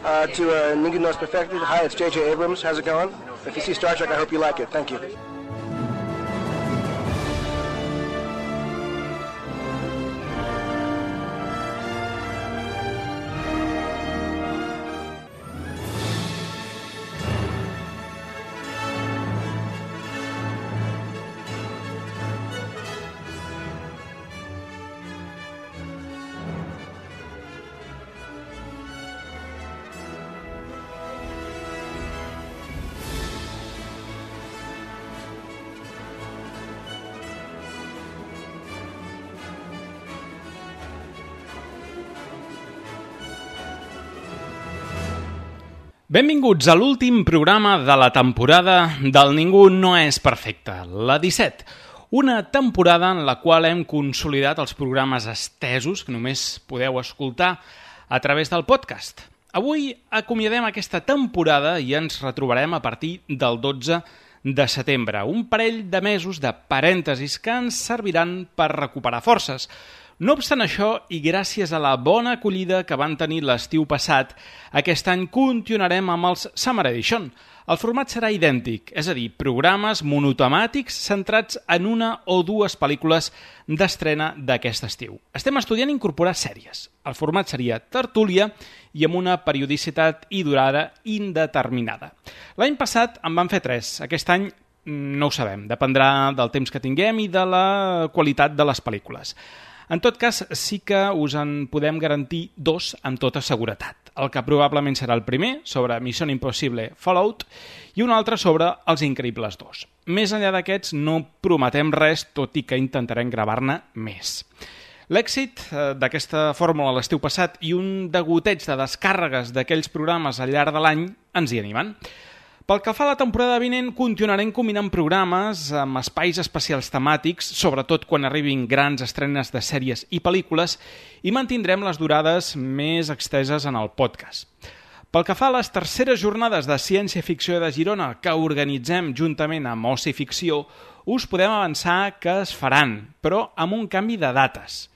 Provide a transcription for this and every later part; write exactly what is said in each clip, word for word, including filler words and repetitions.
uh, to uh, Ningún No Es Perfecto. Hi, it's J J Abrams. How's it going? If you see Star Trek, I hope you like it. Thank you. Benvinguts a l'últim programa de la temporada del Ningú no és perfecte, la disset. Una temporada en la qual hem consolidat els programes estesos que només podeu escoltar a través del podcast. Avui acomiadem aquesta temporada i ens retrobarem a partir del dotze de setembre, un parell de mesos de parèntesis que ens serviran per recuperar forces. No obstant això, i gràcies a la bona acollida que van tenir l'estiu passat, aquest any continuarem amb els Summer Edition. El format serà idèntic, és a dir, programes monotemàtics centrats en una o dues pel·lícules d'estrena d'aquest estiu. Estem estudiant incorporar sèries. El format seria tertúlia i amb una periodicitat i durada indeterminada. L'any passat en van fer tres. Aquest any no ho sabem, dependrà del temps que tinguem i de la qualitat de les pel·lícules. En tot cas, sí que us en podem garantir dos amb tota seguretat. El que probablement serà el primer, sobre Mission Impossible Fallout, i un altre sobre Els Increïbles dos. Més enllà d'aquests, no prometem res, tot i que intentarem gravar-ne més. L'èxit d'aquesta fórmula l'estiu passat i un degoteig de descàrregues d'aquells programes al llarg de l'any ens hi animen. Pel que fa a la temporada vinent, continuarem combinant programes amb espais especials temàtics, sobretot quan arribin grans estrenes de sèries i pel·lícules, i mantindrem les durades més exteses en el podcast. Pel que fa a les terceres jornades de ciència-ficció de Girona que organitzem juntament amb Oci Ficció, us podem avançar que es faran, però amb un canvi de dates.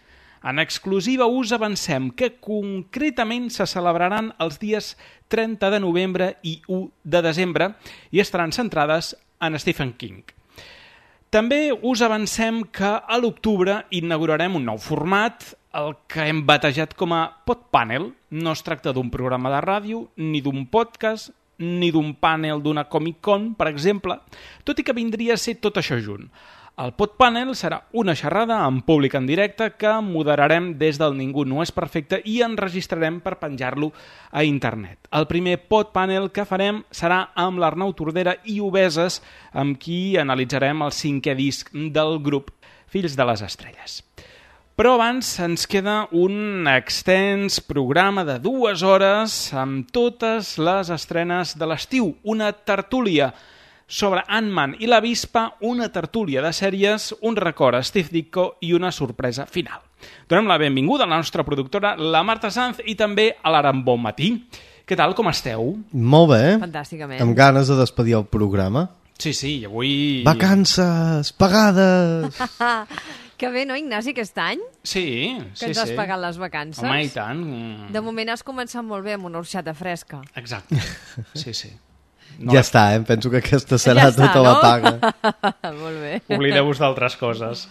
En exclusiva us avancem que concretament se celebraran els dies trenta de novembre i u de desembre i estaran centrades en Stephen King. També us avancem que a l'octubre inaugurarem un nou format, el que hem batejat com a Podpanel. No es tracta d'un programa de ràdio, ni d'un podcast, ni d'un panel d'una Comic-Con, per exemple, tot i que vindria a ser tot això junt. El Podpanel serà una xerrada en públic en directe que moderarem des del Ningú no és perfecte i enregistrarem per penjar-lo a internet. El primer Podpanel que farem serà amb l'Arnau Tordera i Obeses, amb qui analitzarem el cinquè disc del grup Fills de les Estrelles. Però abans ens queda un extens programa de dues hores amb totes les estrenes de l'estiu, una tertúlia sobre Ant-Man i l'Avispa, una tertúlia de sèries, un record a Steve Ditko i una sorpresa final. Donem la benvinguda a la nostra productora, la Marta Sanz, i també a l'Aran Bonmatí. Què tal, com esteu? Molt bé. Fantàsticament. Amb ganes de despedir el programa. Sí, sí, avui... Vacances pagades! Que bé, no, Ignasi, aquest any? Sí, sí, sí. Que ens has pagat les vacances. Home, i tant. De moment has començat molt bé amb una orxata fresca. Exacte, sí, sí. No ja està, eh? Penso que aquesta serà ja està, tota no? la paga. Molt bé. Oblideu-vos d'altres coses.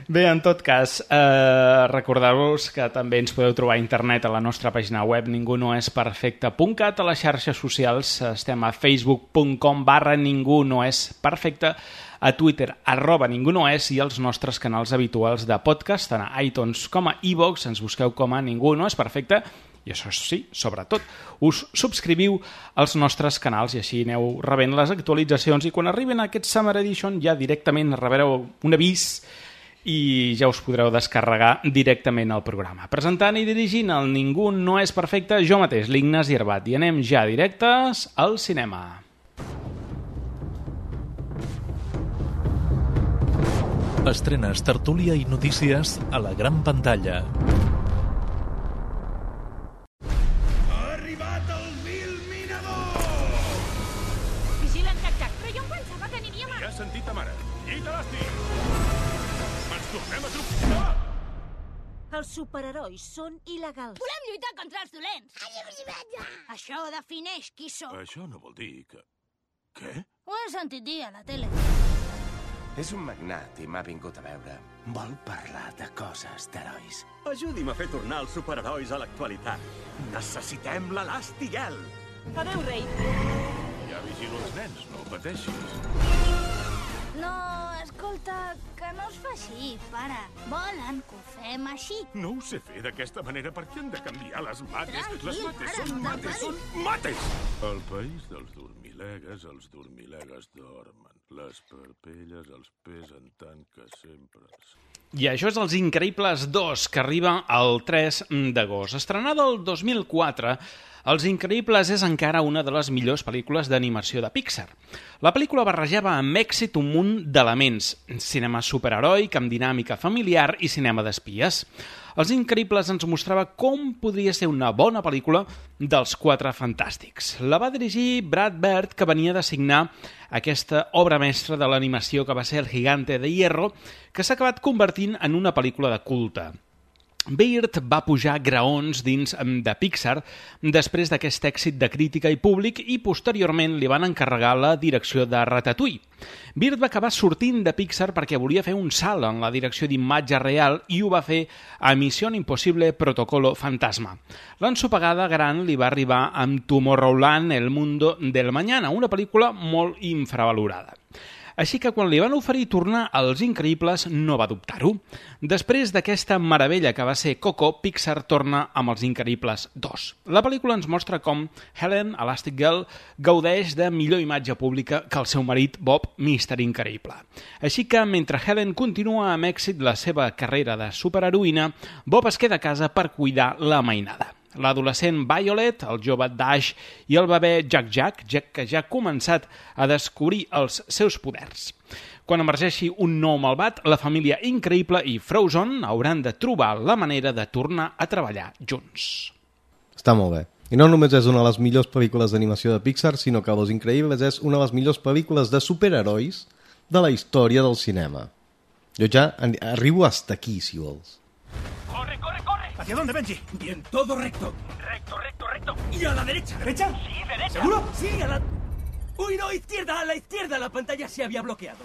Bé, en tot cas, eh, recordeu-vos que també ens podeu trobar a internet a la nostra pàgina web ningú no és perfecte punt cat, a les xarxes socials estem a facebook punt com barra ningú no és perfecte, a Twitter, arroba ningú no és, i els nostres canals habituals de podcast, tant a iTunes com a iVoox, ens busqueu com a ningú no és perfecte. I això sí, sobretot, us subscriviu als nostres canals i així aneu rebent les actualitzacions i quan arriben a aquest Summer Edition ja directament rebreu un avís i ja us podreu descarregar directament el programa. Presentant i dirigint el Ningú no és perfecte, jo mateix, l'Ignasi Herbat, i anem ja directes al cinema. Estrenes, tertúlia i notícies a la gran pantalla. Els superherois són il·legals. Volem lluitar contra els dolents. Això defineix qui som. Això no vol dir que... Què? Ho he sentit dir a la tele. És un magnat i m'ha vingut a veure. Vol parlar de coses d'herois. Ajudi'm a fer tornar els superherois a l'actualitat. Necessitem l'Elastigel. Adéu, rei. Ja vigilo els nens, no pateixis. No, escolta, que no es fa així, pare. Volen que ho fem així. No ho sé fer d'aquesta manera perquè han de canviar les mates. Tranquil, les mates pare, són no mates, t'enfadis. són mates! Al país dels dormilegues, els dormilegues dormen. Les parpelles els pesen tant que sempre... I això és Els Increïbles dos, que arriba el tres d'agost. Estrenada el dos mil quatre, Els Increïbles és encara una de les millors pel·lícules d'animació de Pixar. La pel·lícula barrejava amb èxit un munt d'elements: cinema superheroic, amb dinàmica familiar i cinema d'espies. Els Increïbles ens mostrava com podria ser una bona pel·lícula dels Quatre Fantàstics. La va dirigir Brad Bird, que venia de signar aquesta obra mestra de l'animació que va ser El Gigante de Hierro, que s'ha acabat convertint en una pel·lícula de culte. Bird va pujar graons dins de Pixar després d'aquest èxit de crítica i públic i posteriorment li van encarregar la direcció de Ratatouille. Bird va acabar sortint de Pixar perquè volia fer un salt en la direcció d'imatge real i ho va fer a Missió Impossible Protocolo Fantasma. L'ensopegada gran li va arribar amb Tomorrowland, El Mundo del Mañana, una pel·lícula molt infravalorada. Així que quan li van oferir tornar als Increïbles no va dubtar-ho. Després d'aquesta meravella que va ser Coco, Pixar torna amb Els Increïbles dos. La pel·lícula ens mostra com Helen, Elastic Girl, gaudeix de millor imatge pública que el seu marit Bob, míster Increïble. Així que mentre Helen continua amb èxit la seva carrera de superheroïna, Bob es queda a casa per cuidar la mainada. L'adolescent Violet, el jove Dash i el bebè Jack Jack, Jack que ja ha començat a descobrir els seus poders. Quan emergeixi un nou malvat, la família Increïble i Frozen hauran de trobar la manera de tornar a treballar junts. Està molt bé. I no només és una de les millors pel·lícules d'animació de Pixar, sinó que Los Increïbles és una de les millors pel·lícules de superherois de la història del cinema. Jo ja arribo hasta aquí, si vols. ¡Corre, corre, corre! ¿Hacia dónde, Benji? Bien, todo recto. Recto, recto, recto. ¿Y a la derecha? ¿Derecha? Sí, derecha. ¿Seguro? Sí, a la... Uy, no, izquierda, a la izquierda. La pantalla se había bloqueado.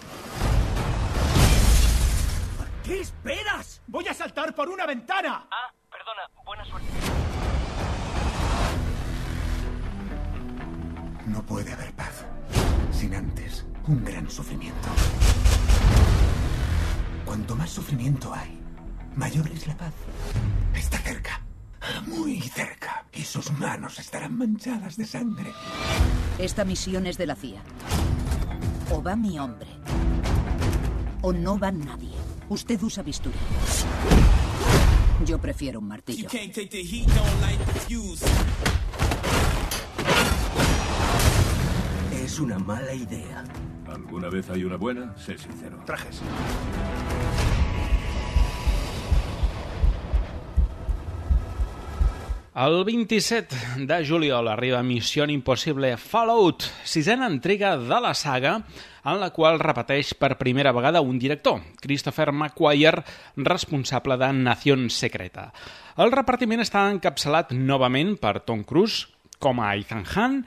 ¿Qué esperas? Voy a saltar por una ventana. Ah, perdona. Buena suerte. No puede haber paz sin antes un gran sufrimiento. Cuanto más sufrimiento hay, mayor es la paz. Está cerca, muy cerca, y sus manos estarán manchadas de sangre. Esta misión es de la C I A. O va mi hombre, o no va nadie. Usted usa bisturí. Yo prefiero un martillo. Es una mala idea. ¿Alguna vez hay una buena? Sé sincero. Trajes. El vint-i-set de juliol arriba Missió Impossible Fallout, sisena entrega de la saga, en la qual repeteix per primera vegada un director, Christopher McQuarrie, responsable de Nación Secreta. El repartiment està encapçalat novament per Tom Cruise, com a Ethan Hunt,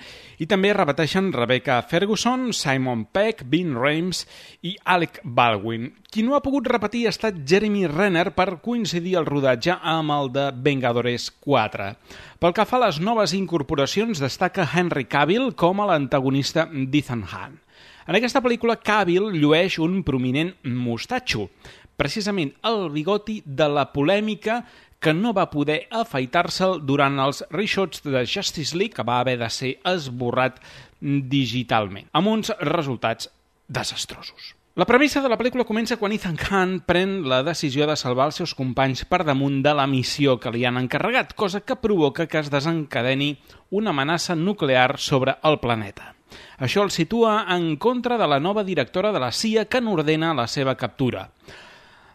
i també repeteixen Rebecca Ferguson, Simon Pegg, Ving Rhames i Alec Baldwin. Qui no ha pogut repetir ha estat Jeremy Renner per coincidir el rodatge amb el de Vengadores quatre. Pel que fa a les noves incorporacions, destaca Henry Cavill com a l'antagonista d'Ethan Hunt. En aquesta pel·lícula, Cavill llueix un prominent mostatxo, precisament el bigoti de la polèmica que no va poder afaitar-se'l durant els reshots de Justice League, que va haver de ser esborrat digitalment, amb uns resultats desastrosos. La premissa de la pel·lícula comença quan Ethan Hunt pren la decisió de salvar els seus companys per damunt de la missió que li han encarregat, cosa que provoca que es desencadeni una amenaça nuclear sobre el planeta. Això el situa en contra de la nova directora de la C I A que n'ordena la seva captura.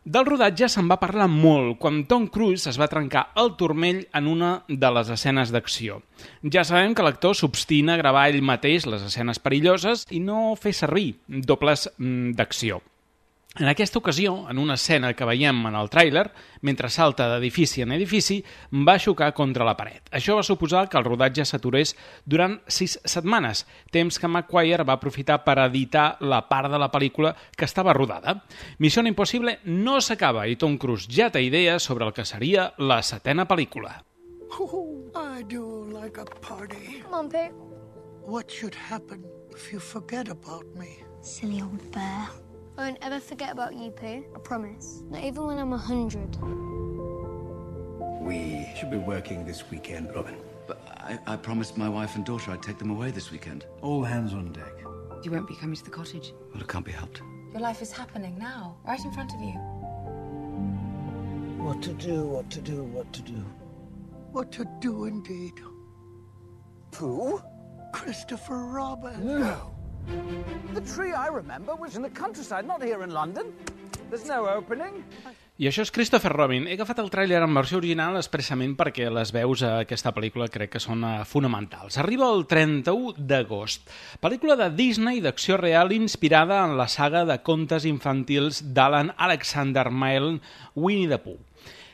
Del rodatge se'n va parlar molt quan Tom Cruise es va trencar el turmell en una de les escenes d'acció. Ja sabem que l'actor s'obstina a gravar ell mateix les escenes perilloses i no fer servir dobles d'acció. En aquesta ocasió, en una escena que veiem en el tràiler, mentre salta d'edifici en edifici, va xocar contra la paret. Això va suposar que el rodatge s'aturés durant sis setmanes, temps que Maguire va aprofitar per editar la part de la pel·lícula que estava rodada. Missió Impossible no s'acaba i Tom Cruise ja té idees sobre el que seria la setena pel·lícula. Oh, I do like a party. Come on, Pooh. What should happen if you forget about me? Silly old bear. I won't ever forget about you, Pooh. I promise. Not even when I'm a hundred. We should be working this weekend, Robin. But I, I promised my wife and daughter I'd take them away this weekend. All hands on deck. You won't be coming to the cottage. Well, it can't be helped. Your life is happening now, right in front of you. What to do, what to do, what to do. What to do indeed. Pooh? Christopher Robin. No. The tree I remember was in the countryside, not here in London. There's no opening. I això és Christopher Robin. He agafat el tràiler en versió original expressament perquè les veus a aquesta pel·lícula crec que són fonamentals. Arriba el trenta-u d'agost. Pel·lícula de Disney d'acció real inspirada en la saga de contes infantils d'Alan Alexander Milne, Winnie the Pooh.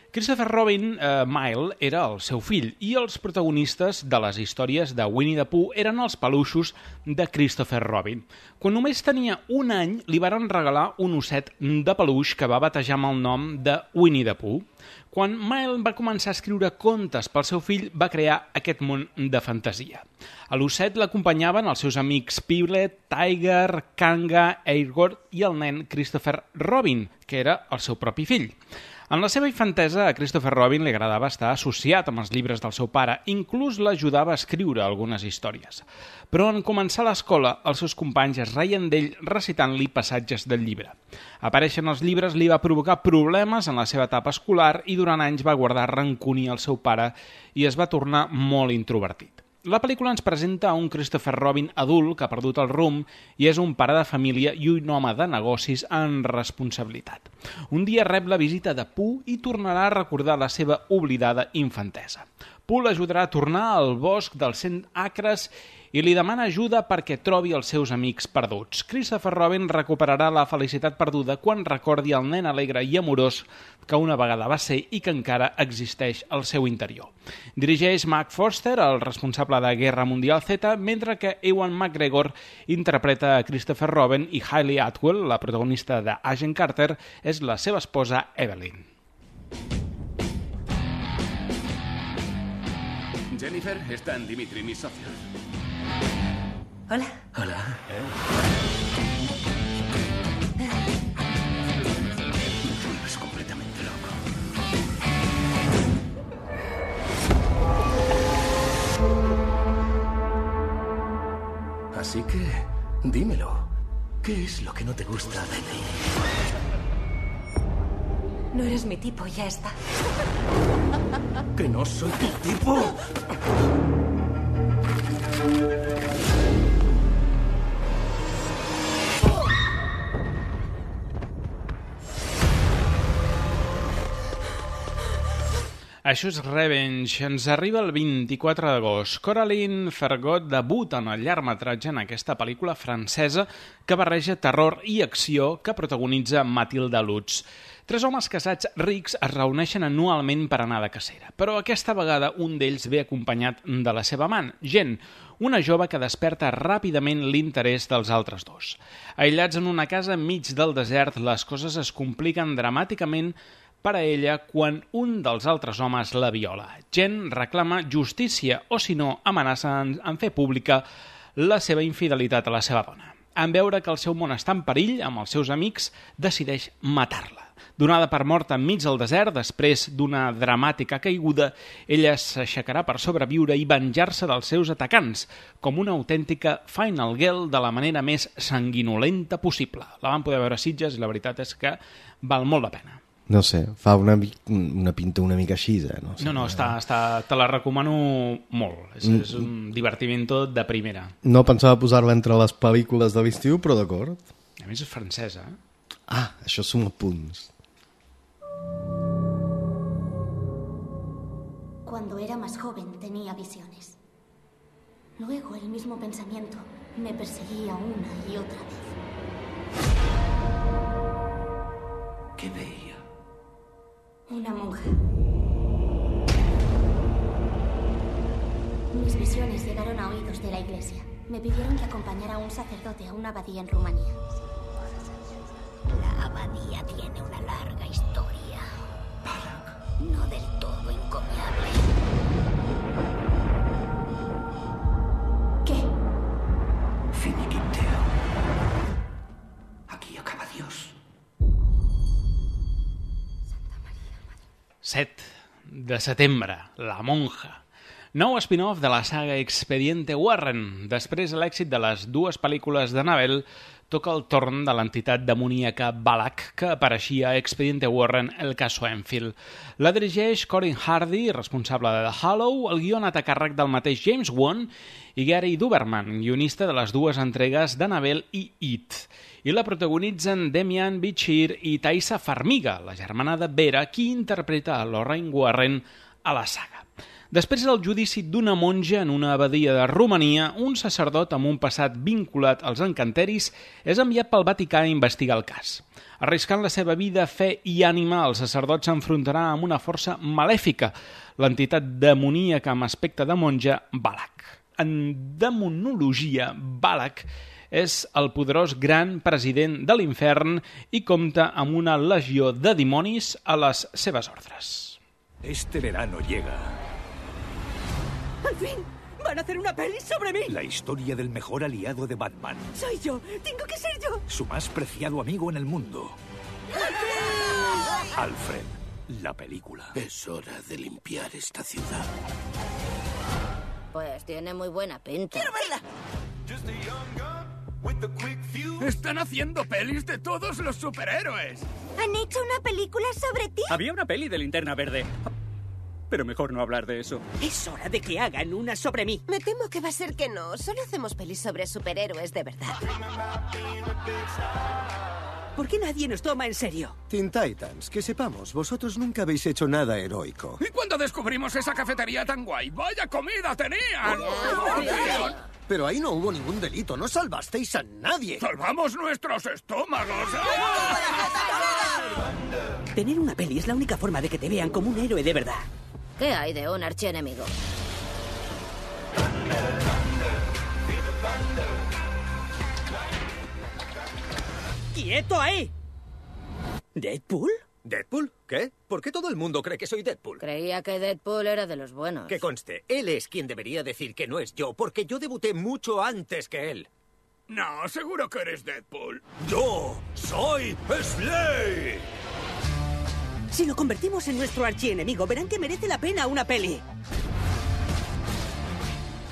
Christopher Robin eh, Milne era el seu fill i els protagonistes de les històries de Winnie the Pooh eren els peluixos de Christopher Robin. Quan només tenia un any li varen regalar un osset de peluix que va batejar amb el nom de Winnie the Pooh. Quan Milne va començar a escriure contes pel seu fill va crear aquest món de fantasia. A l'osset l'acompanyaven els seus amics Piglet, Tiger, Kanga, Eeyore i el nen Christopher Robin, que era el seu propi fill. En la seva infantesa, a Christopher Robin li agradava estar associat amb els llibres del seu pare, inclús l'ajudava a escriure algunes històries. Però en començar l'escola, els seus companys es reien d'ell recitant-li passatges del llibre. Aparèixer en els llibres li va provocar problemes en la seva etapa escolar i durant anys va guardar rancúnia al seu pare i es va tornar molt introvertit. La pel·lícula ens presenta un Christopher Robin adult que ha perdut el rumb i és un pare de família i un home de negocis en responsabilitat. Un dia rep la visita de Pooh i tornarà a recordar la seva oblidada infantesa. Pooh l'ajudarà a tornar al bosc dels cent acres i li demana ajuda perquè trobi els seus amics perduts. Christopher Robin recuperarà la felicitat perduda quan recordi el nen alegre i amorós que una vegada va ser i que encara existeix al seu interior. Dirigeix Mark Forster, el responsable de Guerra Mundial Z, mentre que Ewan McGregor interpreta a Christopher Robin i Hayley Atwell, la protagonista de Agent Carter, és la seva esposa Evelyn. Jennifer, están Dimitri, mis socios. Hola. Hola. ¿Eh? Es completamente loco. Así que, dímelo. ¿Qué es lo que no te gusta de mí? No eres mi tipo, ya está. ¿Que no soy tu tipo? Això és Revenge. Ens arriba el vint-i-quatre d'agost. Coraline Fergot debuta en el llargmetratge en aquesta pel·lícula francesa que barreja terror i acció que protagonitza Mathilde Lutz. Tres homes casats rics es reuneixen anualment per anar de cacera, però aquesta vegada un d'ells ve acompanyat de la seva amant, Jen, una jove que desperta ràpidament l'interès dels altres dos. Aïllats en una casa enmig del desert, les coses es compliquen dramàticament per a ella quan un dels altres homes la viola. Jen reclama justícia o, si no, amenaça en, en fer pública la seva infidelitat a la seva dona. En veure que el seu món està en perill amb els seus amics, decideix matar-la. Donada per morta enmig del desert, després d'una dramàtica caiguda, ella s'aixecarà per sobreviure i venjar-se dels seus atacants, com una autèntica Final Girl de la manera més sanguinolenta possible. La vam poder veure a Sitges i la veritat és que val molt la pena. No sé, fa una, una pinta una mica així, eh? No, sé, no, no, està, està, te la recomano molt. És, mm. és un divertiment de primera. No pensava posar-la entre les pel·lícules de l'estiu, però d'acord. A més és francesa. Eh? Ah, això suma punts. Cuando era más joven tenía visiones. Luego el mismo pensamiento me perseguía una y otra vez. ¿Qué veía? Una monja. Mis visiones llegaron a oídos de la iglesia. Me pidieron que acompañara a un sacerdote a una abadía en Rumanía. La abadía tiene una larga historia. No del todo encomiable. ¿Qué? Finiquiteo. Aquí acaba Dios. set de setembre, La monja. Nou spin-off de la saga Expediente Warren. Després de l'èxit de les dues pel·lícules d'Annabelle, toca el torn de l'entitat demoníaca Balak, que apareixia a Expediente Warren, el caso Enfield. La dirigeix Corin Hardy, responsable de The Hollow, el guió ha anat a càrrec del mateix James Wan i Gary Duberman, guionista de les dues entregues d'Annabelle i It. I la protagonitzen Demian Bichir i Thaisa Farmiga, la germana de Vera, qui interpreta a Lorraine Warren a la saga. Després del judici d'una monja en una abadia de Romania, un sacerdot amb un passat vinculat als encanteris és enviat pel Vaticà a investigar el cas. Arriscant la seva vida, fe i ànima, el sacerdot s'enfrontarà amb una força malèfica, l'entitat demoníaca amb aspecte de monja, Balak. En demonologia, Balak és el poderós gran president de l'infern i compta amb una legió de dimonis a les seves ordres. Este verano llega ¡Al fin! ¡Van a hacer una peli sobre mí! la historia del mejor aliado de Batman, ¡Soy yo! ¡Tengo que ser yo! su más preciado amigo en el mundo. Alfred, la película. Es hora de limpiar esta ciudad. Pues tiene muy buena pinta. ¡Quiero verla! ¡Están haciendo pelis de todos los superhéroes! ¿Han hecho una película sobre ti? Había una peli de Linterna Verde. Pero mejor no hablar de eso. Es hora de que hagan una sobre mí. Me temo que va a ser que no. Solo hacemos pelis sobre superhéroes de verdad. ¿Por qué nadie nos toma en serio? Teen Titans, que sepamos, vosotros nunca habéis hecho nada heroico. ¿Y cuando descubrimos esa cafetería tan guay? ¡Vaya comida tenían! Pero ahí no hubo ningún delito, no salvasteis a nadie. ¡Salvamos nuestros estómagos! Tener una peli es la única forma de que te vean como un héroe de verdad. ¿Qué hay de un archienemigo? ¡Quieto ahí! ¿Deadpool? ¿Deadpool? ¿Qué? ¿Por qué todo el mundo cree que soy Deadpool? Creía que Deadpool era de los buenos. Que conste, él es quien debería decir que no es yo, porque yo debuté mucho antes que él. No, seguro que eres Deadpool. ¡Yo soy Slade! Si lo convertimos en nuestro archienemigo, verán que merece la pena una peli.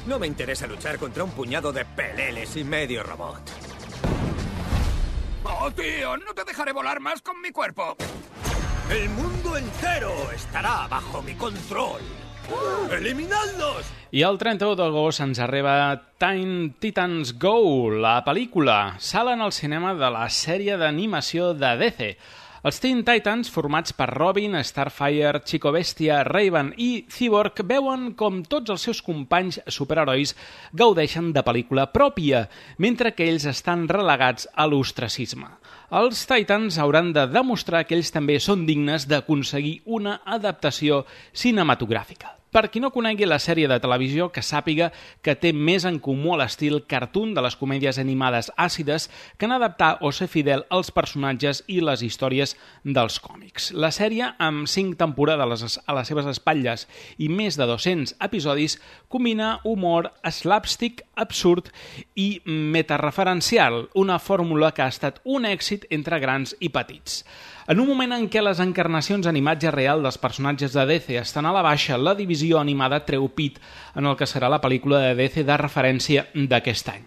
No me interesa luchar contra un puñado de peleles y medio robot. ¡Oh, tío! No te dejaré volar más con mi cuerpo. El mundo entero estarà bajo mi control. Eliminadlos! I el trenta-u d'agost ens arriba Teen Titans Go, la pel·lícula. Salen al cinema de la sèrie d'animació de D C. Els Teen Titans, formats per Robin, Starfire, Chico Bestia, Raven i Cyborg, veuen com tots els seus companys superherois gaudeixen de pel·lícula pròpia, mentre que ells estan relegats a l'ostracisme. Els Titans hauran de demostrar que ells també són dignes d'aconseguir una adaptació cinematogràfica. Per qui no conegui la sèrie de televisió, que sàpiga que té més en comú a l'estil cartoon de les comèdies animades àcides que en adaptar o ser fidel als personatges i les històries dels còmics. La sèrie, amb cinc temporades a les seves espatlles i més de dos-cents episodis, combina humor, slapstick, absurd i metareferencial, una fórmula que ha estat un èxit entre grans i petits. En un moment en què les encarnacions en imatge real dels personatges de D C estan a la baixa, la divisió animada treu pit en el que serà la pel·lícula de D C de referència d'aquest any.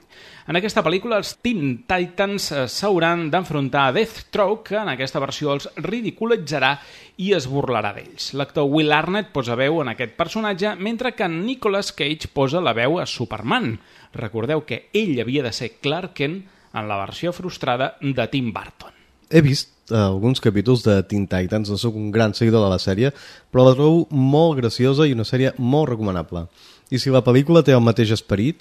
En aquesta pel·lícula, els Teen Titans s'hauran d'enfrontar a Deathstroke, que en aquesta versió els ridiculitzarà i es burlarà d'ells. L'actor Will Arnett posa veu en aquest personatge, mentre que Nicolas Cage posa la veu a Superman. Recordeu que ell havia de ser Clark Kent en la versió frustrada de Tim Burton. He vist uh, alguns capítols de Teen Titans, no sóc un gran seguidor de la sèrie, però la trobo molt graciosa i una sèrie molt recomanable. I si la pel·lícula té el mateix esperit,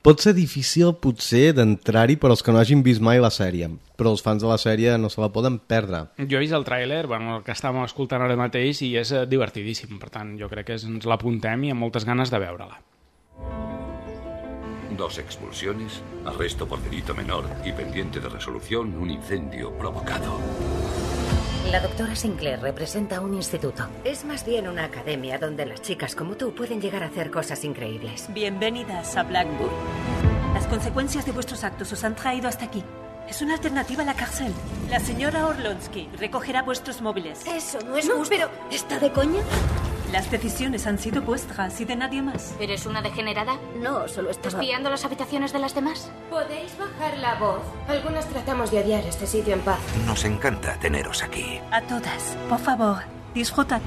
pot ser difícil, potser, d'entrar-hi per als que no hagin vist mai la sèrie, però els fans de la sèrie no se la poden perdre. Jo he vist el tràiler, bueno, el que estàvem escoltant ara mateix, i és divertidíssim. Per tant, jo crec que ens l'apuntem i amb moltes ganes de veure-la. Dos expulsiones, arresto por delito menor y pendiente de resolución un incendio provocado. La doctora Sinclair representa un instituto. Es más bien una academia donde las chicas como tú pueden llegar a hacer cosas increíbles. Bienvenidas a Blackwood. Las consecuencias de vuestros actos os han traído hasta aquí. Es una alternativa a la cárcel. La señora Orlonsky recogerá vuestros móviles. Eso no es justo. Pero, ¿está de coña? Las decisiones han sido vuestras y de nadie más. ¿Eres una degenerada? No, solo estaba... ¿Espiando las habitaciones de las demás? ¿Podéis bajar la voz? Algunas tratamos de odiar este sitio en paz. Nos encanta teneros aquí. A todas, por favor, disfrutad.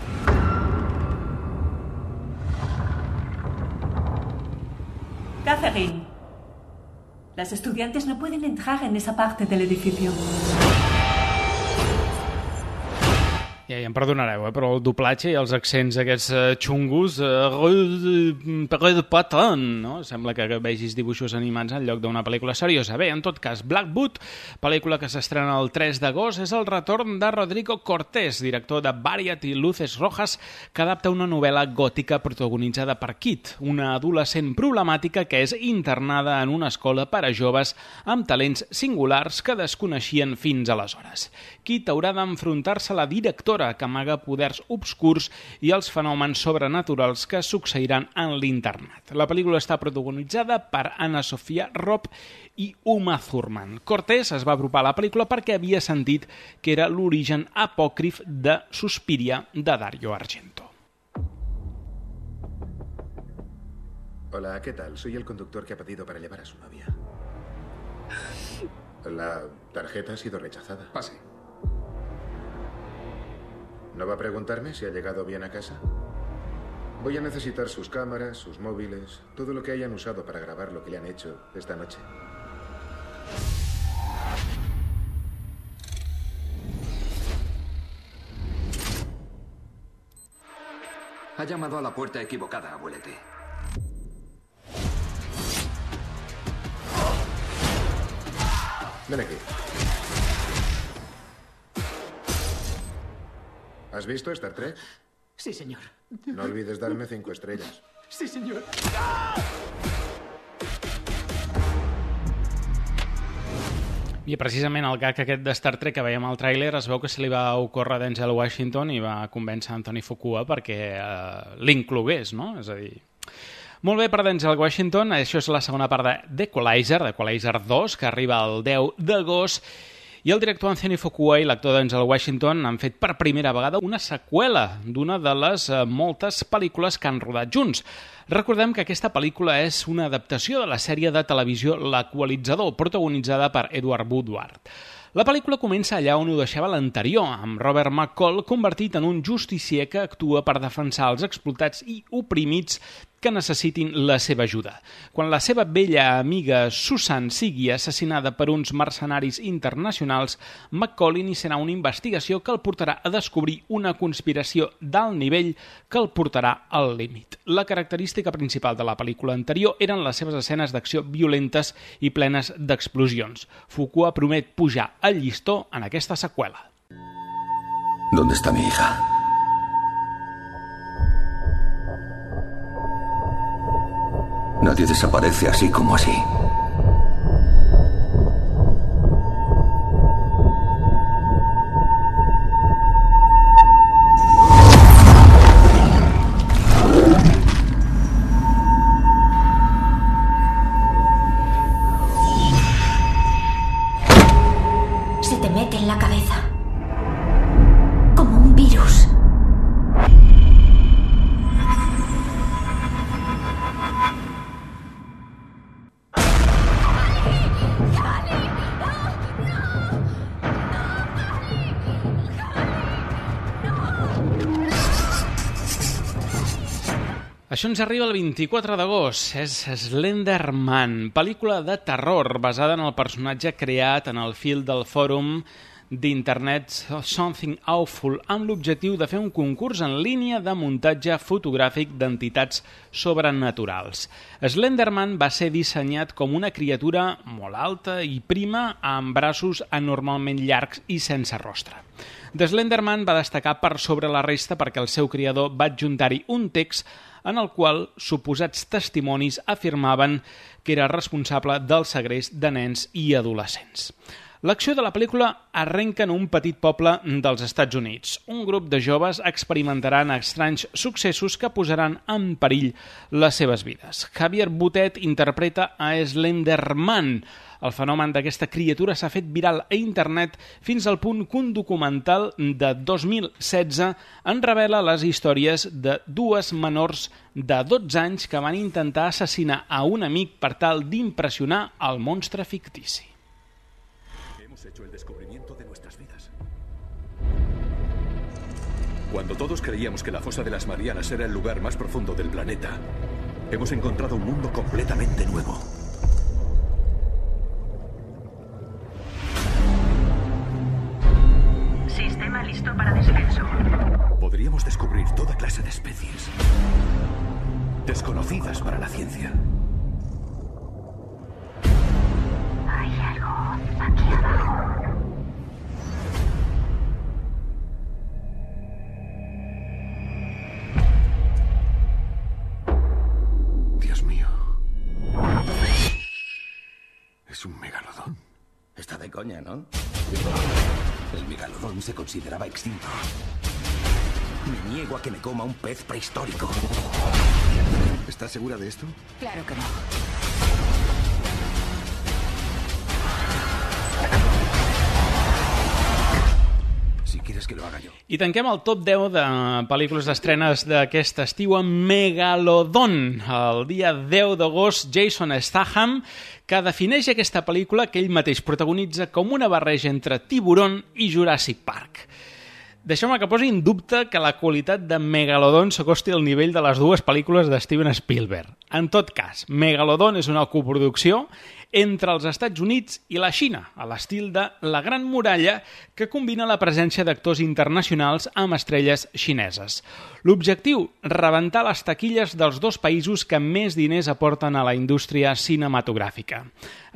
Catherine, las estudiantes no pueden entrar en esa parte del edificio. Ja, ja em perdonareu, eh, però el doblatge i els accents aquests uh, xungos, uh, de patan, no? Sembla que vegis dibuixos animats en lloc d'una pel·lícula seriosa. Bé, en tot cas, Blackwood, pel·lícula que s'estrena el tres d'agost, és el retorn de Rodrigo Cortés, director de Variety i Luces Rojas, que adapta una novel·la gòtica protagonitzada per Kit, una adolescent problemàtica que és internada en una escola per a joves amb talents singulars que desconeixien fins aleshores. Kit haurà d'enfrontar-se a la directora que amaga poders obscurs i els fenòmens sobrenaturals que succeiran en l'internat. La pel·lícula està protagonitzada per Anna Sofia Robb i Uma Thurman. Cortés es va apropar a la pel·lícula perquè havia sentit que era l'origen apòcrif de Suspiria de Dario Argento. Hola, ¿qué tal? Soy el conductor que ha pedido para llevar a su novia. La tarjeta ha sido rechazada. Pase. ¿No va a preguntarme si ha llegado bien a casa? Voy a necesitar sus cámaras, sus móviles, todo lo que hayan usado para grabar lo que le han hecho esta noche. Ha llamado a la puerta equivocada, abuelete. Ven aquí. ¿Has visto Star Trek? Sí, señor. No olvides darme cinco estrellas. Sí, señor. I precisament el gag aquest de Star Trek que veiem al tràiler es veu que se li va ocórrer a Denzel Washington i va convèncer Anthony Fuqua perquè eh, l'inclogués, no? És a dir... Molt bé per Denzel Washington, això és la segona part de d'Equalizer, d'Equalizer dos, que arriba el deu d'agost, i el director Anthony Fuqua i l'actor Denzel Washington han fet per primera vegada una seqüela d'una de les eh, moltes pel·lícules que han rodat junts. Recordem que aquesta pel·lícula és una adaptació de la sèrie de televisió L'Equalitzador, protagonitzada per Edward Woodward. La pel·lícula comença allà on ho deixava l'anterior, amb Robert McCall convertit en un justicier que actua per defensar els explotats i oprimits que necessitin la seva ajuda. Quan la seva vella amiga Susan sigui assassinada per uns mercenaris internacionals, McCall iniciarà una investigació que el portarà a descobrir una conspiració d'alt nivell que el portarà al límit. La característica principal de la pel·lícula anterior eren les seves escenes d'acció violentes i plenes d'explosions. Fuqua promet pujar al llistó en aquesta seqüela. ¿Dónde está mi hija? Nadie desaparece así como así. Se te mete en la cabeza. Como un virus. Això ens arriba el vint-i-quatre d'agost. És Slenderman, pel·lícula de terror basada en el personatge creat en el fil del fòrum d'Internet Something Awful amb l'objectiu de fer un concurs en línia de muntatge fotogràfic d'entitats sobrenaturals. Slenderman va ser dissenyat com una criatura molt alta i prima amb braços anormalment llargs i sense rostre. The Slenderman va destacar per sobre la resta perquè el seu creador va adjuntar-hi un text en el qual suposats testimonis afirmaven que era responsable del segrest de nens i adolescents. L'acció de la pel·lícula arrenca en un petit poble dels Estats Units. Un grup de joves experimentaran estranys successos que posaran en perill les seves vides. Javier Botet interpreta a Slenderman. El fenomen d'aquesta criatura s'ha fet viral a internet fins al punt que un documental de dos mil setze en revela les històries de dues menors de dotze anys que van intentar assassinar a un amic per tal d'impressionar el monstre fictici. Hemos hecho el descubrimiento de nuestras vidas. Cuando todos creíamos que la fosa de las Marianas era el lugar más profundo del planeta, hemos encontrado un mundo completamente nuevo. Sistema listo para descenso. Podríamos descubrir toda clase de especies desconocidas para la ciencia. Hay algo aquí abajo. Dios mío. Es un megalodón. Está de coña, ¿no? El megalodón se consideraba extinto. Me niego a que me coma un pez prehistórico. ¿Estás segura de esto? Claro que no. Si quieres que lo haga yo. I tanquem el top deu de pel·lícules d'estrenes d'aquest estiu amb Megalodon. El dia deu d'agost, Jason Statham, que defineix aquesta pel·lícula que ell mateix protagonitza com una barreja entre Tiburon i Jurassic Park. Deixeu-me que posi en dubte que la qualitat de Megalodon s'acosti al nivell de les dues pel·lícules de Steven Spielberg. En tot cas, Megalodon és una coproducció entre els Estats Units i la Xina, a l'estil de La Gran Muralla, que combina la presència d'actors internacionals amb estrelles xineses. L'objectiu, rebentar les taquilles dels dos països que més diners aporten a la indústria cinematogràfica.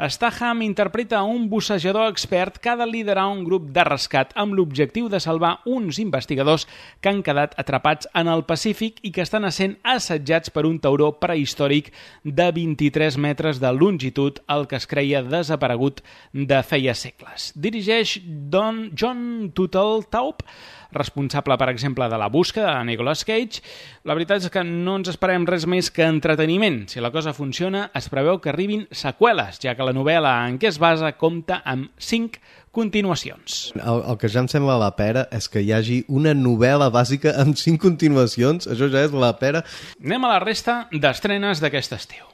Statham interpreta un bussejador expert que ha de liderar un grup de rescat amb l'objectiu de salvar uns investigadors que han quedat atrapats en el Pacífic i que estan essent assetjats per un tauró prehistòric de vint-i-tres metres de longitud, el que es creia desaparegut de feia segles. Dirigeix Don John Turteltaub, responsable, per exemple, de La Busca, de Nicolas Cage. La veritat és que no ens esperem res més que entreteniment. Si la cosa funciona, es preveu que arribin seqüeles, ja que la novel·la en què es basa compta amb cinc continuacions. El, el que ja em sembla la pera és que hi hagi una novel·la bàsica amb cinc continuacions. Això ja és la pera. Anem a la resta d'estrenes d'aquest estiu.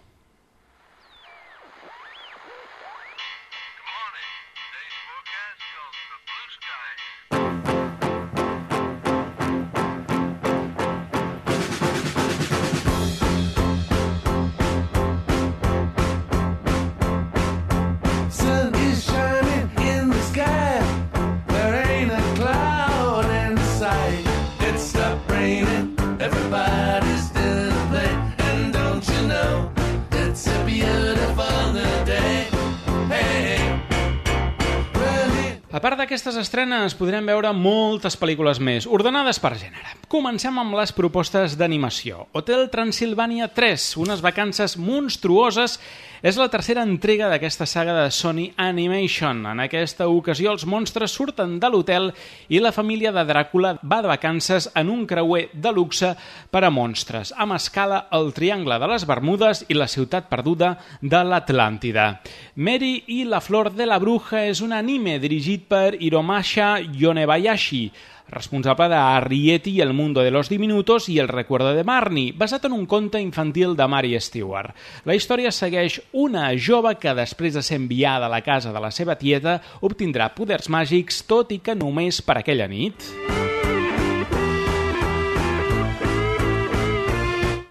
A part d'aquestes estrenes, podrem veure moltes pel·lícules més, ordenades per gènere. Comencem amb les propostes d'animació. Hotel Transilvània tres, unes vacances monstruoses, és la tercera entrega d'aquesta saga de Sony Animation. En aquesta ocasió, els monstres surten de l'hotel i la família de Dràcula va de vacances en un creuer de luxe per a monstres, amb escala al Triangle de les Bermudes i la ciutat perduda de l'Atlàntida. Mary i la Flor de la Bruja és un anime dirigit per Hiromasha Yonebayashi, responsable de Arrietty y el mundo de los diminutos i El recuerdo de Marnie, basat en un conte infantil de Mary Stewart. La història segueix una jove que, després de ser enviada a la casa de la seva tieta, obtindrà poders màgics, tot i que només per aquella nit.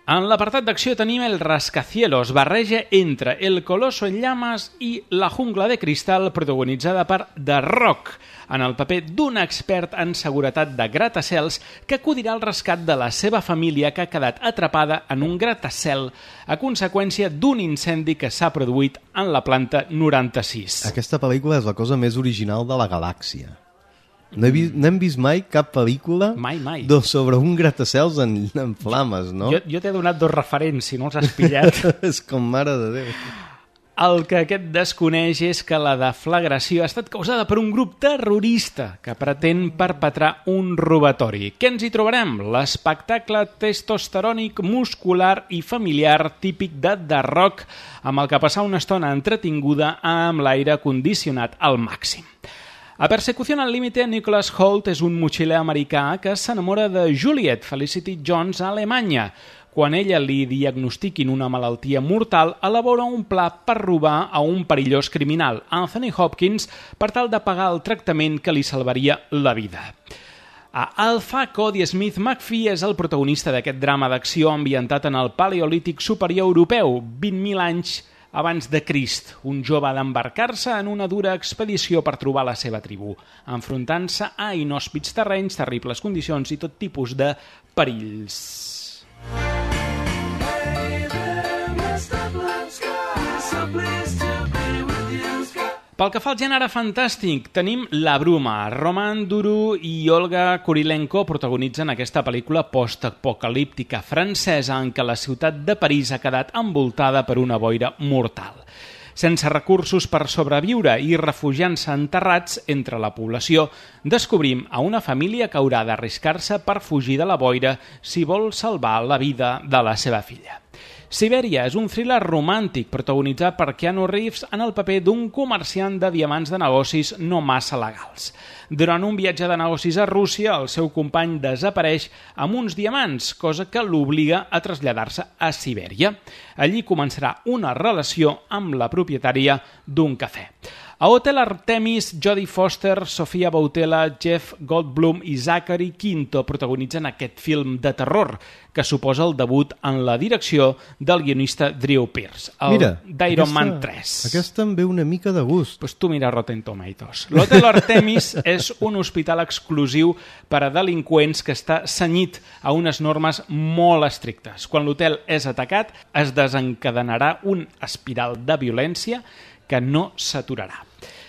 En l'apartat d'acció tenim El Rascacielos, barreja entre El Coloso en llamas i La jungla de cristal, protagonitzada per The Rock, en el paper d'un expert en seguretat de gratacels que acudirà al rescat de la seva família que ha quedat atrapada en un gratacel a conseqüència d'un incendi que s'ha produït en la planta noranta-sis. Aquesta pel·lícula és la cosa més original de la galàxia. No, he vist, no hem vist mai cap pel·lícula mai, mai. sobre un gratacels en, en flames, no? Jo, jo t'he donat dos referents, si no els has pillat. És com mare de Déu. El que aquest desconeix és que la deflagració ha estat causada per un grup terrorista que pretén perpetrar un robatori. Què ens hi trobarem? L'espectacle testosterònic, muscular i familiar típic de The Rock, amb el que passar una estona entretinguda amb l'aire condicionat al màxim. A Persecución al límite, Nicholas Hoult és un motxiler americà que s'enamora de Juliet Felicity Jones a Alemanya. Quan ella li diagnostiquin una malaltia mortal, elabora un pla per robar a un perillós criminal, Anthony Hopkins, per tal de pagar el tractament que li salvaria la vida. A Alpha, Cody Smith McPhee és el protagonista d'aquest drama d'acció ambientat en el Paleolític superior europeu, vint mil anys abans de Crist. Un jove ha d'embarcar-se en una dura expedició per trobar la seva tribu, enfrontant-se a inhòspits terrenys, terribles condicions i tot tipus de perills. Pel que fa al gènere fantàstic, tenim La Bruma. Roman Duru i Olga Kurilenko protagonitzen aquesta pel·lícula postapocalíptica francesa en què la ciutat de París ha quedat envoltada per una boira mortal. Sense recursos per sobreviure i refugiant-se enterrats entre la població, descobrim a una família que haurà d'arriscar-se per fugir de la boira si vol salvar la vida de la seva filla. Sibèria és un thriller romàntic protagonitzat per Keanu Reeves en el paper d'un comerciant de diamants de negocis no massa legals. Durant un viatge de negocis a Rússia, el seu company desapareix amb uns diamants, cosa que l'obliga a traslladar-se a Sibèria. Allí començarà una relació amb la propietària d'un cafè. A Hotel Artemis, Jodie Foster, Sofia Boutella, Jeff Goldblum i Zachary Quinto protagonitzen aquest film de terror, que suposa el debut en la direcció del guionista Drew Pearce, el d'Iron Man tres. Aquesta em ve una mica de gust. Pues tu mira Rotten Tomatoes. L'Hotel Artemis és un hospital exclusiu per a delinqüents que està cenyit a unes normes molt estrictes. Quan l'hotel és atacat, es desencadenarà un espiral de violència que no s'aturarà.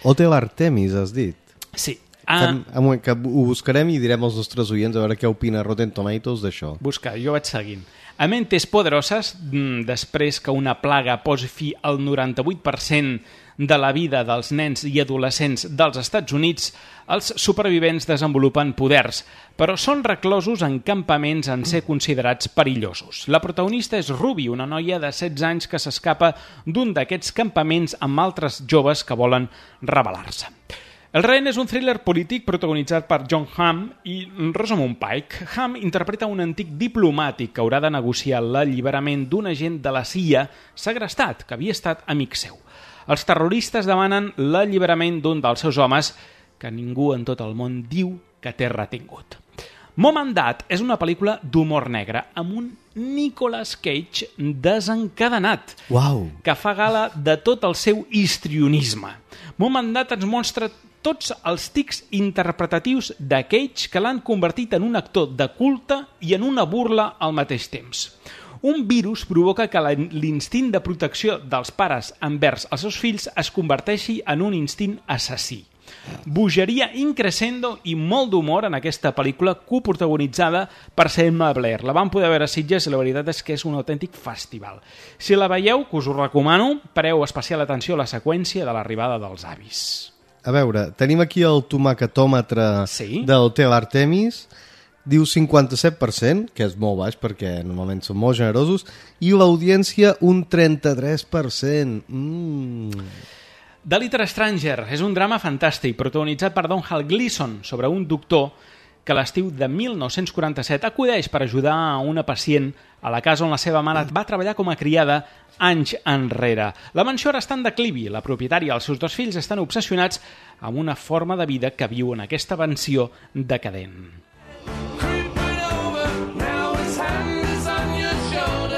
Hotel Artemis, has dit? Sí. Ah. Que, que ho buscarem i direm als nostres oients a veure què opina Rotten Tomatoes d'això. Busca, jo vaig seguint. A Mentes Poderoses, després que una plaga posi fi al noranta-vuit per cent de la vida dels nens i adolescents dels Estats Units, els supervivents desenvolupen poders, però són reclosos en campaments en ser considerats perillosos. La protagonista és Ruby, una noia de setze anys que s'escapa d'un d'aquests campaments amb altres joves que volen rebel·lar-se. El rehén és un thriller polític protagonitzat per John Hamm i Rosamund Pike. Hamm interpreta un antic diplomàtic que haurà de negociar l'alliberament d'un agent de la C I A segrestat, que havia estat amic seu. Els terroristes demanen l'alliberament d'un dels seus homes que ningú en tot el món diu que té retingut. Mom and Dad és una pel·lícula d'humor negre amb un Nicolas Cage desencadenat, wow, que fa gala de tot el seu histrionisme. Mom and Dad ens mostra tots els tics interpretatius de Cage que l'han convertit en un actor de culte i en una burla al mateix temps. Un virus provoca que l'instint de protecció dels pares envers els seus fills es converteixi en un instint assassí. Bogeria increscendo i molt d'humor en aquesta pel·lícula coprotagonitzada per Selma Blair. La vam poder veure a Sitges i la veritat és que és un autèntic festival. Si la veieu, que us ho recomano, pareu especial atenció a la seqüència de l'arribada dels avis. A veure, tenim aquí el tomacatòmetre sí? de l'Hotel Artemis. Diu cinquanta-set per cent, que és molt baix perquè normalment són molt generosos, i l'audiència un trenta-tres per cent. Mm. The Little Stranger és un drama fantàstic protagonitzat per Domhnall Gleeson sobre un doctor que a l'estiu de mil nou-cents quaranta-set acudeix per ajudar a una pacient a la casa on la seva mare va treballar com a criada anys enrere. La mansió ara està en declivi. La propietària i els seus dos fills estan obsessionats amb una forma de vida que viu en aquesta mansió decadent. Now his hand is on your shoulder.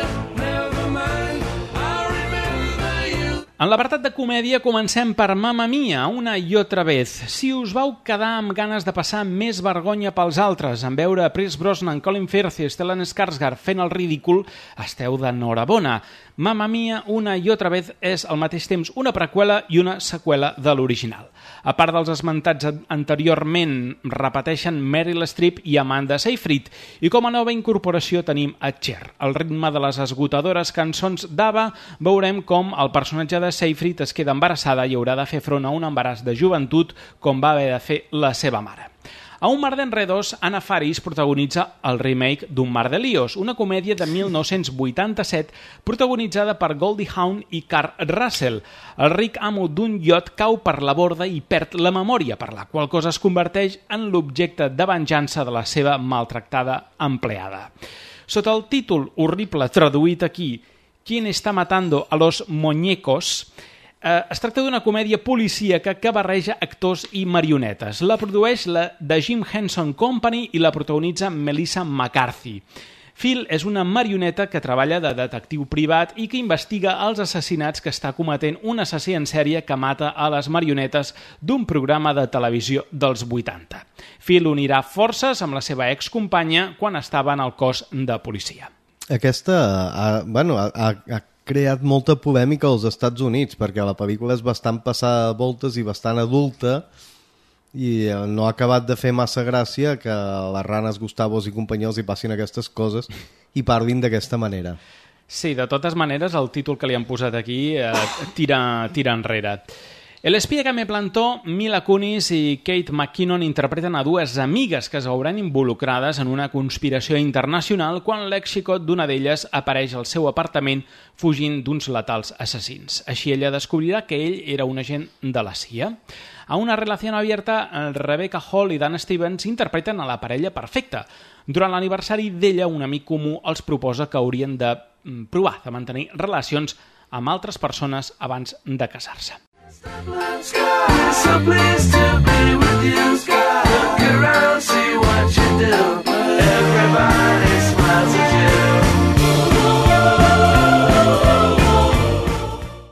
En l'apartat de comèdia comencem per Mamma Mia, una i otra vez. Si us vau quedar amb ganes de passar més vergonya pels altres en veure Pierce Brosnan, Colin Firth i Stellan Skarsgård fent el ridícul, esteu d'enhorabona. Mamma Mia, una i otra vez és al mateix temps una preqüela i una seqüela de l'original. A part dels esmentats anteriorment, repeteixen Meryl Streep i Amanda Seyfried, i com a nova incorporació tenim a Cher. Al ritme de les esgotadores cançons d'Ava, veurem com el personatge de Seyfried es queda embarassada i haurà de fer front a un embaràs de joventut com va haver de fer la seva mare. A Un mar d'enredos, Anna Faris protagonitza el remake d'Un mar de líos, una comèdia de mil nou-cents vuitanta-set protagonitzada per Goldie Hawn i Kurt Russell. El ric amo d'un iot cau per la borda i perd la memòria, per la qual cosa es converteix en l'objecte de venjança de la seva maltractada empleada. Sota el títol horrible traduït aquí, ¿Quién está matando a los muñecos?, Eh, es tracta d'una comèdia policíaca que barreja actors i marionetes. La produeix la The Jim Henson Company i la protagonitza Melissa McCarthy. Phil és una marioneta que treballa de detectiu privat i que investiga els assassinats que està cometent un assassí en sèrie que mata a les marionetes d'un programa de televisió dels vuitanta. Phil unirà forces amb la seva excompanya quan estava en el cos de policia. Aquesta ha, bueno, ha, ha creat molta polèmica als Estats Units, perquè la pel·lícula és bastant passada de voltes i bastant adulta i no ha acabat de fer massa gràcia que les ranes Gustavos i companyia els hi passin aquestes coses i parlin d'aquesta manera. Sí, de totes maneres, el títol que li han posat aquí eh, tira, tira enrere. El espia que me plantó, Mila Kunis i Kate McKinnon interpreten a dues amigues que es veuran involucrades en una conspiració internacional quan l'ex-xicot d'una d'elles apareix al seu apartament fugint d'uns letals assassins. Així ella descobrirà que ell era un agent de la C I A. A una relació abierta, Rebecca Hall i Dan Stevens interpreten a la parella perfecta. Durant l'aniversari d'ella, un amic comú els proposa que haurien de provar de mantenir relacions amb altres persones abans de casar-se. So pleased to be with you. Look around, see what you do. Everybody smiles at you.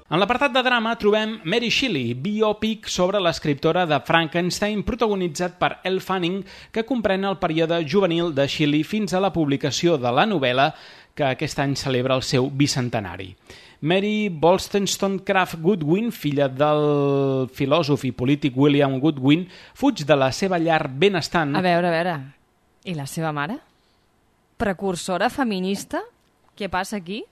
En l'apartat de drama trobem Mary Shelley, biòpic sobre l'escriptora de Frankenstein, protagonitzat per Elle Fanning, que comprèn el període juvenil de Shelley fins a la publicació de la novel·la que aquest any celebra el seu bicentenari. Mary Wollstonecraft Goodwin, filla del filòsof i polític William Goodwin, fuig de la seva llar benestant... A veure, a veure, i la seva mare? Precursora feminista? Què passa aquí?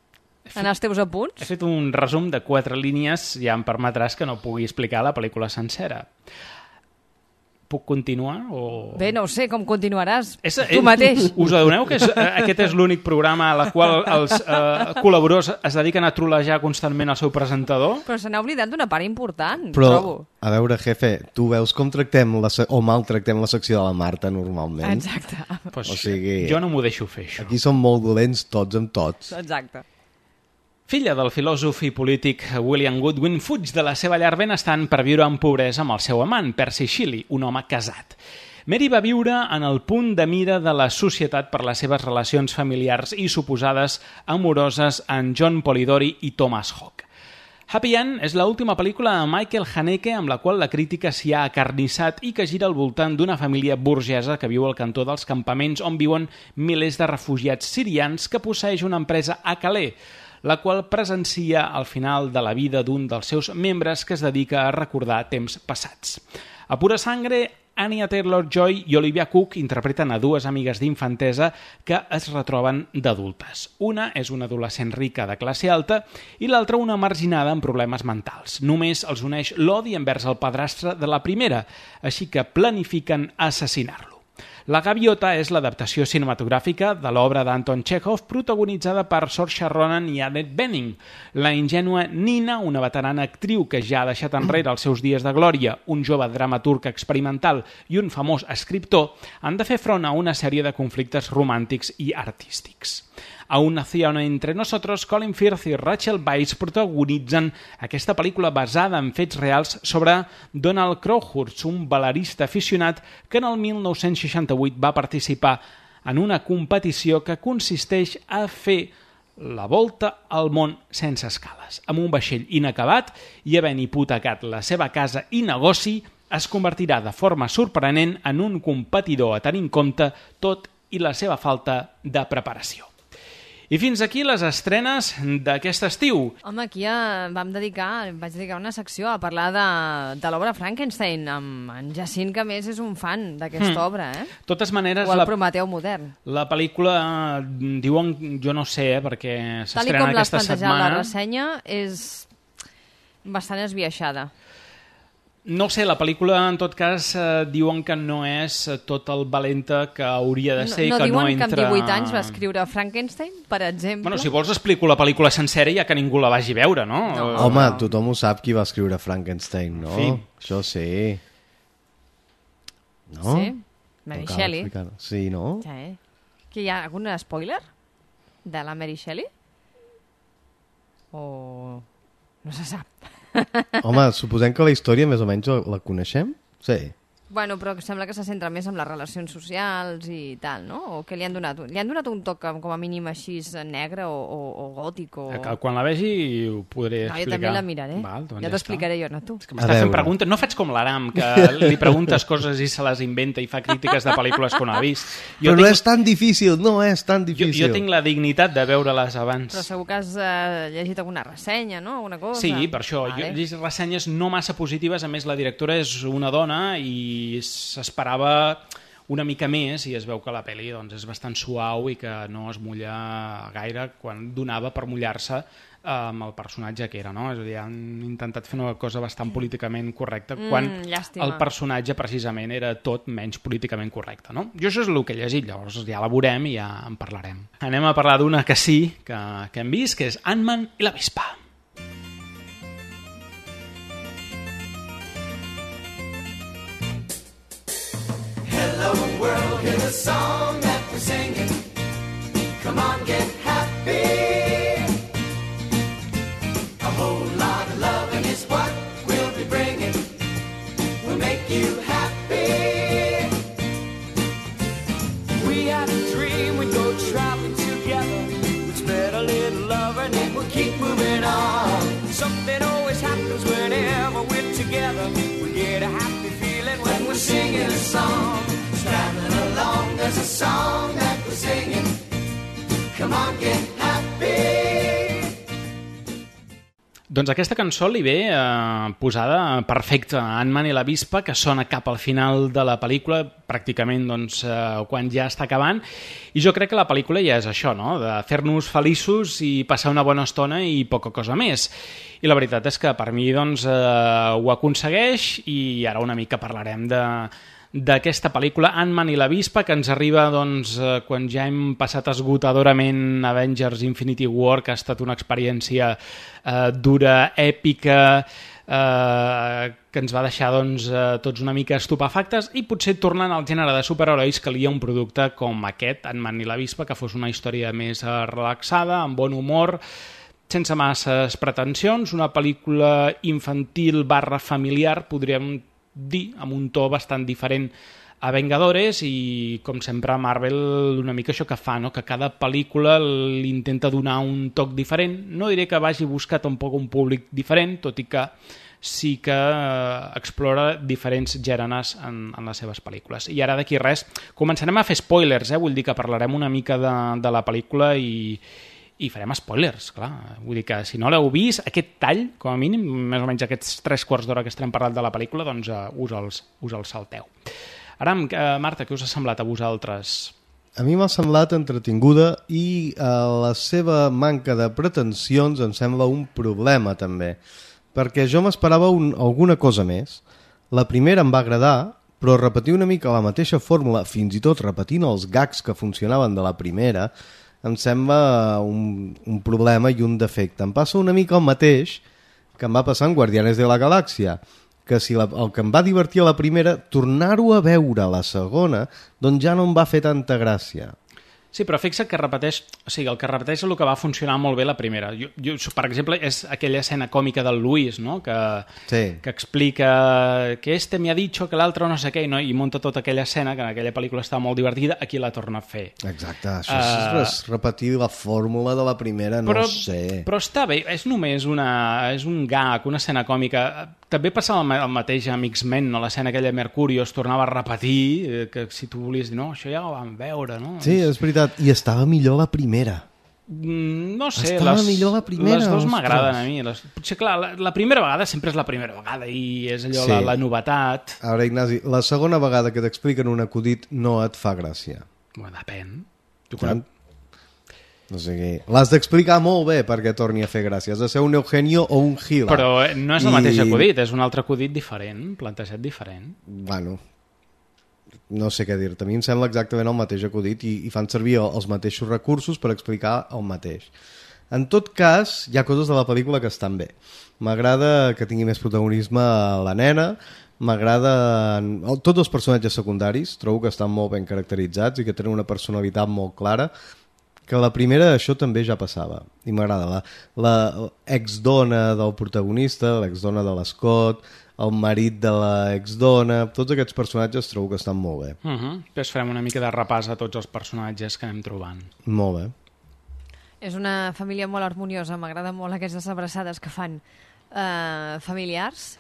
Fet, en els teus apunts? He fet un resum de quatre línies, ja em permetràs que no pugui explicar la pel·lícula sencera. Puc continuar? O... Bé, no ho sé, com continuaràs? És, tu mateix. Us adoneu que és, aquest és l'únic programa a la qual els eh, col·laboradors es dediquen a trolejar constantment el seu presentador? Però se n'ha oblidat d'una part important, Però, trobo. a veure, jefe, tu veus com tractem la, o maltractem la secció de la Marta normalment? Exacte. Pues o sigui, jo no m'ho deixo fer, això. Aquí som molt dolents tots amb tots. Exacte. Filla del filòsof i polític William Goodwin, fuig de la seva llar benestant per viure en pobresa amb el seu amant, Percy Shelley, un home casat. Mary va viure en el punt de mira de la societat per les seves relacions familiars i suposades amoroses amb John Polidori i Thomas Hawke. Happy End és l'última pel·lícula de Michael Haneke amb la qual la crítica s'hi ha acarnissat i que gira al voltant d'una família burgesa que viu al cantó dels campaments on viuen milers de refugiats sirians que posseeix una empresa a Calais, la qual presencia al final de la vida d'un dels seus membres que es dedica a recordar temps passats. A pura sangre, Anya Taylor-Joy i Olivia Cook interpreten a dues amigues d'infantesa que es retroben d'adultes. Una és una adolescent rica de classe alta i l'altra una marginada amb problemes mentals. Només els uneix l'odi envers el padrastre de la primera, així que planifiquen assassinar-lo. La Gaviota és l'adaptació cinematogràfica de l'obra d'Anton Chekhov protagonitzada per Saoirse Ronan i Annette Bening. La ingènua Nina, una veterana actriu que ja ha deixat enrere els seus dies de glòria, un jove dramaturg experimental i un famós escriptor, han de fer front a una sèrie de conflictes romàntics i artístics. A Un nació entre nosotros, Colin Firth i Rachel Weisz protagonitzen aquesta pel·lícula basada en fets reals sobre Donald Crowhurst, un balerista aficionat que en el mil nou-cents seixanta-vuit va participar en una competició que consisteix a fer la volta al món sense escales. Amb un vaixell inacabat i havent hipotecat la seva casa i negoci, es convertirà de forma sorprenent en un competidor a tenir en compte tot i la seva falta de preparació. I fins aquí les estrenes d'aquest estiu. Home, aquí ja vam dedicar, vaig dedicar una secció a parlar de, de l'obra Frankenstein, amb en Jacint, que a més és un fan d'aquesta mm. obra, eh? De totes maneres... O el la, Prometeu modern. La pel·lícula, diuen, jo no sé, eh, perquè s'estrena aquesta setmana... Tal i com l'has plantejat la ressenya, és bastant esbiaixada. No sé, la pel·lícula, en tot cas, eh, diuen que no és tot el valenta que hauria de ser, no, no que no entra... No diuen que amb divuit anys va escriure Frankenstein, per exemple? Bueno, si vols explico la pel·lícula sencera ja que ningú la vagi veure, no? no. Home, no. Tothom ho sap qui va escriure Frankenstein, no? Sí. Això sí. No? Sí, Mary no Shelley. Sí, no? Sí. Que hi ha algun spoiler de la Mary Shelley? O... no se sap. Home, suposem que la història més o menys la coneixem? Sí. Bueno, però sembla que se centra més en les relacions socials i tal, no? O que li han donat, li han donat un toc com a mínim així negre o, o, o gòtic o... Que quan la vegi ho podré no, explicar. Jo també la miraré. Val, doncs ja t'ho explicaré jo, no tu. És que m'està fent preguntes. No faig com l'Aram, que li preguntes coses i se les inventa i fa crítiques de pel·lícules que no ha vist. Jo però tinc... no és tan difícil, no és tan difícil. Jo, jo tinc la dignitat de veure-les abans. Però segur que has uh, llegit alguna ressenya, no? Alguna cosa. Sí, per això. Vale. Jo he llegit ressenyes no massa positives. A més, la directora és una dona i s'esperava una mica més i es veu que la pel·li doncs, és bastant suau i que no es mulla gaire quan donava per mullar-se amb el personatge que era, no? És a dir, han intentat fer una cosa bastant políticament correcta quan mm, el personatge precisament era tot menys políticament correcte, no? Jo això és el que he llegit, llavors ja la veurem i ja en parlarem. Anem a parlar d'una que sí, que, que hem vist, que és Ant-Man i l'avispa. Hello world, hear the song that we're singing. Come on, get happy. A whole lot of loving is what we'll be bringing. We'll make you happy. We had a dream we'd go traveling together. We'd spread a little love and then we'll keep moving on. Something always happens whenever we're together. We get a happy feeling when we're singing a song. Traveling along, there's a song that we're singing. Come on, get happy. Doncs aquesta cançó li ve eh, posada perfecta a Ant-Man i l'avispa, que sona cap al final de la pel·lícula, pràcticament doncs, eh, quan ja està acabant, i jo crec que la pel·lícula ja és això, no? De fer-nos feliços i passar una bona estona i poca cosa més. I la veritat és que per mi doncs, eh, ho aconsegueix, i ara una mica parlarem de d'aquesta pel·lícula Ant-Man i l'avispa, que ens arriba doncs, eh, quan ja hem passat esgotadorament Avengers Infinity War, que ha estat una experiència eh, dura, èpica, eh, que ens va deixar doncs, eh, tots una mica estupefactes, i potser tornant al gènere de superherois calia un producte com aquest, Ant-Man i l'avispa, que fos una història més eh, relaxada, amb bon humor, sense masses pretensions, una pel·lícula infantil barra familiar, podríem dir, amb un to bastant diferent a Vengadores, i com sempre a Marvel una mica això que fa, no? Que cada pel·lícula li intenta donar un toc diferent. No diré que vagi buscar tampoc un públic diferent, tot i que sí que explora diferents gèneres en, en les seves pel·lícules. I ara d'aquí res, començarem a fer spoilers, eh? Vull dir que parlarem una mica de, de la pel·lícula i i farem spoilers, clar. Vull dir que si no l'heu vist, aquest tall, com a mínim, més o menys aquests tres quarts d'hora que estem parlant de la pel·lícula, doncs uh, us, els, us els salteu. Ara, uh, Marta, què us ha semblat a vosaltres? A mi m'ha semblat entretinguda i uh, la seva manca de pretensions em sembla un problema, també. Perquè jo m'esperava un, alguna cosa més. La primera em va agradar, però repetir una mica la mateixa fórmula, fins i tot repetint els gags que funcionaven de la primera, em sembla un, un problema i un defecte. Em passa una mica el mateix que em va passar en Guardianes de la Galàxia, que si la, el que em va divertir a la primera, tornar-ho a veure a la segona, doncs ja no em va fer tanta gràcia. Sí, però fixa't que repeteix, o sigui, el que repeteix és el que va funcionar molt bé la primera. Jo, jo, per exemple, és aquella escena còmica del Luis, no? Que, sí. que explica que este me ha dicho que l'altre no sé què, no? I munta tota aquella escena, que en aquella pel·lícula està molt divertida, aquí la torna a fer. Exacte, això uh, és repetir la fórmula de la primera, no però, sé. Però està bé, és només una, és un gag, una escena còmica. També passava el mateix amb X-Men, no? L'escena aquella de Mercurio es tornava a repetir, que si tu volies dir, no, això ja ho vam veure, no? Sí, és veritat. I estava millor la primera. Mm, no sé, estava les, millor la primera, les dues ostres. m'agraden a mi. Les, potser, clar, la, la primera vegada sempre és la primera vegada i és allò, sí. la, la novetat. A veure, Ignasi, la segona vegada que t'expliquen un acudit no et fa gràcia. Bueno, depèn. Tu quan... No sé què. L'has d'explicar molt bé perquè torni a fer gràcia. Has de ser un Eugenio o un Gila. Però no és el I... mateix acudit, és un altre acudit diferent, plantejat diferent. Bueno... no sé què dir-te, a mi em sembla exactament el mateix acudit i, i fan servir els mateixos recursos per explicar el mateix. En tot cas, hi ha coses de la pel·lícula que estan bé. M'agrada que tingui més protagonisme la nena, m'agrada... Tots els personatges secundaris trobo que estan molt ben caracteritzats i que tenen una personalitat molt clara, que la primera això també ja passava i m'agrada. La, la exdona del protagonista, l'exdona de l'Scott, el marit de l'exdona, tots aquests personatges trobo que estan molt bé. Uh -huh. Després farem una mica de repàs a tots els personatges que anem trobant. Molt bé. És una família molt harmoniosa, m'agrada molt aquestes abraçades que fan eh, familiars.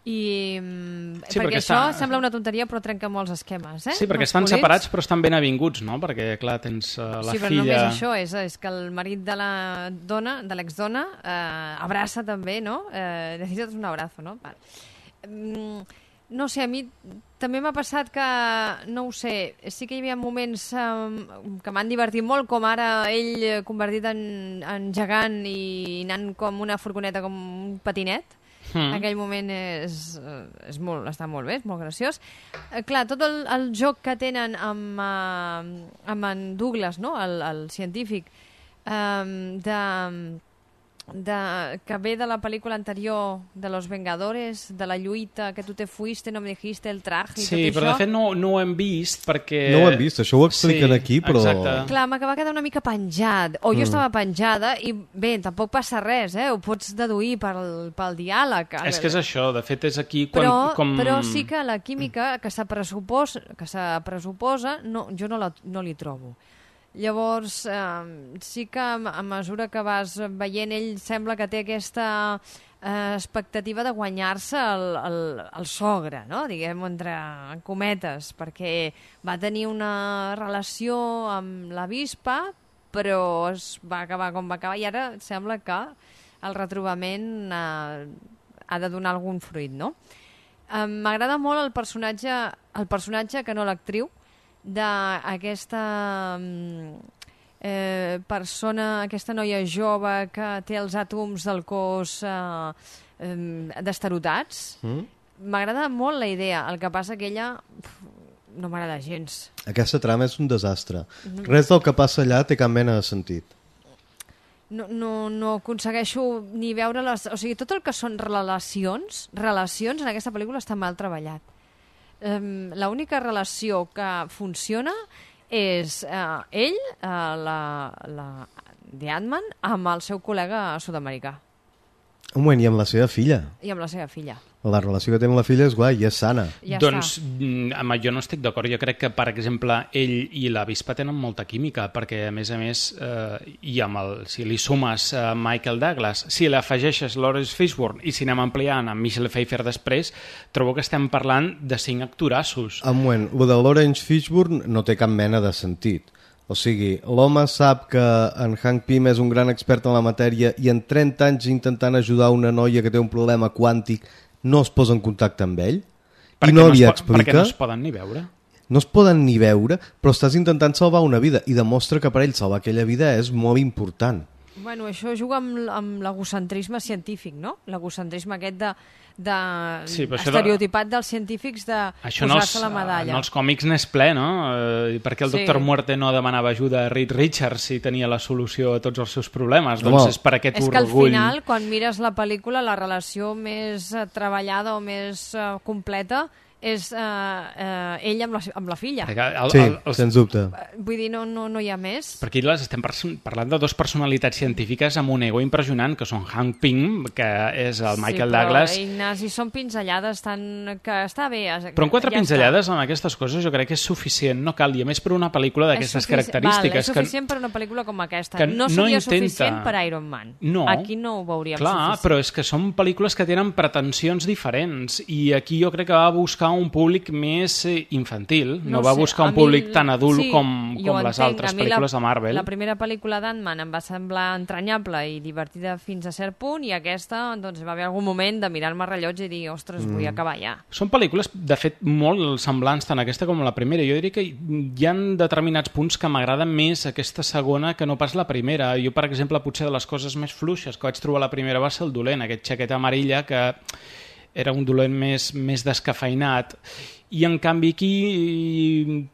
I sí, perquè, perquè això està... sembla una tonteria però trenca molts esquemes, eh? Sí, perquè els estan polits. Separats però estan ben avinguts, no? Perquè clar, tens uh, la sí, però filla... només això és, és que el marit de la dona, de l'exdona, eh, abraça també, no? Eh, necessites un abrazo, no? Vale. Mm, no sé, a mi també m'ha passat que, no ho sé, sí que hi havia moments um, que m'han divertit molt, com ara ell convertit en, en gegant i anant com una furgoneta, com un patinet. Mm. Aquell moment és, és molt, està molt bé, és molt graciós. Eh, clar, tot el, el joc que tenen amb, uh, amb en Douglas, no? el, el científic, um, de, de, que ve de la pel·lícula anterior de Los Vengadores, de la lluita, que tu te fuiste, no me dijiste el traje i sí, tot però això. de fet no, no ho hem vist perquè... No ho hem vist, això ho expliquen sí, aquí, però... Exacte. Clar, m'acaba quedar una mica penjat, o jo mm. estava penjada, i bé, tampoc passa res, eh? Ho pots deduir pel, pel diàleg. És que és això, de fet és aquí quan... Però, com... però sí que la química que se pressuposa, que se pressuposa no, jo no, la, no li trobo. Llavors, eh, sí que a mesura que vas veient, ell sembla que té aquesta eh, expectativa de guanyar-se el, el, el sogre, no? Diguem, entre cometes, perquè va tenir una relació amb la Vispa, però es va acabar com va acabar, i ara sembla que el retrobament eh, ha de donar algun fruit, no? Eh, M'agrada molt el personatge, el personatge que no l'actriu, d'aquesta eh, persona, aquesta noia jove que té els àtoms del cos eh, eh, destarotats. M'agrada mm? molt la idea, el que passa que ella pf, no m'agrada gens. Aquesta trama és un desastre. Mm. Res del que passa allà té cap mena de sentit. No, no, no aconsegueixo ni veure les... O sigui, tot el que són relacions, relacions en aquesta pel·lícula està mal treballat. Um, l'única relació que funciona és uh, ell, uh, la, la The Ant-Man, amb el seu col·lega sud-americà. Un moment, i amb la seva filla. I amb la seva filla. La relació que té amb la filla és guai i és sana. Ja doncs està. Amb jo no estic d'acord. Jo crec que, per exemple, ell i la Vispa tenen molta química, perquè, a més a més, eh, i amb el, si li sumes eh, Michael Douglas, si l'afegeixes Lawrence Fishburne i si anem ampliant amb Michelle Pfeiffer després, trobo que estem parlant de cinc actorassos. Un moment, lo de Lawrence Fishburne no té cap mena de sentit. O sigui, l'home sap que en Hank Pym és un gran expert en la matèria i en trenta anys intentant ajudar una noia que té un problema quàntic no es posa en contacte amb ell? Perquè I no, no li es explica... Perquè no es poden ni veure. No es poden ni veure, però estàs intentant salvar una vida i demostra que per ell salvar aquella vida és molt important. Bueno, això juga amb, amb l'egocentrisme científic, no? L'egocentrisme aquest de, de sí, estereotipat de... dels científics de posar-se la medalla. En els còmics n'és ple, no? Eh, per què el sí. doctor Muerte no demanava ajuda a Reed Richards si tenia la solució a tots els seus problemes? No, doncs és per aquest és orgull. És que al final, quan mires la pel·lícula, la relació més treballada o més uh, completa és uh, uh, ell amb la, amb la filla. El, sí, el, el, sens dubte. Vull dir, no, no, no hi ha més. Perquè les estem parlant de dues personalitats científiques amb un ego impressionant, que són Hank Pym, que és el Michael sí, però, Douglas. Ignasi, són pinzellades tan... que està bé. Però en quatre ja pinzellades amb aquestes coses jo crec que és suficient, no cal, i a més per una pel·lícula d'aquestes característiques. Val, és suficient que, per una pel·lícula com aquesta. que no seria no intenta... suficient per Iron Man. No. Aquí no ho veuríem Clar, suficient. però és que són pel·lícules que tenen pretensions diferents, i aquí jo crec que va buscar un públic més infantil, no, no va sé, buscar un mi, públic tan adult sí, com, com les entenc. altres pel·lícules la, de Marvel. La primera pel·lícula d'Ant-Man em va semblar entranyable i divertida fins a cert punt, i aquesta, doncs, va haver algun moment de mirar-me el rellotge i dir, ostres, mm. vull acabar ja. Són pel·lícules, de fet, molt semblants tant aquesta com la primera. Jo diria que hi ha determinats punts que m'agraden més aquesta segona que no pas la primera. Jo, per exemple, potser de les coses més fluixes que vaig trobar la primera va ser el dolent, aquest xaqueta amarilla que era un dolent més, més descafeinat, i en canvi aquí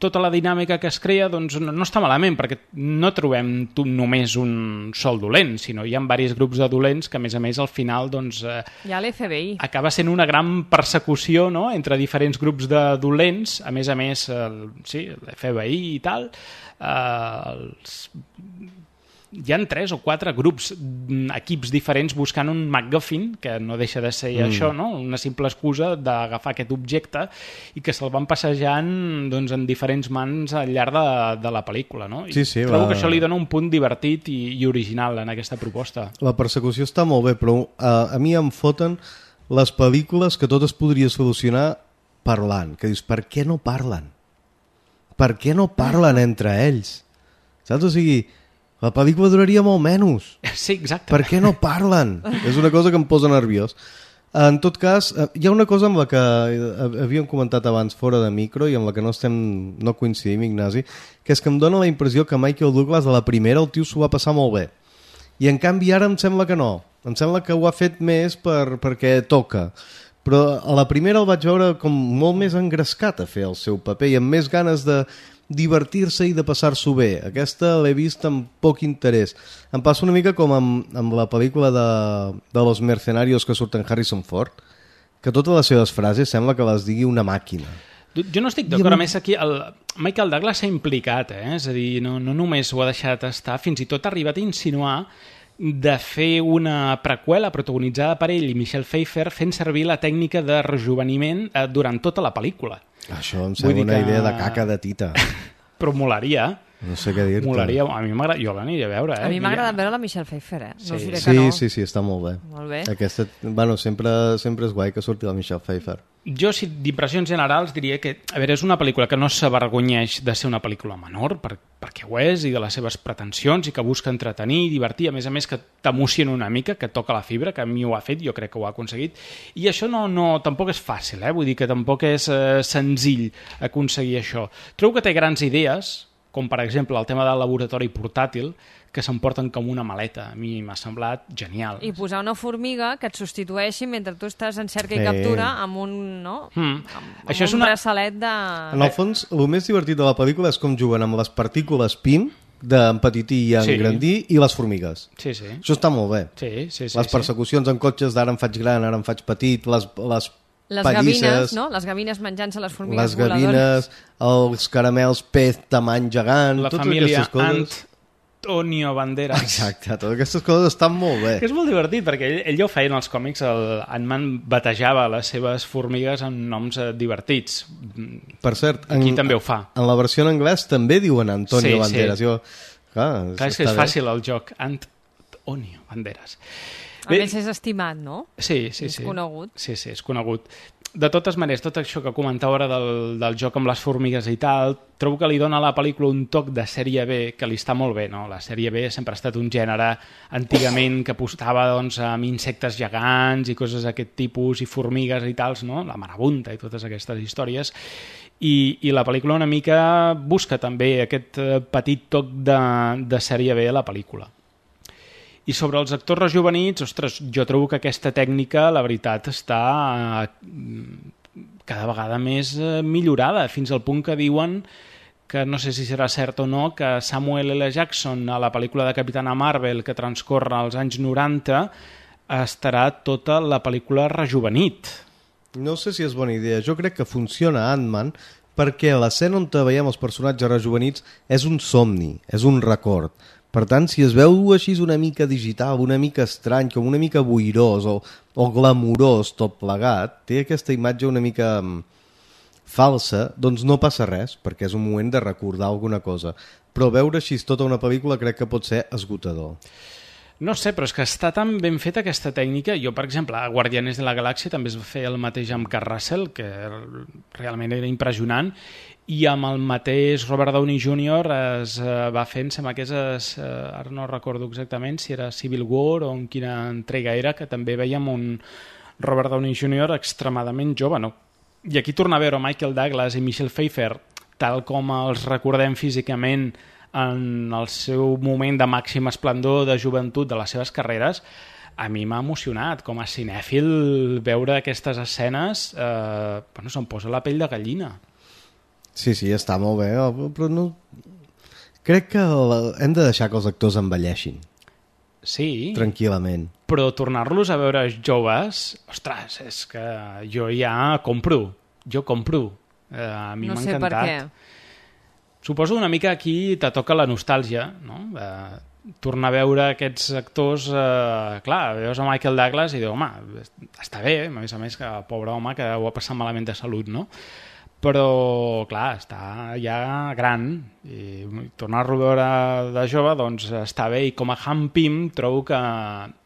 tota la dinàmica que es crea doncs no, no està malament, perquè no trobem només un sol dolent, sinó hi ha diversos grups de dolents que a més a més al final doncs, eh, hi ha l'F B I. Acaba sent una gran persecució, no?, entre diferents grups de dolents, a més a més el, sí, l'F B I i tal, eh, els... hi ha tres o quatre grups, equips diferents buscant un MacGuffin, que no deixa de ser mm. això, no? Una simple excusa d'agafar aquest objecte i que se'l van passejant doncs, en diferents mans al llarg de, de la pel·lícula. No? I sí, sí, trobo va... que això li dona un punt divertit i, i original en aquesta proposta. La persecució està molt bé, però a, a mi em foten les pel·lícules que tot es podria solucionar parlant. Que dius, per què no parlen? Per què no parlen entre ells? Saps? O sigui... la pel·lícula duraria molt menys. Sí, exacte. Per què no parlen? És una cosa que em posa nerviós. En tot cas, hi ha una cosa amb la que havíem comentat abans fora de micro i amb la que no estem no coincidim, Ignasi, que és que em dona la impressió que Michael Douglas a la primera el tio s'ho va passar molt bé. I en canvi ara em sembla que no. Em sembla que ho ha fet més per, perquè toca. Però a la primera el vaig veure com molt més engrescat a fer el seu paper i amb més ganes de divertir-se i de passar-s'ho bé. Aquesta l'he vist amb poc interès. Em passa una mica com amb, amb la pel·lícula de, de Los Mercenarios que surten Harrison Ford, que totes les seves frases sembla que les digui una màquina. Jo no estic d'acord, a més aquí el Michael Douglas s'ha implicat, eh? És a dir, no, no només ho ha deixat estar, fins i tot ha arribat a insinuar de fer una preqüela protagonitzada per ell i Michelle Pfeiffer fent servir la tècnica de rejuveniment eh, durant tota la pel·lícula. Això em sembla una que... idea de caca de tita. Però molaria. No sé què dir-te. Molaria. A mi m'agrada, jo l'aniré a veure. Eh? A mi m'agrada veure la Michelle Pfeiffer, eh? No sí. us diré sí, que no. Sí, sí, està molt bé. Molt bé. Aquesta, bueno, sempre, sempre és guai que surti la Michelle Pfeiffer. Jo, si d'impressions generals, diria que a veure, és una pel·lícula que no s'avergonyeix de ser una pel·lícula menor, per, perquè ho és, i de les seves pretensions, i que busca entretenir i divertir, a més a més que t'emociona una mica, que toca la fibra, que a mi ho ha fet, jo crec que ho ha aconseguit, i això no, no, tampoc és fàcil, eh? Vull dir que tampoc és eh, senzill aconseguir això. Trobo que té grans idees, com per exemple el tema del laboratori portàtil, que s'emporten com una maleta. A mi m'ha semblat genial. I posar una formiga que et substitueixi mentre tu estàs en cerca sí. i captura amb un, no? Mm. amb, amb Això un és una... braçalet de... En el fons, el més divertit de la pel·lícula és com juguen amb les partícules P I M, d'empetitir i engrandir, sí. i les formigues. Sí, sí. Això està molt bé. Sí, sí, sí, les persecucions sí. en cotxes d'ara em faig gran, ara em faig petit, les, les Les pallisses, gavines, no? Les gavines menjant-se les formigues les gavines, voladores. Els caramels pez tamany gegant, la totes família aquestes coses. Antonio Banderas. Exacte, totes aquestes coses estan molt bé. Que és molt divertit, perquè ell, ell ja ho feia en els còmics, el Ant-Man batejava les seves formigues amb noms eh, divertits. Per cert, aquí en, també ho fa. En la versió en anglès també diuen Antonio sí, Banderas. Sí. Jo, clar, clar, és que és fàcil el joc. Antonio Banderas. A més és estimat, no? Sí, sí, és sí. conegut. Sí, sí, és conegut. De totes maneres, tot això que comentava ara del, del joc amb les formigues i tal, trobo que li dona a la pel·lícula un toc de sèrie B que li està molt bé, no? La sèrie B sempre ha estat un gènere antigament que apostava doncs, amb insectes gegants i coses d'aquest tipus i formigues i tals, no? La marabunta i totes aquestes històries. I, i la pel·lícula una mica busca també aquest petit toc de, de sèrie B a la pel·lícula. I sobre els actors rejuvenits, ostres, jo trobo que aquesta tècnica, la veritat, està cada vegada més millorada, fins al punt que diuen que no sé si serà cert o no, que Samuel L. Jackson a la pel·lícula de Capitana Marvel que transcorre als anys noranta estarà tota la pel·lícula rejuvenit. No sé si és bona idea. Jo crec que funciona Ant-Man perquè l'escena on veiem els personatges rejuvenits és un somni, és un record. Per tant, si es veu així una mica digital, una mica estrany, com una mica boirós o, o glamurós tot plegat, té aquesta imatge una mica falsa, doncs no passa res, perquè és un moment de recordar alguna cosa. Però veure així tota una pel·lícula crec que pot ser esgotador. No sé, però és que està tan ben feta aquesta tècnica. Jo, per exemple, a Guardianes de la Galàxia també es va fer el mateix amb Kurt Russell, que realment era impressionant, i amb el mateix Robert Downey júnior es va fent, sembla que és, ara no recordo exactament si era Civil War o en quina entrega era, que també veiem un Robert Downey júnior extremadament jove, no? I aquí torna a veure Michael Douglas i Michelle Pfeiffer, tal com els recordem físicament en el seu moment de màxim esplendor de joventut de les seves carreres. A mi m'ha emocionat com a cinèfil veure aquestes escenes, eh, bueno, se'm posa la pell de gallina. Sí, sí, està molt bé, però no... crec que hem de deixar que els actors envelleixin. Sí. Tranquil·lament. Però tornar-los a veure joves, ostres, és que jo ja compro, jo compro. Eh, a mi no m'ha sé encantat. Per què. Suposo una mica aquí te toca la nostàlgia, no? Eh, tornar a veure aquests actors, eh, clar, veus a Michael Douglas i dius, home, està bé, a més a més que el pobre home que ho ha passat malament de salut, no? Però, clar, està ja gran i tornar-lo a veure de jove, doncs està bé, i com a Han Pym trobo que,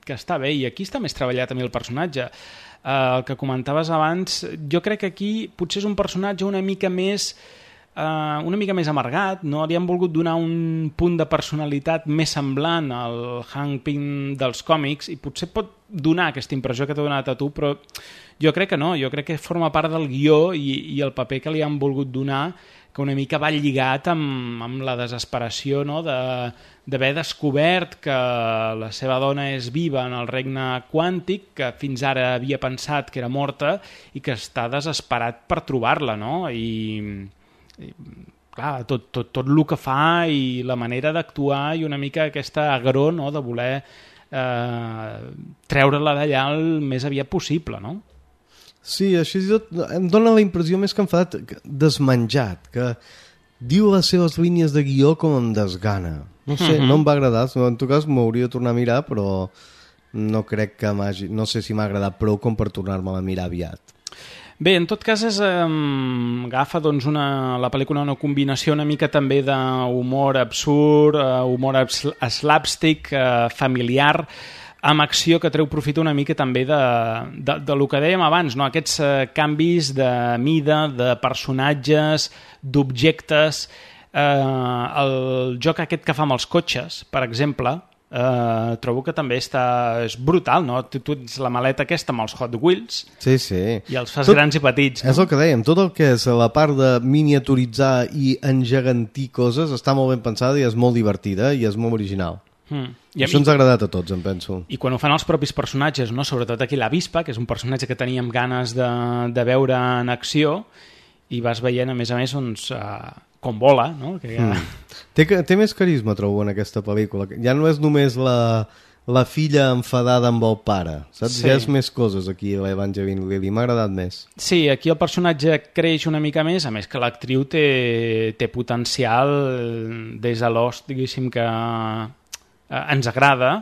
que està bé, i aquí està més treballat a mi el personatge. Eh, el que comentaves abans, jo crec que aquí potser és un personatge una mica més Uh, una mica més amargat, no? Li han volgut donar un punt de personalitat més semblant al Hank Pym dels còmics i potser pot donar aquesta impressió que t'ha donat a tu, però jo crec que no, jo crec que forma part del guió i, i el paper que li han volgut donar, que una mica va lligat amb, amb la desesperació, no? de, d'haver descobert que la seva dona és viva en el regne quàntic, que fins ara havia pensat que era morta i que està desesperat per trobar-la, no? I... I, clar, tot, tot, tot el que fa i la manera d'actuar i una mica aquesta agró, no?, de voler eh, treure-la d'allà el més aviat possible, no? Sí, així tot em dóna la impressió més que enfadat, desmenjat, que diu les seves línies de guió com em desgana. No sé, uh-huh. no em va agradar, en tot cas m'hauria de tornar a mirar, però no crec que m'hagi... no sé si m'ha agradat prou com per tornar-me a mirar aviat. Bé, en tot cas és, eh, agafa doncs, una, la pel·lícula una combinació una mica també d'humor absurd, eh, humor slapstick, eh, familiar, amb acció que treu profit una mica també de, de, de lo que dèiem abans, no? Aquests eh, canvis de mida, de personatges, d'objectes, eh, el joc aquest que fa amb els cotxes, per exemple, Uh, trobo que també està... és brutal, no? Tu, tu ets la maleta aquesta amb els Hot Wheels sí, sí. i els fas tot, grans i petits, no? És el que dèiem, tot el que és la part de miniaturitzar i engegantir coses està molt ben pensada i és molt divertida i és molt original. Mm. I això ens ha agradat a tots, em penso. I quan ho fan els propis personatges, no? Sobretot aquí l'Avispa, que és un personatge que teníem ganes de, de veure en acció, i vas veient, a més a més, doncs, uh, com vola, no? Que ja... mm. té, té més carisma, trobo, en aquesta pel·lícula. Ja no és només la, la filla enfadada amb el pare, saps? Sí. Ja és més coses aquí, l'Evangeline Lilly. M'ha agradat més. Sí, aquí el personatge creix una mica més, a més que l'actriu té, té potencial des de Lost, diguéssim, que eh, ens agrada,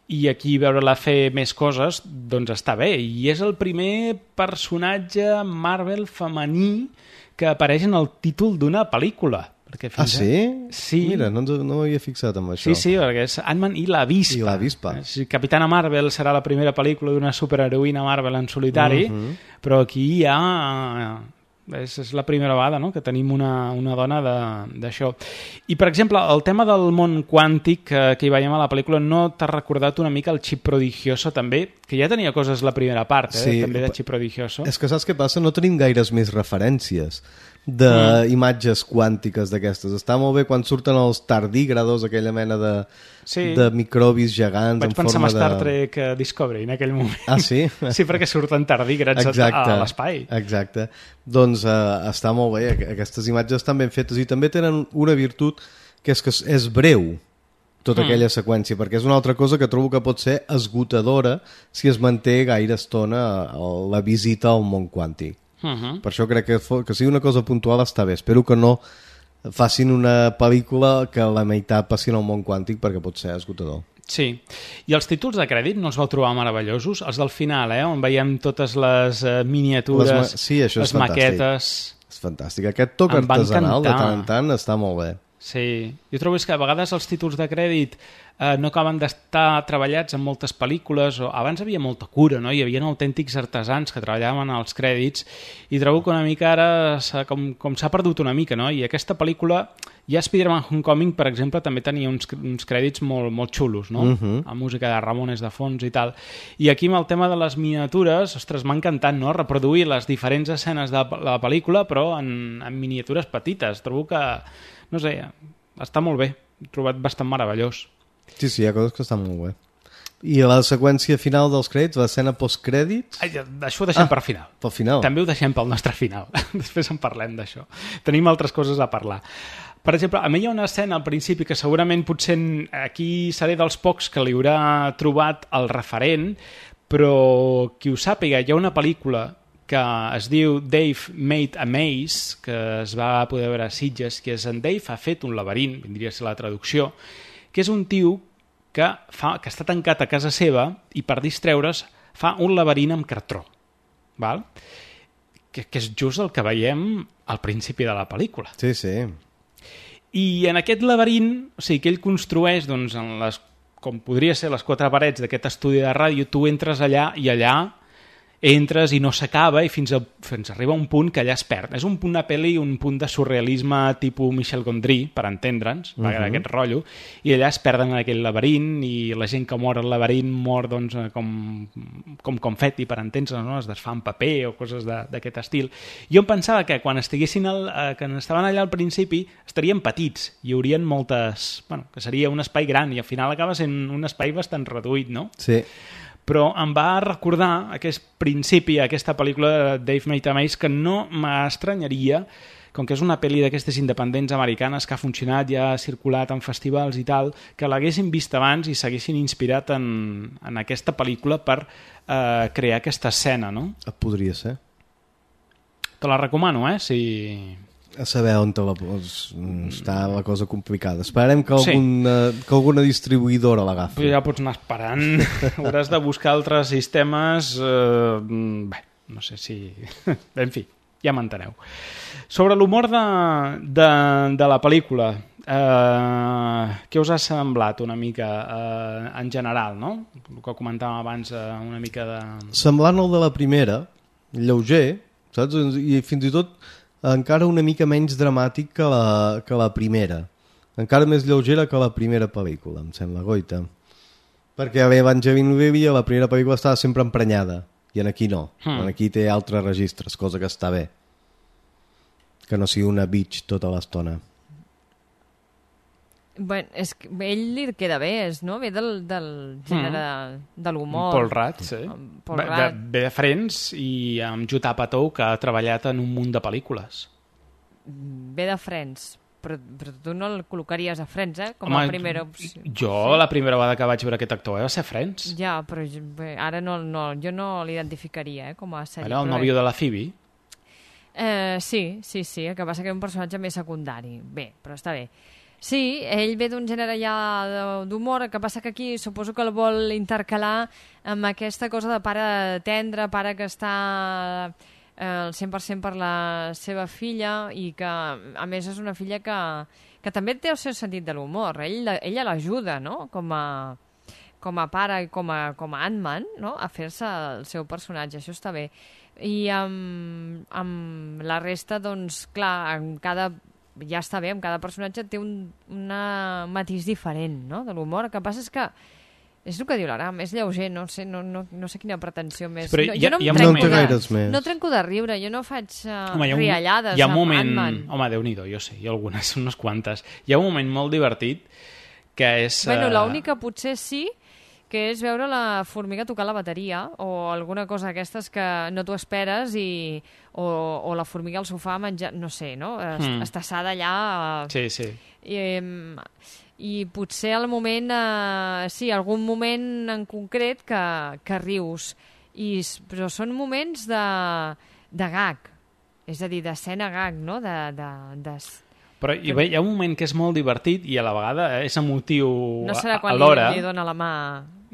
i aquí veure-la fer més coses, doncs està bé. I és el primer personatge Marvel femení que apareix en el títol d'una pel·lícula. Ah, sí? Sí. Mira, no, no m'havia fixat amb això. Sí, sí, perquè és Ant-Man i l'Avispa. I l'Avispa. Sí, Capitana Marvel serà la primera pel·lícula d'una superheroïna Marvel en solitari, uh-huh. però aquí ja... És, és la primera vegada, no?, que tenim una, una dona d'això. I, per exemple, el tema del món quàntic que, que hi veiem a la pel·lícula, no t'ha recordat una mica el Chip Prodigioso, també? Que ja tenia coses la primera part, eh? Sí, també de Chip Prodigioso. És que saps què passa? No tenim gaires més referències d'imatges mm. quàntiques d'aquestes. Està molt bé quan surten els tardígrados, aquella mena de, sí. de microbis gegants. Vaig en pensar forma en Star de... Trek Discovery en aquell moment. Ah, sí? Sí, perquè surten tardígrads exacte, a, a l'espai. Exacte. Doncs uh, està molt bé. Aquestes imatges estan ben fetes i també tenen una virtut que és que és breu. tota Mm. aquella seqüència, perquè és una altra cosa que trobo que pot ser esgotadora si es manté gaire estona a la visita al món quàntic. Uh-huh. Per això crec que, fo- que sigui una cosa puntual està bé. Espero que no facin una pel·lícula que la meitat passin al món quàntic, perquè pot ser esgotador. Sí, i els títols de crèdit no els vau trobar meravellosos? Els del final, eh? On veiem totes les uh, miniatures, Les ma- sí, això és les fantàstic. maquetes... És fantàstic. Aquest toc Em va artesanal de encantar. tant en tant està molt bé. Sí, jo trobo és que a vegades els títols de crèdit eh, no acaben d'estar treballats en moltes pel·lícules, o abans havia molta cura, no? Hi havia autèntics artesans que treballaven als crèdits, i trobo que una mica ara s'ha, com, com s'ha perdut una mica, no? I aquesta pel·lícula, ja Spider-Man Homecoming, per exemple, també tenia uns, uns crèdits molt, molt xulos, no? Mhm. Amb música de Ramones de fons i tal. I aquí amb el tema de les miniatures, ostres, m'ha encantat, no? Reproduir les diferents escenes de la pel·lícula, però en, en miniatures petites. Trobo que, no sé, està molt bé. He trobat bastant meravellós. Sí, sí, hi ha coses que estan molt bé. I la seqüència final dels crèdits, l'escena postcrèdits... Ai, això ho deixem Ah, per final. pel final. També ho deixem pel nostre final. Després en parlem d'això. Tenim altres coses a parlar. Per exemple, a mi hi ha una escena al principi que segurament potser aquí seré dels pocs que li haurà trobat el referent, però qui ho sàpiga, hi ha una pel·lícula que es diu Dave Made a Maze, que es va poder veure a Sitges, que és en Dave ha fet un laberint, vindria a ser la traducció, que és un tio que, fa, que està tancat a casa seva i per distreure's fa un laberint amb cartró. Val? Que, que és just el que veiem al principi de la pel·lícula. Sí, sí. I en aquest laberint, o sigui, que ell construeix, doncs, en les, com podria ser les quatre parets d'aquest estudi de ràdio, tu entres allà i allà entres i no s'acaba i fins, a, fins a arriba a un punt que allà es perd. És un punt de pel·li, un punt de surrealisme tipus Michel Gondry, per entendre'ns, uh Mhm. -huh. aquest rotllo, i allà es perden en aquell laberint i la gent que mor al laberint mor doncs, com, com confeti, per entendre'ns, no? Es desfà en paper o coses d'aquest estil. Jo em pensava que quan estiguessin al, eh, que estaven allà al principi estarien petits, hi haurien moltes... Bueno, que seria un espai gran i al final acaba sent un espai bastant reduït, no? Sí. Però em va recordar aquest principi, aquesta pel·lícula de Dave Made a Maze, que no m'estranyaria, com que és una pel·li d'aquestes independents americanes que ha funcionat, ja ha circulat en festivals i tal, que l'haguessin vist abans i s'haguessin inspirat en, en aquesta pel·lícula per eh, crear aquesta escena, no? Podria ser. Te la recomano, eh? Si... A saber on te la pos... està la cosa complicada. Esperem que, Sí. alguna, que alguna distribuïdora l'agafi. Ja pots anar esperant. Hauràs de buscar altres sistemes. Eh, bé, no sé si... En fi, ja m'enteneu. Sobre l'humor de, de, de la pel·lícula, eh, què us ha semblat una mica eh, en general, no? El que comentàvem abans, eh, una mica de... Semblant al de la primera, lleuger, saps? I fins i tot encara una mica menys dramàtic que la, que la primera. Encara més lleugera que la primera pel·lícula, em sembla, goita. Perquè a Evangeline Lilly a la primera pel·lícula estava sempre emprenyada, i en aquí no. Hmm. En aquí té altres registres, cosa que està bé. Que no sigui una bitch tota l'estona. Bueno, és que ell li queda bé, és, no? Ve del, del gènere Mm. de l'humor. Paul Rudd, sí. Paul Ve, Rudd. de, ve de Friends i amb Judd Apatow, que ha treballat en un munt de pel·lícules. Ve de Friends, però, però tu no el col·locaries a Friends, eh? Com Home, a primera opció. Jo, la primera vegada que vaig veure aquest actor va ser Friends. Ja, però jo, bé, ara no, no, jo no l'identificaria eh, com a sèrie. Era el però nòvio bé. de la Phoebe. Eh, sí, sí, sí, el que passa que és un personatge més secundari. Bé, però està bé. Sí, ell ve d'un gènere ja de- d'humor, el que passa que aquí suposo que el vol intercalar amb aquesta cosa de pare tendre, pare que està eh, al cent per cent per la seva filla i que, a més, és una filla que, que també té el seu sentit de l'humor. Ell, la- ella l'ajuda, no?, com a, com a pare i com a, com a Ant-Man, no?, a fer-se el seu personatge. Això està bé. I amb, amb la resta, doncs, clar, en cada... ja està bé, amb cada personatge té un una matís diferent, no?, de l'humor. El que passa és que és el que diu l'Aram, és lleuger, no sé, no, no, no sé quina pretensió més. Però no, hi ha- jo no, hi ha em trenco moments- de, gaires més. no trenco de riure, jo no faig uh, Home, hi ha un, riallades hi ha un amb moment... Ant-Man. Home, Déu-n'hi-do, jo sé, hi ha algunes, unes quantes. Hi ha un moment molt divertit que és... Bueno, eh, l'única potser sí que és veure la formiga tocar la bateria o alguna cosa d'aquestes que no t'ho esperes i, o, o la formiga al sofà menjar, no sé, no? Est Mm. estassada allà... Sí, sí. I, em, i potser al moment, eh, sí, algun moment en concret que, que rius, I, però són moments de, de gag, és a dir, d'escena gag, no? De, de, de... Però hi, hi ha un moment que és molt divertit i a la vegada és emotiu no serà quan alhora. Li, li dona la mà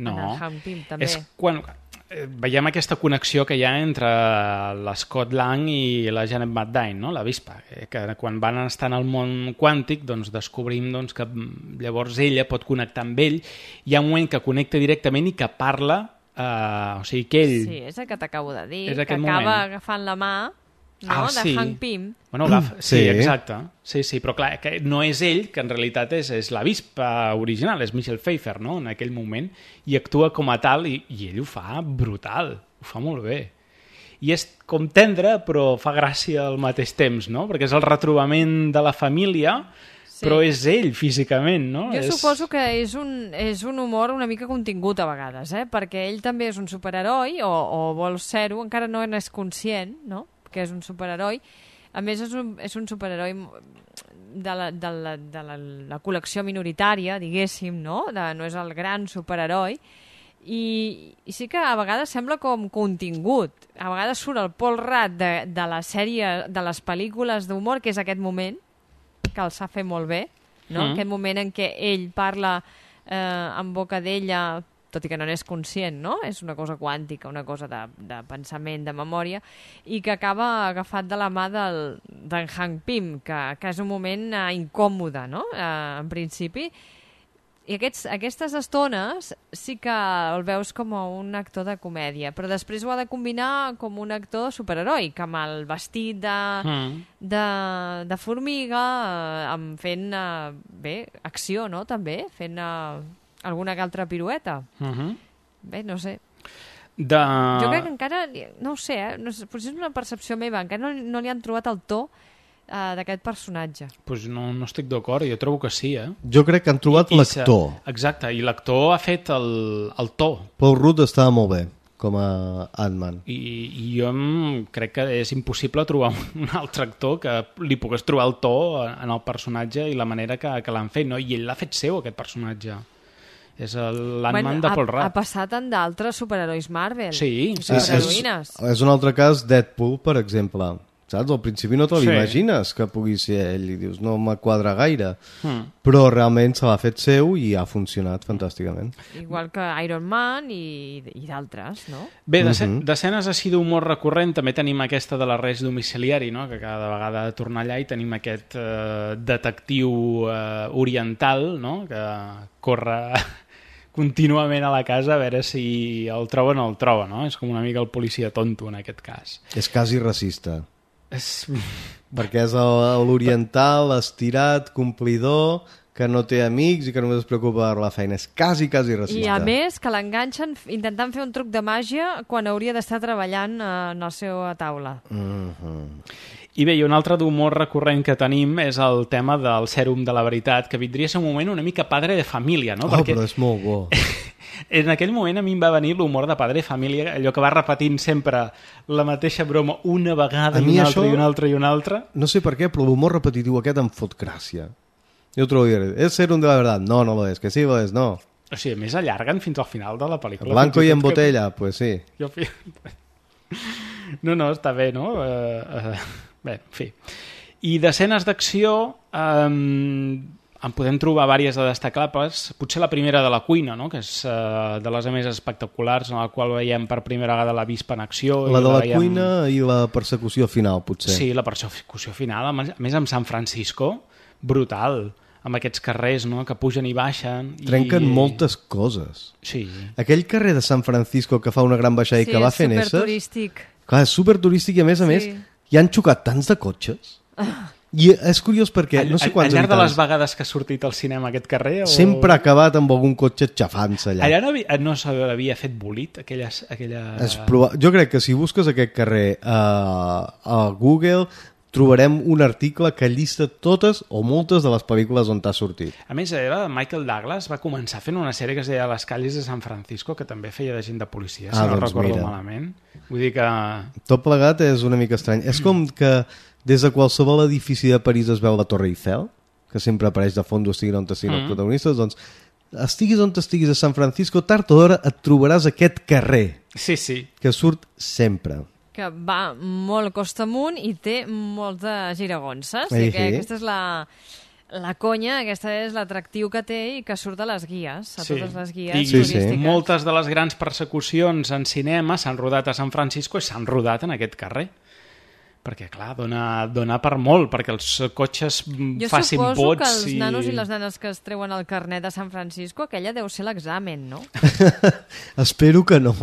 no, a Hank Pym, també. És quan veiem aquesta connexió que hi ha entre l'Scott Lang i la Janet Van Dyne, no? L'avispa, que quan van estar en el món quàntic doncs descobrim doncs, que llavors ella pot connectar amb ell. Hi ha un moment que connecta directament i que parla, eh, o sigui que ell... Sí, és el que t'acabo de dir, que acaba moment. agafant la mà, no? Ah, de sí. Hank Pym. Bueno, agafa... sí, Sí. exacte. Sí, sí, però clar, que no és ell, que en realitat és, és l'avispa original, és Michelle Pfeiffer, no?, en aquell moment, i actua com a tal, i, i ell ho fa brutal, ho fa molt bé. I és com tendre, però fa gràcia al mateix temps, no?, perquè és el retrobament de la família, sí. Però és ell físicament, no? Jo és... suposo que és un, és un humor una mica contingut a vegades, eh? Perquè ell també és un superheroi, o, o vol ser-ho, encara no n'és conscient, no?, que és un superheroi. A més, és un, és un superheroi de, la, de, la, de la, la col·lecció minoritària, diguéssim, no? De, no és el gran superheroi. I, I sí que a vegades sembla com contingut. A vegades surt el Paul Rudd de, de la sèrie, de les pel·lícules d'humor, que és aquest moment, que el sap fer molt bé, no? Mm. Aquest moment en què ell parla eh, en boca d'ella, tot i que no n'és conscient, no? És una cosa quàntica, una cosa de, de pensament, de memòria, i que acaba agafat de la mà del, d'en Hank Pym, que, que és un moment eh, incòmode, no?, eh, en principi. I aquests, aquestes estones sí que el veus com a un actor de comèdia, però després ho ha de combinar com un actor superheroi, que amb el vestit de, mm. de, de formiga, eh, amb fent, eh, bé, acció, no?, també, fent... Eh, alguna que altra pirueta. Uh-huh. Bé, no sé. De... Jo crec que encara, no ho sé, eh? no sé, potser és una percepció meva, encara no, no li han trobat el to uh, d'aquest personatge. Pues no, no estic d'acord, jo trobo que sí, eh? Jo crec que han trobat I, l'actor. I exacte, i l'actor ha fet el, el to. Paul Rudd estava molt bé com a Ant-Man. I, i jo crec que és impossible trobar un altre actor que li pogués trobar el to en el personatge i la manera que, que l'han fet, no? I ell l'ha fet seu, aquest personatge. És l'Ant-Man bueno, de Paul Rudd. Ha passat en d'altres superherois Marvel. Sí, sí, superheroïnes. És, és un altre cas, Deadpool, per exemple. Saps? Al principi no te l'imagines sí. que pugui ser ell i dius, no me quadra gaire. Hmm. Però realment se l'ha fet seu i ha funcionat fantàsticament. Igual que Iron Man i, i d'altres, no? Bé, d'escenes així d'humor recurrent també tenim aquesta de l'arrest domiciliari, no? Que cada vegada ha de tornar allà i tenim aquest eh, detectiu eh, oriental, no? Que corre... contínuament a la casa a veure si el troba o no el troba, no? És com una mica el policia tonto en aquest cas. És quasi racista. És... Perquè és l'oriental, estirat, complidor, que no té amics i que només es preocupa per la feina. És quasi, quasi racista. I a més que l'enganxen intentant fer un truc de màgia quan hauria d'estar treballant en la seva taula. Mm-hmm. I bé, i un altre d'humor recurrent que tenim és el tema del sèrum de la veritat, que vindria a ser un moment una mica padre de família, no? Oh, Perquè però és molt bo. en aquell moment a mi em va venir l'humor de padre de família, allò que va repetint sempre la mateixa broma una vegada i una altra i una altra i una altra. No sé per què, però l'humor repetitiu aquest em fot gràcia. Jo ho trobo dir, és sèrum de la veritat? No, no lo és, que sí lo és, no. O sigui, a més allarguen fins al final de la pel·lícula. Blanco i en botella, que... pues sí. Jo... No, no, està bé, no? Uh, uh... Bé, en fi. I d'escenes d'acció eh, en podem trobar diverses de destacables. Potser la primera de la cuina, no? Que és eh, de les més espectaculars, en la qual veiem per primera vegada l'avispa en acció. La de la, la veiem... cuina i la persecució final, potser. Sí, la persecució final. A més, amb San Francisco, brutal. Amb aquests carrers, no?, que pugen i baixen. Trenquen i... moltes coses. Sí. Aquell carrer de San Francisco que fa una gran baixada sí, i que va fent esses... Sí, és superturístic. Clar, és superturístic i a més a sí. més hi han xocat tants de cotxes. Ah. I és curiós perquè no sé quants al llarg habitants... de les vegades que ha sortit al cinema aquest carrer... O... Sempre ha acabat amb algun cotxe xafant-se allà. Allà no, havia, no s'havia fet bolit, aquella... aquella... Proba... Jo crec que si busques aquest carrer a, a Google trobarem un article que llista totes o moltes de les pel·lícules on t'ha sortit. A més, era Michael Douglas va començar fent una sèrie que es deia Les calles de San Francisco, que també feia de gent de policia, si ah, no doncs recordo mira. malament. Vull dir que... Tot plegat és una mica estrany. És com que des de qualsevol edifici de París es veu la Torre Eiffel. que sempre apareix de fons, estiguin on estiguin Mm. els protagonistes, doncs estiguis on estiguis a San Francisco, tard o d'hora et trobaràs aquest carrer. Sí, sí. Que surt sempre. Que va molt costa amunt i té molt de giragonses. Ei, I que sí. aquesta és la, la conya, aquesta és l'atractiu que té i que surt a les guies, a totes les guies I turístiques. moltes de les grans persecucions en cinema s'han rodat a San Francisco i s'han rodat en aquest carrer. Perquè, clar, dona, dona per molt, perquè els cotxes Jo facin suposo pots que els i... nanos i les nenes que es treuen el carnet de San Francisco, aquella deu ser l'examen, no? Espero que no.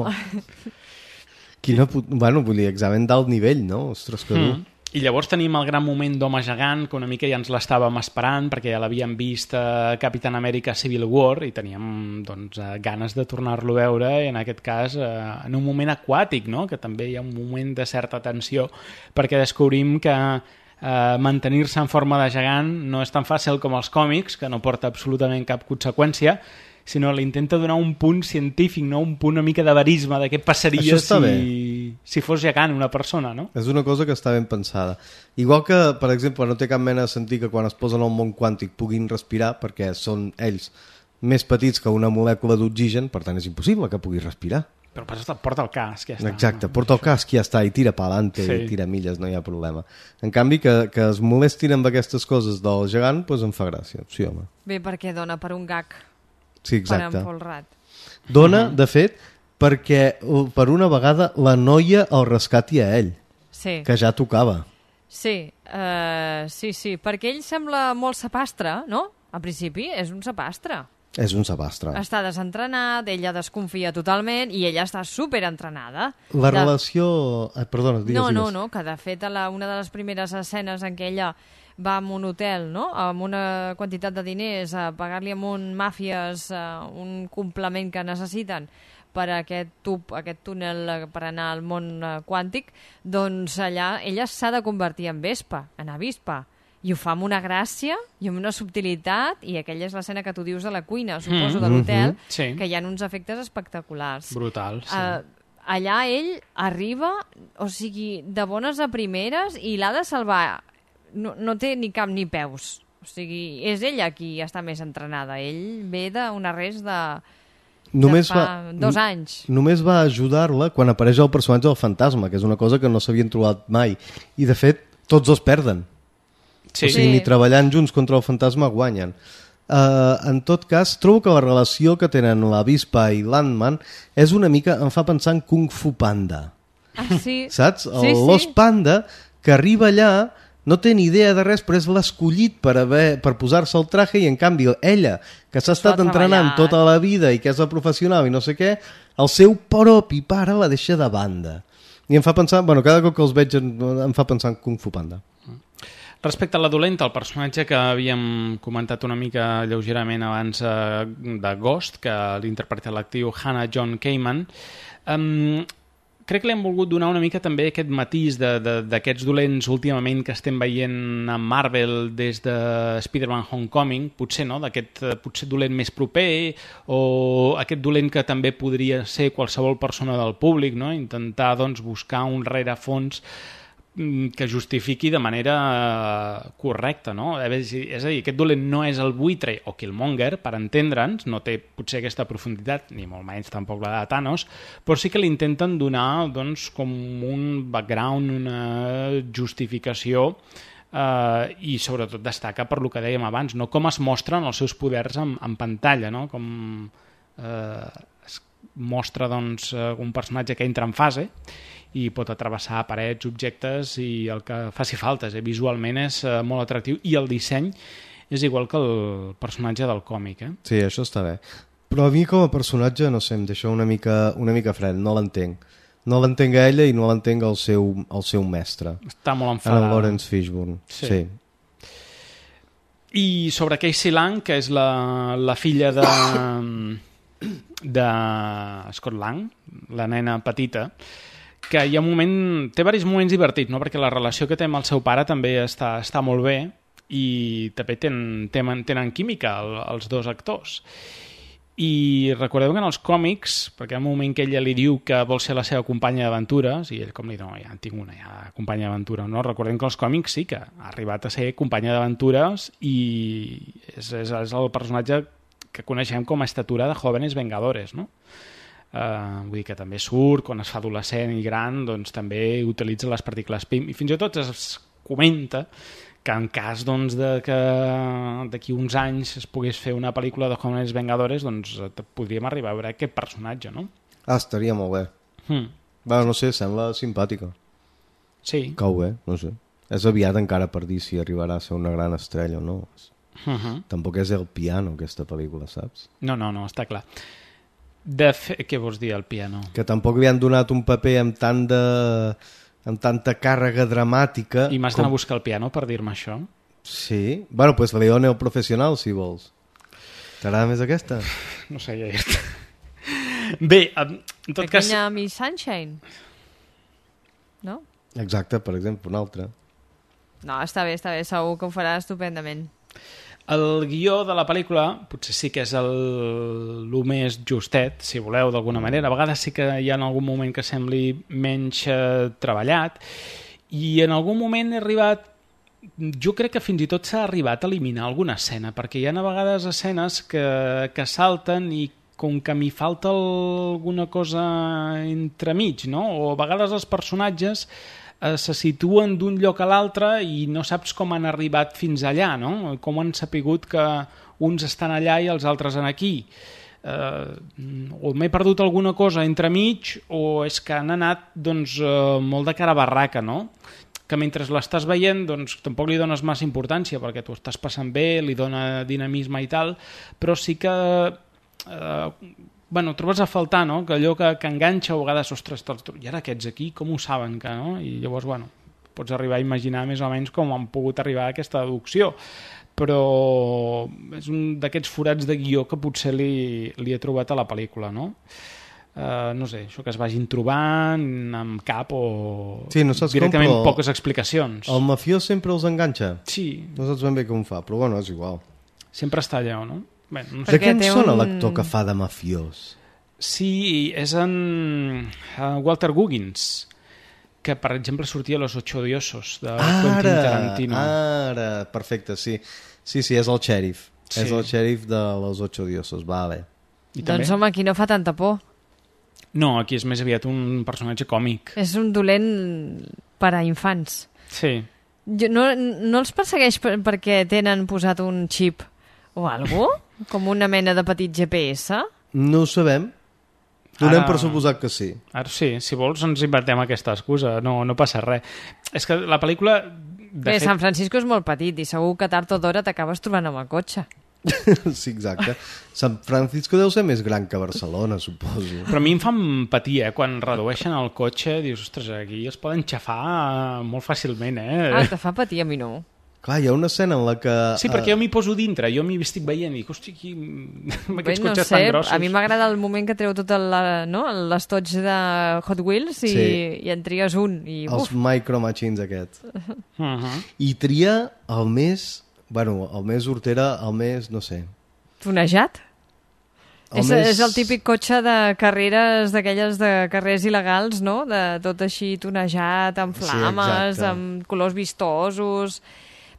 Quina put... Bueno, vull dir, examen d'alt nivell, no? Ostres, que dur. Mm. I llavors tenim el gran moment d'Home Gegant, que una mica ja ens l'estàvem esperant, perquè ja l'havíem vist a Capitán Amèrica Civil War, i teníem doncs, eh, ganes de tornar-lo a veure, i en aquest cas eh, en un moment aquàtic, no? Que també hi ha un moment de certa tensió, perquè descobrim que eh, mantenir-se en forma de gegant no és tan fàcil com els còmics, que no porta absolutament cap conseqüència, sinó li intenta donar un punt científic, no? Un punt una mica de verisme, de què passaria si, si fos gegant una persona, no? És una cosa que està ben pensada. Igual que, per exemple, no té cap mena de sentit que quan es posen al món quàntic puguin respirar, perquè són ells més petits que una molècula d'oxigen, per tant és impossible que puguis respirar. Però passa, porta el casc, ja està. Exacte, porta el casc i ja està, i tira pa'lante, Sí. i tira milles, no hi ha problema. En canvi, que, que es molestin amb aquestes coses del gegant, doncs em fa gràcia. Sí, home. Bé, perquè dona per un gag. Sí, exacte. Per empolrat. Dona, de fet, perquè uh, per una vegada la noia el rescati a ell, Sí. que ja tocava. Sí, uh, sí, sí, perquè ell sembla molt sapastre, no? A principi és un sapastre. És un sabastre. Està desentrenat, ella desconfia totalment i ella està superentrenada. La De- relació... Ah, perdona, digues, No, no, digues. no, que de fet a la, una de les primeres escenes en què ella va a un hotel, no?, amb una quantitat de diners, a pagar-li amb un màfies uh, un complement que necessiten per a aquest tub, aquest túnel eh, per anar al món uh, quàntic, doncs allà ella s'ha de convertir en vespa, en avispa, i ho fa amb una gràcia i amb una subtilitat, i aquella és l'escena que tu dius de la cuina, suposo, Mm. de l'hotel, Mhm, sí. que hi ha uns efectes espectaculars. Brutal, sí. Uh, allà ell arriba, o sigui, de bones a primeres, i l'ha de salvar. No, no té ni cap ni peus. O sigui, és ella qui està més entrenada. Ell ve d'un arrest de, Només de fa va, dos anys. Només va ajudar-la quan apareix el personatge del fantasma, que és una cosa que no s'havien trobat mai. I, de fet, tots dos perden. Sí. O sigui, Sí. ni treballant junts contra el fantasma guanyen. Uh, en tot cas, trobo que la relació que tenen la Vispa i l'Ant-Man és una mica, em fa pensar en Kung Fu Panda. Ah, sí? Saps? El Sí, sí. l'os panda que arriba allà no té ni idea de res, però és l'escollit per, haver, per posar-se el traje, i en canvi ella, que s'ha estat ha entrenant treballat. tota la vida i que és la professional i no sé què, el seu propi pare la deixa de banda. I em fa pensar, bueno, cada cop que els veig em, em fa pensar en Kung Fu Panda. Respecte a la dolenta, el personatge que havíem comentat una mica lleugerament abans eh, de Ghost, que l'interpreta l'actriu Hannah John Kamen, um, crec que li hem volgut donar una mica també aquest matís d'aquests dolents últimament que estem veient a Marvel des de Spider-Man Homecoming, potser no, d'aquest eh, potser dolent més proper, o aquest dolent que també podria ser qualsevol persona del públic, no? Intentar doncs, buscar un rerefons que justifiqui de manera eh, correcta, no? És a dir, aquest dolent no és el buitre o Killmonger, per entendre'ns, no té potser aquesta profunditat, ni molt menys tampoc la de Thanos, però sí que li intenten donar doncs, com un background, una justificació, eh, i sobretot destaca per lo que dèiem abans, no? Com es mostren els seus poders en, en pantalla, no? Com eh, es mostra doncs, un personatge que entra en fase i pot atravessar parets, objectes i el que faci falta. Eh? Visualment és eh, molt atractiu i el disseny és igual que el personatge del còmic. Eh? Sí, això està bé. Però a mi com a personatge, no sé, em deixa una mica, una mica fred, no l'entenc. No l'entenc a ella i no l'entenc al seu, al seu mestre. Està molt enfadada. En Lawrence Fishburne, sí. sí. I sobre Casey Lang, que és la, la filla de, de Scott Lang, la nena petita, que hi ha un moment, té diversos moments divertits, no? Perquè la relació que té amb el seu pare també està, està molt bé i també tenen, tenen, tenen química el, els dos actors. I recordeu que en els còmics, perquè hi ha un moment que ella li diu que vol ser la seva companya d'aventures, i ell com li diu, no, ja en tinc una, ja, companya d'aventura. No? Recordem que els còmics sí que ha arribat a ser companya d'aventures i és, és, és el personatge que coneixem com a estatura de Jóvenes Vengadores, no? Uh, vull dir que també surt, quan es fa adolescent i gran, doncs també utilitza les partícules P I M, i fins i tot es comenta que en cas doncs, de que d'aquí uns anys es pogués fer una pel·lícula de Jóvenes Vengadores, doncs podríem arribar a veure aquest personatge, no? Ah, estaria molt bé. Hmm. Bueno, no sé, sembla simpàtica. Sí. Cau bé, no sé. És aviat encara per dir si arribarà a ser una gran estrella o no. Uh-huh. Tampoc és el piano, aquesta pel·lícula, saps? No, no, no, està clar. De fe... Què vols dir, el piano? Que tampoc li han donat un paper amb tant de... amb tanta càrrega dramàtica... I m'has com... d'anar a buscar el piano per dir-me això? Sí. Bueno, pues Leone el professional, si vols. T'agrada més aquesta? No sé, ja està. Bé, en tot cas... Pequeña Miss Sunshine. No? Exacte, per exemple, una altra. No, està bé, està bé. Segur que ho farà estupendament. El guió de la pel·lícula potser sí que és el, el més justet, si voleu, d'alguna manera. A vegades sí que hi ha en algun moment que sembli menys eh, treballat, i en algun moment he arribat, jo crec que fins i tot s'ha arribat a eliminar alguna escena, perquè hi ha a vegades escenes que, que salten i com que m'hi falta alguna cosa entremig, no? O a vegades els personatges se situen d'un lloc a l'altre i no saps com han arribat fins allà, no? Com han sapigut que uns estan allà i els altres en aquí. Eh, o m'he perdut alguna cosa entremig o és que han anat doncs, eh, molt de cara a barraca, no? Que mentre l'estàs veient doncs, tampoc li dones massa importància perquè tu estàs passant bé, li dona dinamisme i tal, però sí que... Eh, bueno, trobes a faltar, no? Que allò que, que enganxa a vegades, ostres, i ara aquests aquí, com ho saben? Que, no? I llavors, bueno, pots arribar a imaginar més o menys com han pogut arribar a aquesta deducció. Però és un d'aquests forats de guió que potser li, li he trobat a la pel·lícula, no? Uh, no sé, això que es vagin trobant amb cap o sí, no saps directament com, però poques explicacions. El mafiós sempre els enganxa. Sí. No saps ben bé com fa, però bueno, és igual. Sempre està allà, no? Bé, no sé. De què en sona un... l'actor que fa de mafiós? Sí, és en uh, Walter Goggins, que per exemple sortia a Los Ocho Odiosos de Quentin Tarantino. Ara, perfecte, sí. Sí, sí, és el xèrif. Sí. És el xèrif de Los Ocho Odiosos, vale. I doncs també? Home, aquí no fa tanta por. No, aquí és més aviat un personatge còmic. És un dolent per a infants. Sí. Jo, no, no els persegueix per, perquè tenen posat un xip o alguna cosa? Com una mena de petit G P S? No ho sabem. Donem ara, per suposat que sí. Ara sí, si vols ens invertem aquesta excusa, no, no passa res. És que la pel·lícula... De Bé, fet... San Francisco és molt petit i segur que tard o d'hora t'acabes trobant amb el cotxe. Sí, exacte. San Francisco deu ser més gran que Barcelona, suposo. Però a mi em fa patir, eh? Quan redueixen el cotxe, dius, ostres, aquí es poden xafar molt fàcilment, eh? Ah, te fa patir, a mi no. Clar, hi ha una escena en la que... Sí, perquè jo m'hi poso dintre, jo m'hi estic veient i dic, hosti, aquí... amb aquests Bé, no cotxes sé, tan grossos... A mi m'agrada el moment que treu tot no? l'estoig de Hot Wheels i, sí. i en tries un. I, els uf. Micro Machines aquests. Uh -huh. I tria el més... Bueno, el més hortera, el més, no sé... Tunejat? És, més... és el típic cotxe de carreres, d'aquelles de carrers il·legals, no? De tot així tunejat, amb flames, sí, amb colors vistosos...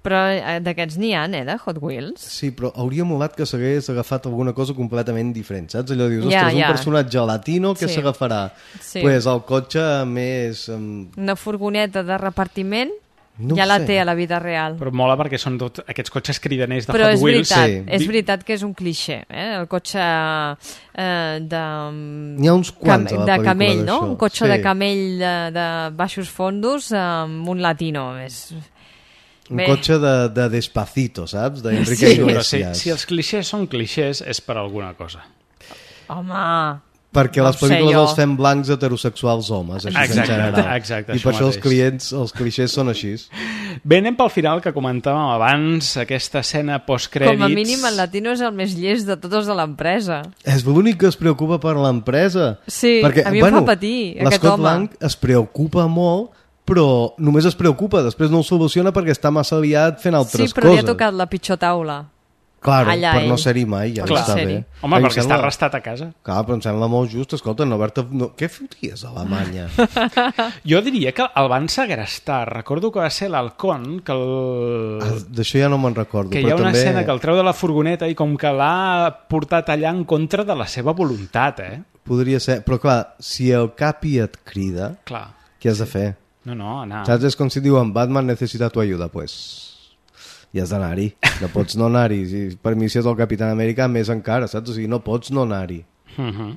Però d'aquests n'hi ha, eh, de Hot Wheels. Sí, però hauria molat que s'hagués agafat alguna cosa completament diferent, saps? Allò dius, ja, ostres, ja. un personatge latino, què sí. s'agafarà? Sí. Pues el cotxe més... Um... Una furgoneta de repartiment no ja la sé. té a la vida real. Però mola perquè són tot aquests cotxes cridaners de però Hot és Wheels. Veritat, sí. és veritat que és un clixé, eh? El cotxe eh, de... N'hi ha uns quants cam... a la de camell, no? Un cotxe sí. de camell de, de baixos fondos amb un latino. És... Un Bé. cotxe de, de Despacito, saps? D'Enrique sí, Iglesias. Sí, si els clixés són clixés és per alguna cosa. Home... Perquè no les pel·lícules jo. els fem blancs heterosexuals homes, així exacte, en general. Exacte, I per això mateix. els clients, els clixés són així. Bé, anem pel final que comentàvem abans, aquesta escena postcrèdits. Com a mínim el latino és el més llest de tots de l'empresa. És l'únic que es preocupa per l'empresa. Sí, perquè, a mi bueno, em fa patir, aquest l'Scott home. Lang es preocupa molt, però només es preocupa, després no ho soluciona perquè està massa aviat fent altres coses. Sí, però li ha tocat la pitjor taula. Claro, allà per ell. no ser-hi mai, ja Per no està ser-hi. bé. Home, Em perquè sembla- està arrestat a casa. Clar, però em sembla molt just. Escolta, no haver-te... No... Què foties a Alemanya? Jo diria que el van segrestar. Recordo que va ser l'Halcón, que el... Ah, d'això ja no me'n recordo. que hi però ha una també... escena que el treu de la furgoneta i com que l'ha portat allà en contra de la seva voluntat, eh? Podria ser... Però clar, si el capi et crida, Clar. què has de fer? No, no, anar. Saps? És com si diuen Batman necessita tu ajuda, pues... I has d'anar-hi. No pots no anar-hi. Si per mi si és el Capitán Amèrica, més encara, saps? O sigui, no pots no anar-hi. Uh -huh.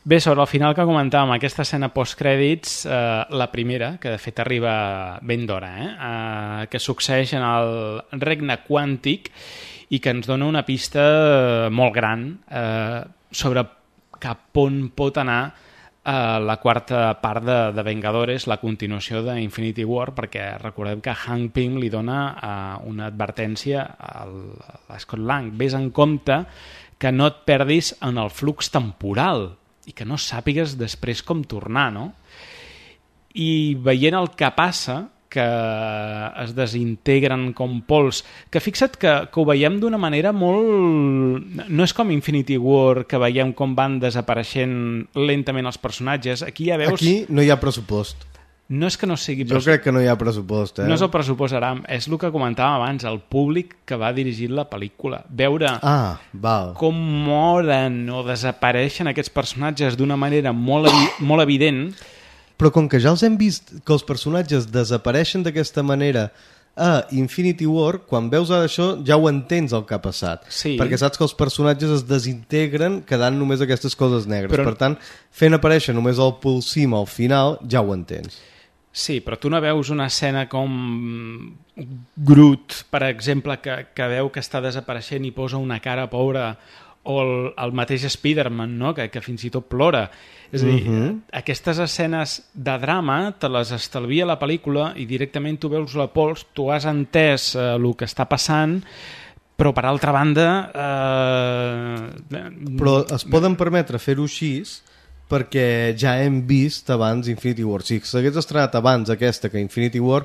Bé, sobre el final que comentàvem, aquesta escena postcrèdits, eh, la primera, que de fet arriba ben d'hora, eh? Eh, que succeeix en el regne quàntic i que ens dona una pista molt gran eh, sobre cap on pot anar eh, la quarta part de, de Vengadores, la continuació d'Infinity War, perquè recordem que Hank Pym li dona eh, una advertència al, a Scott Lang. Ves en compte que no et perdis en el flux temporal i que no sàpigues després com tornar, no? I veient el que passa, que es desintegren com pols, que fixa't que, que ho veiem d'una manera molt... No és com Infinity War, que veiem com van desapareixent lentament els personatges. Aquí ja veus... Aquí no hi ha pressupost. No és que no sigui... Jo crec que no hi ha pressupost, eh? No és el pressupost, Aram, és el que comentàvem abans, el públic que va dirigir la pel·lícula. Veure ah, val. com moren o desapareixen aquests personatges d'una manera molt, evi molt evident... Però com que ja els hem vist que els personatges desapareixen d'aquesta manera a Infinity War, quan veus ara això ja ho entens el que ha passat. Sí. Perquè saps que els personatges es desintegren quedant només aquestes coses negres. Però... Per tant, fent aparèixer només el pulsim al final, ja ho entens. Sí, però tu no veus una escena com Groot, per exemple, que, que veu que està desapareixent i posa una cara pobra, o el, el mateix Spider-Man, no? que, que fins i tot plora. És a dir, Mhm. aquestes escenes de drama te les estalvia la pel·lícula i directament tu veus la pols, tu has entès eh, el que està passant, però per altra banda... Eh... Però es poden permetre fer-ho així perquè ja hem vist abans Infinity War. Si s'hagués estrenat abans aquesta que Infinity War,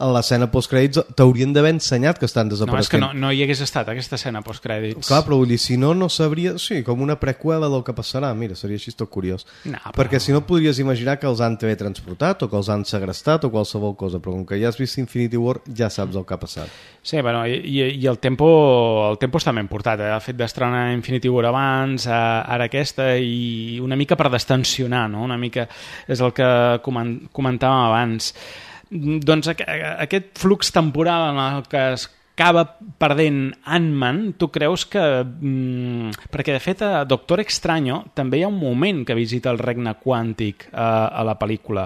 a l'escena postcrèdits t'haurien d'haver ensenyat que estan No, és desapareixent. que no, no hi hagués estat aquesta escena postcrèdits. Clar, però vull dir, si no, no sabria... Sí, com una preqüela del que passarà. Mira, seria així tot curiós. No, però... Perquè si no podries imaginar que els han teletransportat o que els han segrestat o qualsevol cosa, però com que ja has vist Infinity War ja saps el que ha passat. Sí, bueno, i, i i el tempo, el tempo està ben portat, eh? El fet d'estrenar Infinity War abans, eh, ara aquesta, i una mica per destensionar, no? Una mica és el que coment comentàvem abans. Doncs aqu aquest flux temporal en el que es acaba perdent Ant-Man, tu creus que... Mm, perquè, de fet, a Doctor Extraño també hi ha un moment que visita el regne quàntic eh, a la pel·lícula.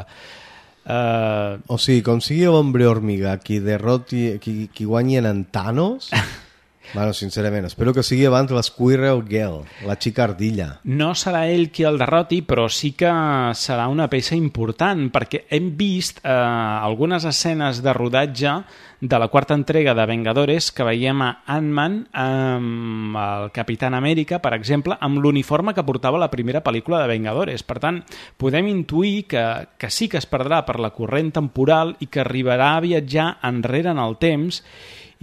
Uh... O sigui, com sigui l'Hombre Hormiga qui derroti, qui, qui guanyi en Thanos... Bueno, sincerament, espero que sigui abans la Squirrel Girl, la xica ardilla. No serà ell qui el derroti, però sí que serà una peça important, perquè hem vist eh, algunes escenes de rodatge de la quarta entrega de Vengadores que veiem a Ant-Man amb el Capitán Amèrica, per exemple, amb l'uniforme que portava la primera pel·lícula de Vengadores. Per tant, podem intuir que, que sí que es perdrà per la corrent temporal i que arribarà a viatjar enrere en el temps,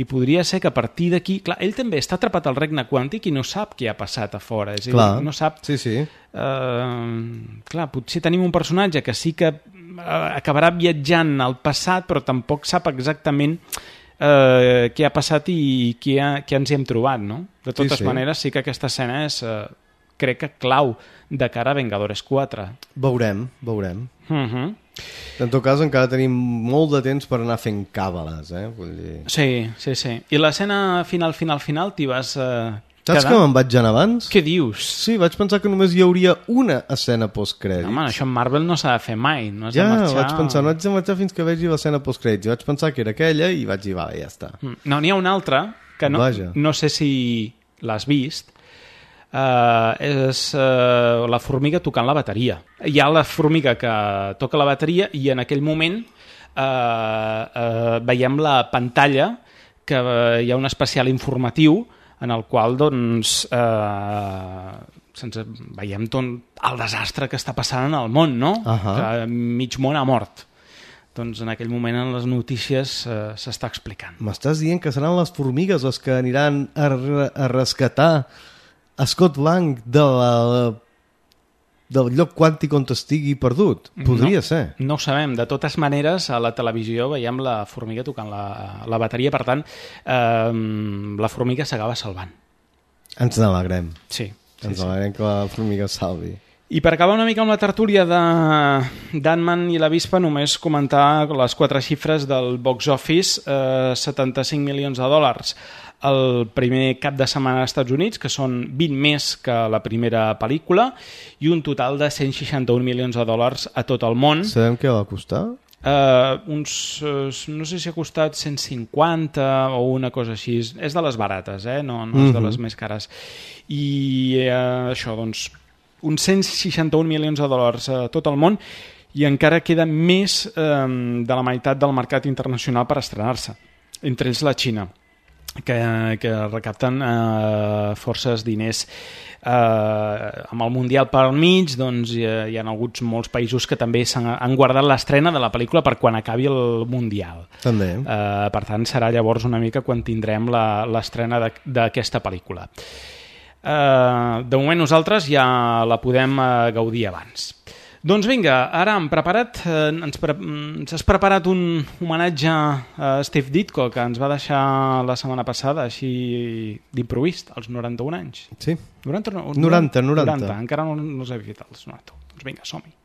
i podria ser que a partir d'aquí... Clar, ell també està atrapat al regne quàntic i no sap què ha passat a fora. És a dir, clar, no sap... sí, sí. Uh, clar, potser tenim un personatge que sí que acabarà viatjant al passat, però tampoc sap exactament uh, què ha passat i què, ha, què ens hi hem trobat, no? De totes sí, sí. maneres, sí que aquesta escena és, uh, crec que clau de cara a Vengadores quatre. Veurem, veurem. Uh -huh. En tot cas, encara tenim molt de temps per anar fent càbales, eh? Vull dir... Sí, sí, sí. I l'escena final, final, final, t'hi vas... Uh, Saps que me'n vaig anar abans? Què dius? Sí, vaig pensar que només hi hauria una escena postcrèdits. No, home, això en Marvel no s'ha de fer mai. No has ja, de marxar... vaig pensar, no haig de marxar fins que vegi l'escena postcrèdits. Vaig pensar que era aquella i vaig dir, vale, ja està. No, n'hi ha una altra que no, no sé si l'has vist. Uh, és uh, la formiga tocant la bateria. Hi ha la formiga que toca la bateria i en aquell moment uh, uh, veiem la pantalla que uh, hi ha un especial informatiu en el qual doncs uh, sense, veiem tot el desastre que està passant en el món, no? Uh -huh. Que mig món ha mort. doncs en aquell moment en les notícies eh, s'està explicant. M'estàs dient que seran les formigues les que aniran a, a rescatar a Scott Lang de la, del lloc quàntic on estigui perdut? Podria no, ser. No ho sabem. De totes maneres, a la televisió veiem la formiga tocant la, la bateria, per tant, eh, la formiga s'acaba salvant. Ens n'alegrem. Sí. Ens sí, alegrem sí. que la formiga salvi. I per acabar una mica amb la tertúlia d'Ant-Man i la Vispa, només comentar les quatre xifres del box office, eh, setanta-cinc milions de dòlars el primer cap de setmana als Estats Units, que són vint més que la primera pel·lícula, i un total de cent seixanta-un milions de dòlars a tot el món. Sabem què va costar? Uh, uns, uh, no sé si ha costat cent cinquanta o una cosa així. És de les barates, eh? no, no és de les més cares. I uh, això, doncs, uns cent seixanta-un milions de dòlars a tot el món, i encara queda més eh, de la meitat del mercat internacional per estrenar-se, entre ells la Xina, que, que recapten eh, forces diners. Eh, amb el Mundial pel mig, doncs, hi, hi ha hagut molts països que també s'han, han guardat l'estrena de la pel·lícula per quan acabi el Mundial. També. Eh, per tant, serà llavors una mica quan tindrem l'estrena d'aquesta pel·lícula. Uh, de moment nosaltres ja la podem uh, gaudir abans. Doncs vinga, ara hem preparat, uh, ens, pre ens has preparat un homenatge a Steve Ditko, que ens va deixar la setmana passada així d'improvist, als noranta-un anys. Sí. noranta, no, noranta, noranta. noranta. Encara no, no els he fet els noranta-un. Doncs vinga, som-hi.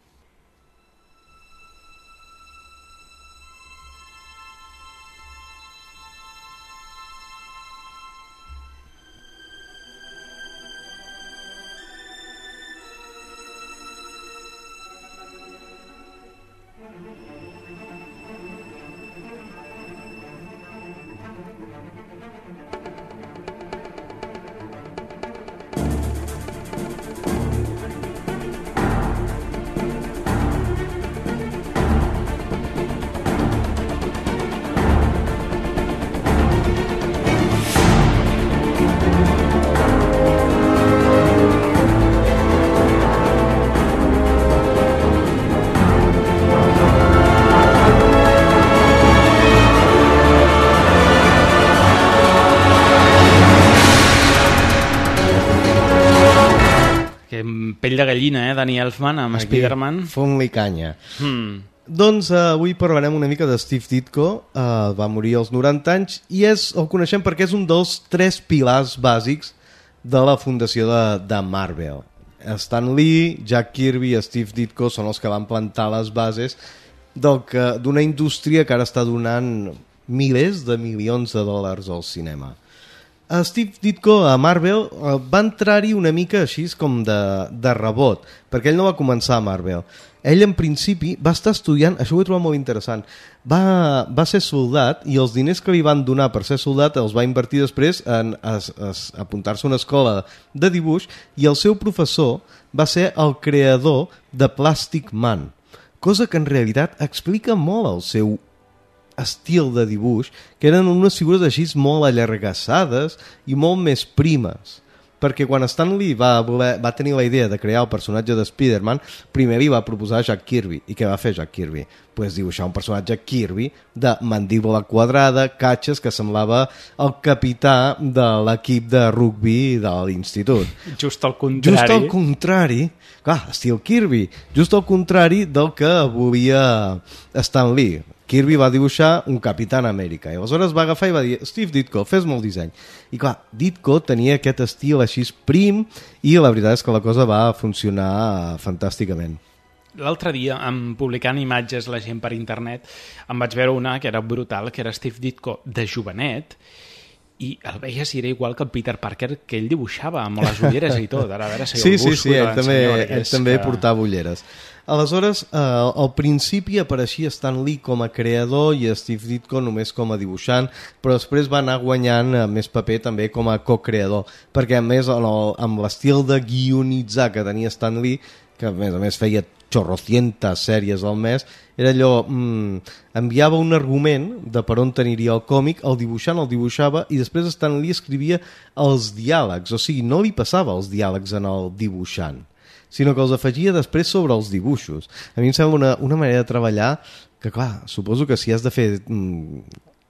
Pell de gallina, eh, Danny Elfman amb Spider-Man. Font-li canya. Hmm. Doncs uh, avui parlarem una mica de Steve Ditko. Uh, va morir als noranta anys i és, el coneixem perquè és un dels tres pilars bàsics de la fundació de, de Marvel. Stan Lee, Jack Kirby i Steve Ditko són els que van plantar les bases d'una indústria que ara està donant milers de milions de dòlars al cinema. Uh, Steve Ditko a Marvel uh, va entrar-hi una mica així com de, de rebot, perquè ell no va començar a Marvel. Ell en principi va estar estudiant, això ho he trobat molt interessant, va, va ser soldat i els diners que li van donar per ser soldat els va invertir després en apuntar-se a una escola de dibuix, i el seu professor va ser el creador de Plastic Man, cosa que en realitat explica molt el seu estil de dibuix, que eren unes figures així molt allargassades i molt més primes, perquè quan Stan Lee va, voler, va tenir la idea de crear el personatge de Spider-Man, primer li va proposar Jack Kirby. I què va fer Jack Kirby? Pues dibuixar un personatge Kirby de mandíbula quadrada, catxes, que semblava el capità de l'equip de rugbi de l'institut. Just al contrari. Just al contrari, clar, estil Kirby, just al contrari del que volia Stan Lee. Kirby va dibuixar un Capitán Amèrica i aleshores va agafar i va dir: Steve Ditko, fes-me el disseny. I clar, Ditko tenia aquest estil així prim i la veritat és que la cosa va funcionar fantàsticament. L'altre dia, en publicant imatges la gent per internet, em vaig veure una que era brutal, que era Steve Ditko de jovenet, i el veies i era igual que el Peter Parker que ell dibuixava, amb les ulleres i tot. Ara, a veure si sí, el sí, busco sí, i ell també, ell que... també portava ulleres. Aleshores, eh, al principi apareixia Stan Lee com a creador i Steve Ditko només com a dibuixant, però després va anar guanyant eh, més paper també com a co-creador, perquè a més amb l'estil de guionitzar que tenia Stan Lee, que a més a més feia chorrocientas sèries al mes, era allò, mmm, enviava un argument de per on aniria el còmic, el dibuixant el dibuixava i després Stan Lee escrivia els diàlegs, o sigui, no li passava els diàlegs en el dibuixant, sinó que els afegia després sobre els dibuixos. A mi em sembla una, una manera de treballar que clar, suposo que si has de fer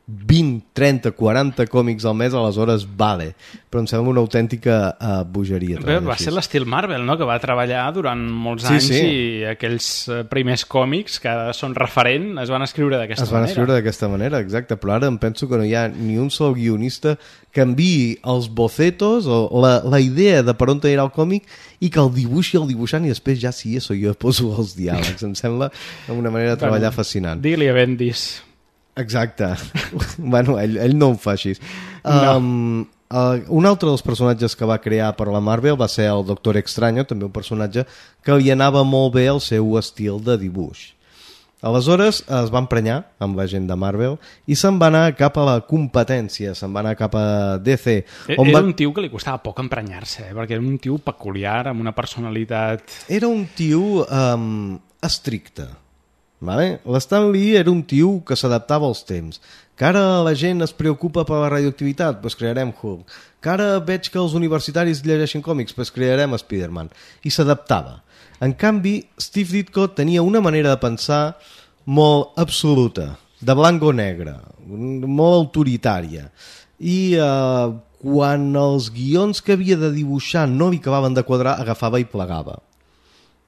vint, trenta, quaranta còmics al mes, aleshores vale, però em sembla una autèntica uh, bogeria. Bé, va ser l'estil Marvel, no?, que va treballar durant molts sí, anys sí. i aquells primers còmics que són referent es van escriure d'aquesta manera. Es van manera. escriure d'aquesta manera, exacte, però ara em penso que no hi ha ni un sol guionista que enviï els bocetos o la, la idea de per on anirà el còmic i que el dibuixi el dibuixant i després ja sí, això jo poso els diàlegs. Em sembla una manera de treballar bueno, fascinant. Digue-li a Bendis. Exacte. Bueno, ell, ell no ho fa així. No. Um, uh, un altre dels personatges que va crear per la Marvel va ser el Doctor Extraño, també un personatge que li anava molt bé el seu estil de dibuix. Aleshores es va emprenyar amb la gent de Marvel i se'n va anar cap a la competència, se'n va anar cap a D C. On era va... un tio que li costava poc emprenyar-se, eh? Perquè era un tio peculiar, amb una personalitat... Era un tio um, estricte. Vale? L'Stan Lee era un tio que s'adaptava als temps, que ara la gent es preocupa per la radioactivitat, doncs crearem Hulk, que ara veig que els universitaris llegeixen còmics, doncs crearem Spider-Man, i s'adaptava. En canvi, Steve Ditko tenia una manera de pensar molt absoluta, de blanc o negre, molt autoritària, i eh, quan els guions que havia de dibuixar no li acabaven de quadrar, agafava i plegava.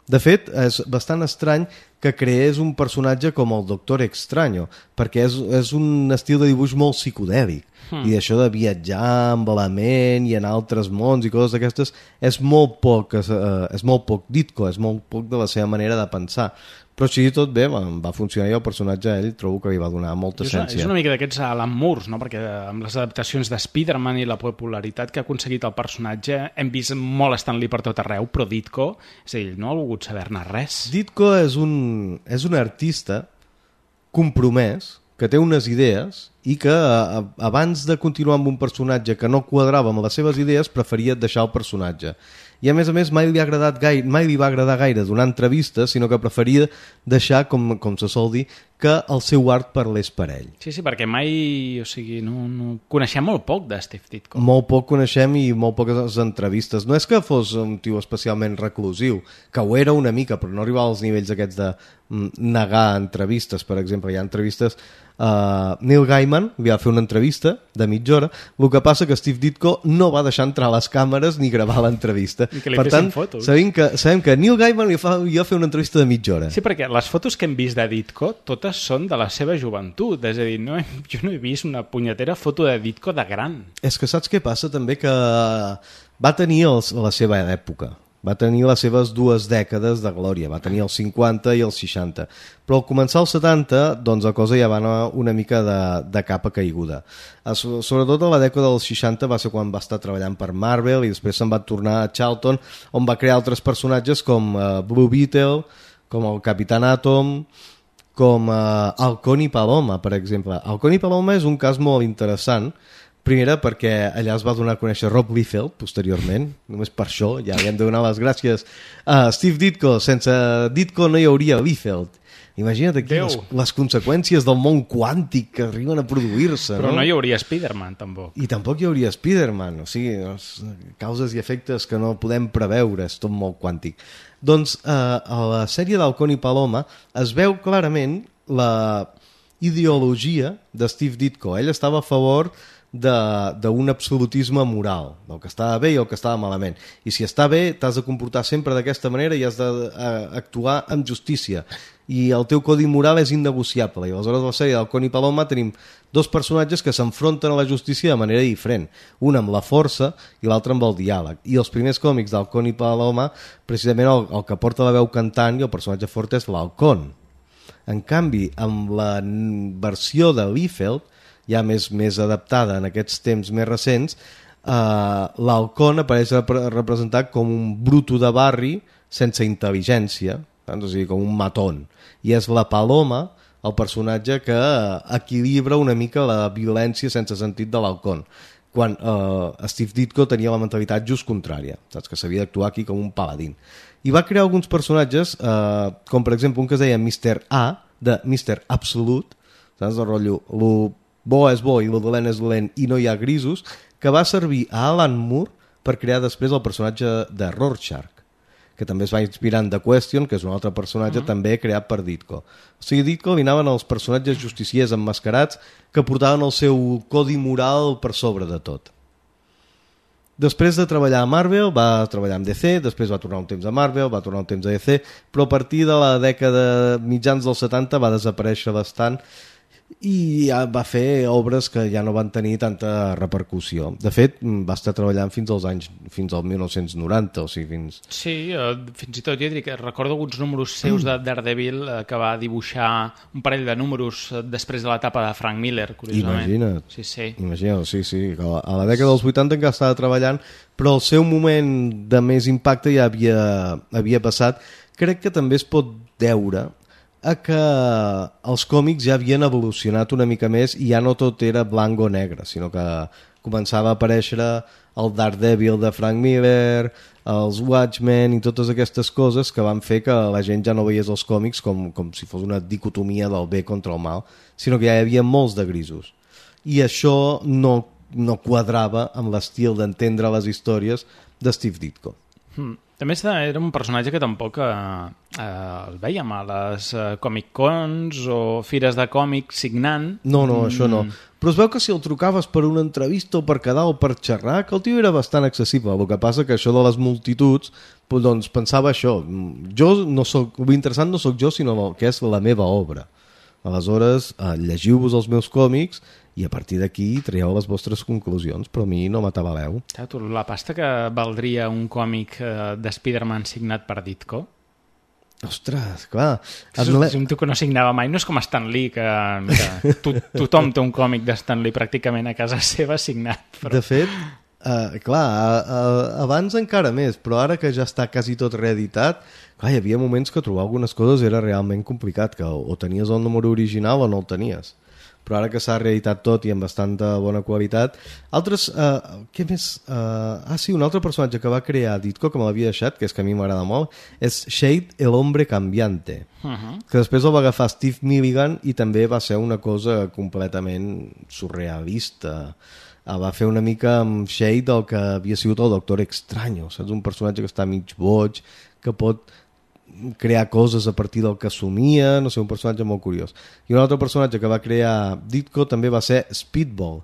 De fet, és bastant estrany que creés un personatge com el Doctor Extraño, perquè és, és un estil de dibuix molt psicodèlic, hmm. i això de viatjar amb la ment i en altres mons i coses d'aquestes és molt poc, eh, és molt poc Ditko, és molt poc de la seva manera de pensar. Però així tot bé, va funcionar i el personatge a ell trobo que li va donar molta essència. És una mica d'aquests Alan Moore, no? Perquè amb les adaptacions de Spider-Man i la popularitat que ha aconseguit el personatge hem vist molt Stan Lee per tot arreu, però Ditko, és a dir, no ha volgut saber-ne res. Ditko és un, és un artista compromès, que té unes idees i que a, abans de continuar amb un personatge que no quadrava amb les seves idees preferia deixar el personatge. I a més a més mai li ha agradat gaire, mai li va agradar gaire donar entrevistes, sinó que preferia deixar, com, com se sol dir, que el seu art parlés per ell. Sí, sí, perquè mai, o sigui, no, no... coneixem molt poc de Steve Ditko. Molt poc coneixem i molt poques entrevistes. No és que fos un tio especialment reclusiu, que ho era una mica, però no arribava als nivells aquests de negar entrevistes, per exemple. Hi ha entrevistes... Uh, Neil Gaiman li va fer una entrevista de mitja hora, el que passa que Steve Ditko no va deixar entrar les càmeres ni gravar l'entrevista. Per tant, sabem que, sabem que Neil Gaiman li fa, li va fer una entrevista de mitja hora. Sí, perquè les fotos que hem vist de Ditko totes són de la seva joventut, és a dir, no he, jo no he vist una punyetera foto de Ditko de gran. És que saps què passa també? Que va tenir els, la seva època. Va tenir les seves dues dècades de glòria, va tenir els cinquanta i els seixanta. Però al començar els setanta, doncs la cosa ja va anar una mica de, de capa caiguda. Sobretot a la dècada dels seixanta va ser quan va estar treballant per Marvel i després se'n va tornar a Charlton, on va crear altres personatges com uh, Blue Beetle, com el Capitán Atom, com uh, Halcón i Paloma, per exemple. Halcón i Paloma és un cas molt interessant. Primera, perquè allà es va donar a conèixer Rob Liefeld, posteriorment. Només per això, ja li hem de donar les gràcies a Steve Ditko. Sense Ditko no hi hauria Liefeld. Imagina't aquí les, les conseqüències del món quàntic que arriben a produir-se. Però no, no hi hauria Spider-Man, tampoc. I tampoc hi hauria Spider-Man. O sigui, causes i efectes que no podem preveure, és tot molt quàntic. Doncs eh, a la sèrie d'Halcón i Paloma es veu clarament la ideologia de Steve Ditko. Ell estava a favor d'un absolutisme moral, del que estava bé i el que estava malament, i si està bé t'has de comportar sempre d'aquesta manera i has d'actuar amb justícia i el teu codi moral és innegociable. I aleshores a la sèrie d'Halcón i Paloma tenim dos personatges que s'enfronten a la justícia de manera diferent, un amb la força i l'altre amb el diàleg, i els primers còmics d'Halcón i Paloma precisament el, el que porta la veu cantant i el personatge fort és l'Halcón. En canvi, amb la versió de Liefeld, ja més, més adaptada en aquests temps més recents, eh, l'Halcón apareix representat com un bruto de barri sense intel·ligència, doncs, o sigui, com un matón. I és la Paloma, el personatge que equilibra una mica la violència sense sentit de l'Halcón, quan eh, Steve Ditko tenia la mentalitat just contrària, saps? Que s'havia d'actuar aquí com un paladín. I va crear alguns personatges, eh, com per exemple un que es deia mister A, de mister Absolute, saps? El rotllo, lo bo és bo i el dolent és dolent i no hi ha grisos, que va servir a Alan Moore per crear després el personatge de Rorschach, que també es va inspirar en The Question, que és un altre personatge Uh-huh. també creat per Ditko. O sigui, Ditko li anaven els personatges justiciers emmascarats que portaven el seu codi moral per sobre de tot. Després de treballar a Marvel, va treballar amb D C, després va tornar un temps a Marvel, va tornar un temps a D C, però a partir de la dècada mitjans dels setanta va desaparèixer bastant i ja va fer obres que ja no van tenir tanta repercussió. De fet, va estar treballant fins als anys fins al mil nou-cents noranta, o sigui, fins... Sí, eh, fins i tot, jo dic que recordo alguns números seus de Daredevil eh, que va dibuixar un parell de números eh, després de l'etapa de Frank Miller, curiosament. Imagina't. Sí, sí. Imagina't, sí, sí. A la, a la dècada dels vuitanta encara estava treballant, però el seu moment de més impacte ja havia, havia passat. Crec que també es pot deure a que els còmics ja havien evolucionat una mica més i ja no tot era blanc o negre, sinó que començava a aparèixer el Daredevil de Frank Miller, els Watchmen i totes aquestes coses que van fer que la gent ja no veiés els còmics com, com si fos una dicotomia del bé contra el mal, sinó que ja hi havia molts de grisos. I això no, no quadrava amb l'estil d'entendre les històries de Steve Ditko. Mm. A més, era un personatge que tampoc eh, eh, el veiem a les eh, Comic-Cons o fires de còmic signant. No, no, això no. Però es veu que si el trucaves per una entrevista o per quedar o per xerrar, que el tio era bastant accessible. El que passa que això de les multituds, doncs pensava això. Jo no soc, l'interessant no sóc jo, sinó que és la meva obra. Aleshores, eh, llegiu-vos els meus còmics i a partir d'aquí traieu les vostres conclusions, però a mi no m'atabaleu. La pasta que valdria un còmic eh, de Spider-Man signat per Ditko? Ostres, clar. És un, és un tio que no signava mai. No és com Stan Lee, que, que to, tothom té un còmic de Stan Lee pràcticament a casa seva signat. Però... De fet, eh, clar, a, a, abans encara més, però ara que ja està quasi tot reeditat, clar, hi havia moments que trobar algunes coses era realment complicat, que o tenies el número original o no el tenies. Però ara que s'ha reeditat tot i amb bastanta bona qualitat... Altres... Eh, què més? Eh, ah, sí, un altre personatge que va crear Ditko, que me l'havia deixat, que és que a mi m'agrada molt, és Shade, el hombre cambiante. Uh-huh. Que després el va agafar Steve Milligan i també va ser una cosa completament surrealista. Eh, va fer una mica amb Shade el que havia sigut el Doctor Extraño, saps? Un personatge que està mig boig, que pot crear coses a partir del que somia, no sé, un personatge molt curiós. I un altre personatge que va crear Ditko també va ser Speedball,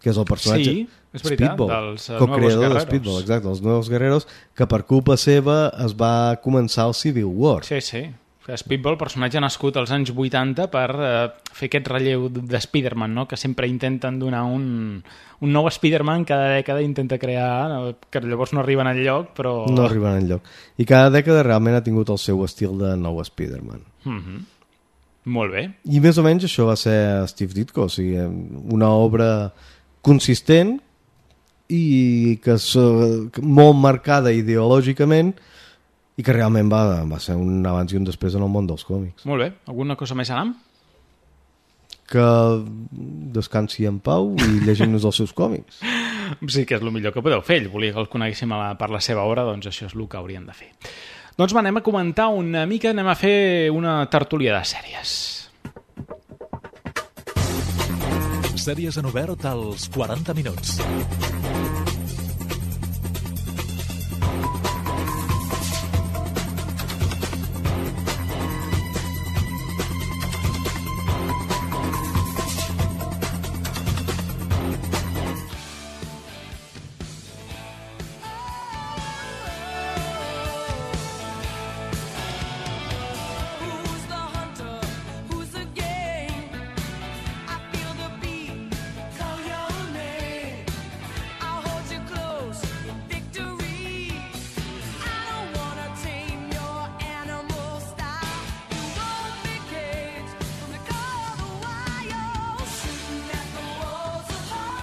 que és el personatge... Sí, és veritat, Speedball, dels uh, co-creador Nuevos de Speedball, exacte, els Nuevos Guerreros, que per culpa seva es va començar el Civil War. Sí, sí. Speedball, personatge nascut als anys vuitanta per uh, fer aquest relleu de Spider-Man, no? Que sempre intenten donar un, un nou Spider-Man, cada dècada intenta crear, no? Que llavors no arriben enlloc, però... No arriben enlloc. I cada dècada realment ha tingut el seu estil de nou Spider-Man. Mm-hmm. Molt bé. I més o menys això va ser Steve Ditko, o sigui, una obra consistent i que és molt marcada ideològicament i que realment va, va ser un abans i un després en el món dels còmics. Molt bé. Alguna cosa més, Anam? Que descansi en pau i llegim-nos els seus còmics. Sí, que és el millor que podeu fer. Ell volia que el coneguéssim a la, per la seva obra, doncs això és el que haurien de fer. Doncs va, anem a comentar una mica, anem a fer una tertúlia de sèries. Sèries en obert als quaranta minuts.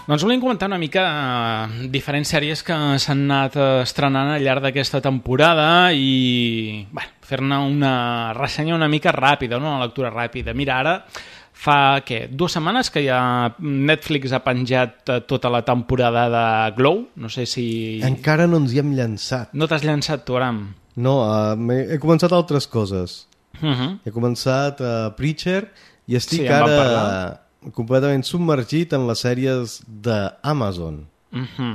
Doncs volíem comentar una mica eh, diferents sèries que s'han anat estrenant al llarg d'aquesta temporada i bueno, fer-ne una ressenya una mica ràpida, una lectura ràpida. Mira, ara fa, què, dues setmanes que ja Netflix ha penjat tota la temporada de Glow. No sé si... Encara no ens hi hem llançat. No t'has llançat tu, Aram? No, uh, he, he començat altres coses. Uh-huh. He començat uh, Preacher i estic sí, ara completament submergit en les sèries d'Amazon. Uh-huh.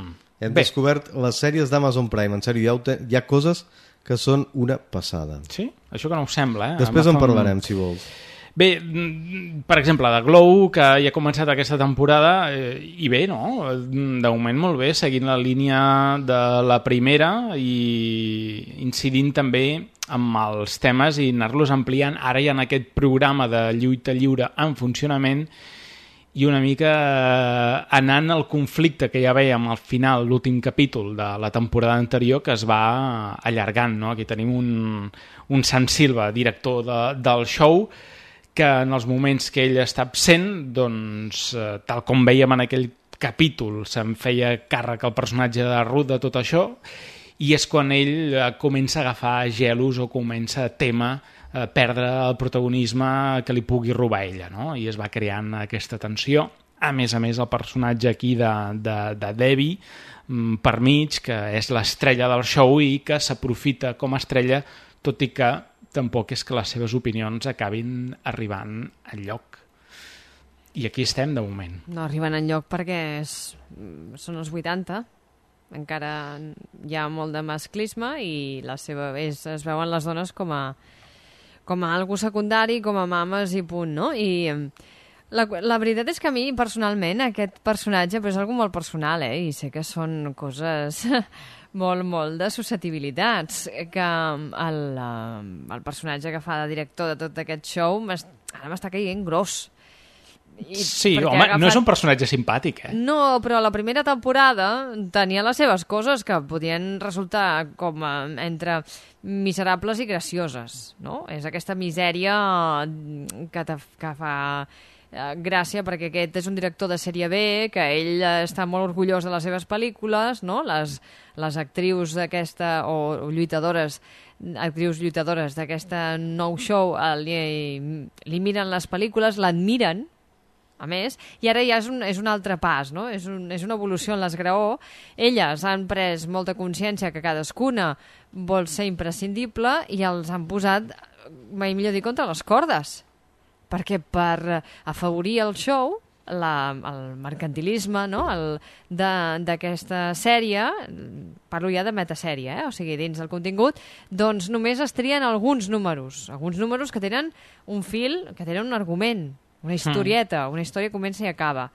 Hem Bé. descobert les sèries d'Amazon Prime. En sèrio, hi ha, hi ha coses que són una passada. Sí? Això que no ho sembla, eh? Després en parlarem, si vols. Bé, per exemple, de Glow, que ja ha començat aquesta temporada, eh, i bé, no? De moment molt bé, seguint la línia de la primera i incidint també amb els temes i anar-los ampliant. Ara hi ha aquest programa de lluita lliure en funcionament i una mica anant al conflicte que ja veiem al final, l'últim capítol de la temporada anterior, que es va allargant, no? Aquí tenim un, un Sant Silva, director de, del show, que en els moments que ell està absent, doncs, eh, tal com veiem en aquell capítol, se'n feia càrrec el personatge de Ruth de tot això, i és quan ell eh, comença a agafar gelos o comença a tema eh, perdre el protagonisme que li pugui robar ella, no? I es va creant aquesta tensió. A més a més, el personatge aquí de, de, de Debbie, mm, per mig, que és l'estrella del show i que s'aprofita com a estrella, tot i que tampoc és que les seves opinions acabin arribant enlloc. I aquí estem, de moment. No arriben enlloc perquè és, són els vuitanta. Encara hi ha molt de masclisme i la seva, és, es veuen les dones com a, com a algo secundari, com a mames i punt, no? I la, la veritat és que a mi, personalment, aquest personatge però és algo molt personal, eh? I sé que són coses... molt, molt de susceptibilitats, que el, el personatge que fa de director de tot aquest show ara m'està caient gros. I sí, home, agafat... no és un personatge simpàtic, eh? No, però la primera temporada tenia les seves coses que podien resultar com a, entre miserables i gracioses, no? És aquesta misèria que, te, que fa... gràcia, perquè aquest és un director de sèrie B, que ell està molt orgullós de les seves pel·lícules, no? Les, les actrius d'aquesta, o, o lluitadores, actrius lluitadores d'aquesta nou show li, li miren les pel·lícules, l'admiren, a més, i ara ja és un, és un altre pas, no? És, un, és una evolució en l'esgraó. Elles han pres molta consciència que cadascuna vol ser imprescindible i els han posat, mai millor dir, contra les cordes. Perquè per afavorir el show, la, el mercantilisme, no? d'aquesta sèrie, parlo ja de metasèrie, eh? O sigui, dins del contingut, doncs només es trien alguns números, alguns números que tenen un fil, que tenen un argument, una historieta, una història comença i acaba.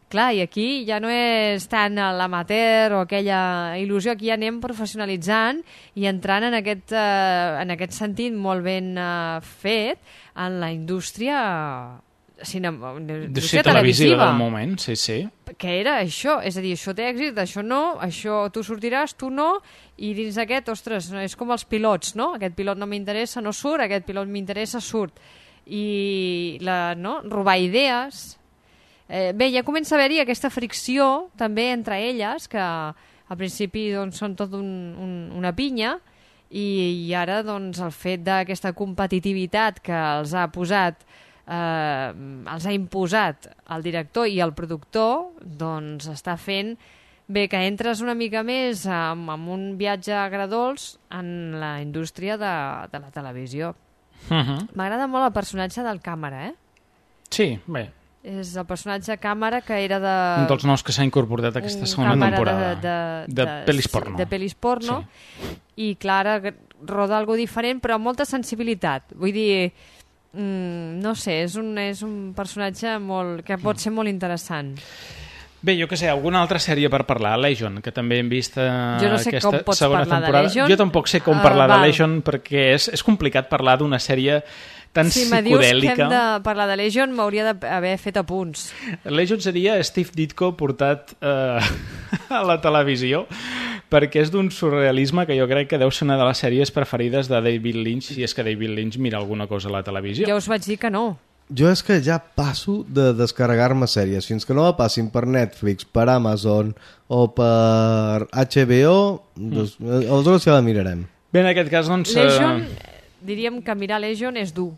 Clar, i aquí ja no és tant l'amateur o aquella il·lusió, aquí ja anem professionalitzant i entrant en aquest, eh, en aquest sentit molt ben eh, fet en la indústria, cinema, indústria sí, televisiva del moment, sí, sí. Que era això, és a dir, això té èxit, això no, això tu sortiràs, tu no, i dins d'aquest, ostres, és com els pilots, no? Aquest pilot no m'interessa, no surt, aquest pilot m'interessa, surt. I la, no? robar idees... Eh, bé, ja comença a haver-hi aquesta fricció també entre elles, que al principi doncs, són tot un, un, una pinya i, i ara doncs, el fet d'aquesta competitivitat que els ha posat, eh, els ha imposat el director i el productor, doncs està fent bé que entres una mica més amb, amb un viatge agredolç en la indústria de, de la televisió. Uh-huh. M'agrada molt el personatge del càmera, eh? Sí, bé. És el personatge càmera que era de... Un dels nous que s'ha incorporat aquesta segona temporada. De, de, de, de pel·lis porno. De pel·lis porno. Sí. I, clar, roda algo diferent, però amb molta sensibilitat. Vull dir, mm, no sé, és un, és un personatge molt, que pot ser molt interessant. Bé, jo què sé, alguna altra sèrie per parlar? Legion, que també hem vist uh, jo no sé aquesta com pots segona parlar temporada. De Legion. Jo tampoc sé com uh, parlar val. de Legion, perquè és, és complicat parlar d'una sèrie tan si psicodèlica. Si me dius que hem de parlar de Legion, m'hauria d'haver fet apunts. Legion seria Steve Ditko portat uh, a la televisió, perquè és d'un surrealisme que jo crec que deu ser una de les sèries preferides de David Lynch, si és que David Lynch mira alguna cosa a la televisió. Ja us vaig dir que no. Jo és que ja passo de descarregar-me sèries. Fins que no la passin per Netflix, per Amazon o per H B O, doncs, mm. aleshores ja la mirarem. Bé, en aquest cas, doncs... Legion, uh... diríem que mirar Legion és dur.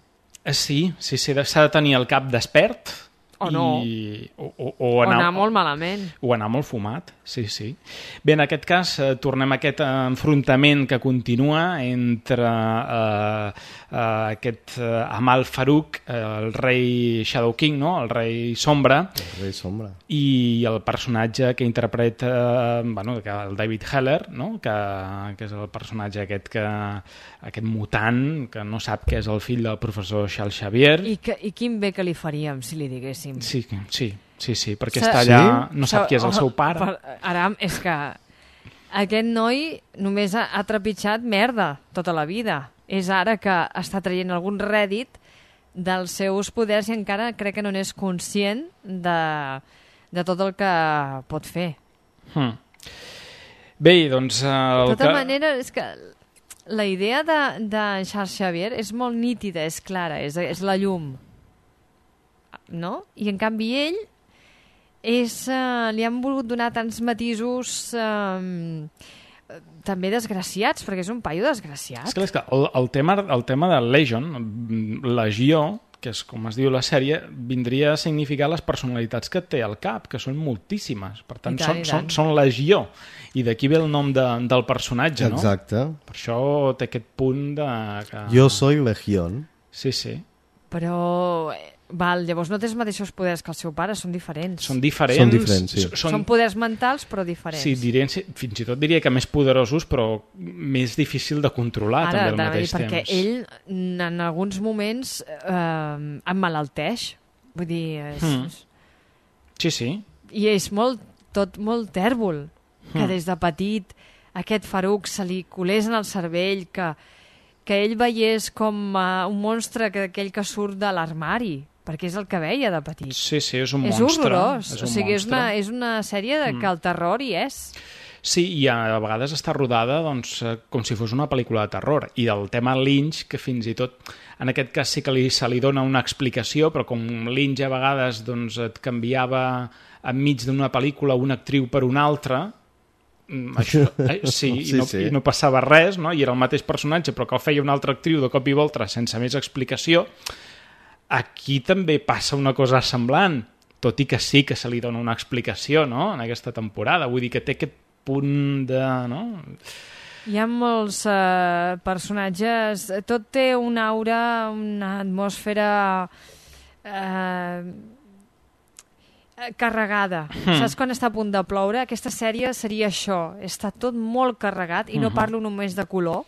Sí, sí, sí, s'ha de tenir el cap despert O no. I, o, o, o, o anar, anar molt malament. O anar molt fumat, sí, sí. Bé, en aquest cas eh, tornem a aquest enfrontament que continua entre eh, eh, aquest eh, Amal Farouk, eh, el rei Shadow King, no? El rei Sombra. El rei Sombra. I el personatge que interpreta eh, bueno, que el David Heller, no? que, que és el personatge aquest, que, aquest mutant que no sap que és el fill del professor Charles Xavier. I, que, i quin bé que li faríem si li diguéssim. Sí, sí, sí, sí perquè Sa està allà, sí? no sap qui és el seu pare. Per, ara, és que aquest noi només ha, ha trepitjat merda tota la vida. És ara que està traient algun rèdit dels seus poders i encara crec que no n'és conscient de, de tot el que pot fer. Hmm. Bé, doncs... El de tota que... manera, és que la idea de, de Charles Xavier és molt nítida, és clara, és, és la llum. No? I en canvi ell és, uh, li han volgut donar tants matisos uh, també desgraciats, perquè és un paio desgraciat. És que, és que el, el, tema, el tema de Legion, Legió, que és com es diu la sèrie, vindria a significar les personalitats que té al cap, que són moltíssimes. Per tant, tant, són, són, són Legió. I d'aquí ve el nom de, del personatge, no? Exacte. Per això té aquest punt de... Que... Jo soy Legión. Sí, sí. Però... Val, llavors no té els mateixos poders que el seu pare, són diferents. Són diferents. Són diferents, sí. Són, són poders mentals, però diferents. Sí, dirien, fins i tot diria que més poderosos, però més difícil de controlar. Ara, també al mateix perquè temps. ell en alguns moments eh, emmalalteix. Vull dir... És... Mm. Sí, sí. I és molt, tot molt tèrbol, que Mm. des de petit aquest Farouk se li colés en el cervell, que, que ell veiés com uh, un monstre, que aquell que surt de l'armari, perquè és el que veia de petit. Sí, sí, és un és monstre. Horrorós. És un o sigui, és monstre. una, és una sèrie de, Mm. que el terror hi és. Sí, i a vegades està rodada doncs, com si fos una pel·lícula de terror. I el tema Lynch, que fins i tot, en aquest cas sí que li, se li dona una explicació, però com Lynch a vegades doncs, et canviava enmig d'una pel·lícula una actriu per una altra, això, eh, sí, sí, i, no, sí. i no passava res, no? I era el mateix personatge, però que el feia una altra actriu de cop i volta sense més explicació. Aquí també passa una cosa semblant, tot i que sí que se li dona una explicació, no?, en aquesta temporada. Vull dir que té aquest punt de... No? Hi ha molts uh, personatges, tot té una aura, una atmosfera uh, carregada. Hmm. Saps quan està a punt de ploure? Aquesta sèrie seria això, està tot molt carregat, i no Mhm. parlo només de color,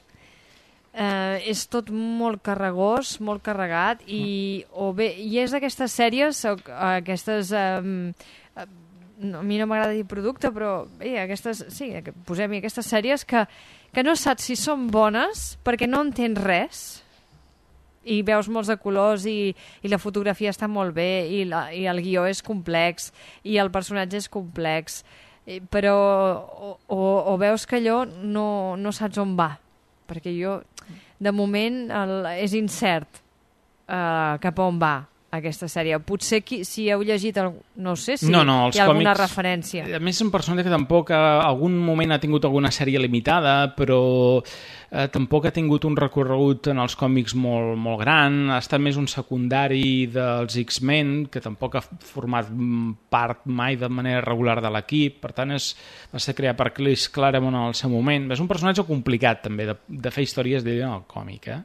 uh, és tot molt carregós, molt carregat, i, o bé, i és d'aquestes sèries, o, aquestes... Um, no, a mi no m'agrada dir producte, però bé, aquestes, sí, posem-hi aquestes sèries que, que no saps si són bones perquè no entens res i veus molts de colors i, i la fotografia està molt bé i, la, i el guió és complex i el personatge és complex, i, però o, o, o veus que allò no, no saps on va, perquè jo de moment el, és incert uh, cap a on va aquesta sèrie. Potser qui, si heu llegit el, no sé si no, no, hi ha alguna còmics, referència. A més, és un personatge que tampoc a algun moment ha tingut alguna sèrie limitada, però eh, tampoc ha tingut un recorregut en els còmics molt, molt gran. Ha estat més un secundari dels X-Men, que tampoc ha format part mai de manera regular de l'equip. Per tant, és, va ser creat per Chris Claremont en el seu moment. És un personatge complicat, també, de, de fer històries d'ell en el còmic. Eh?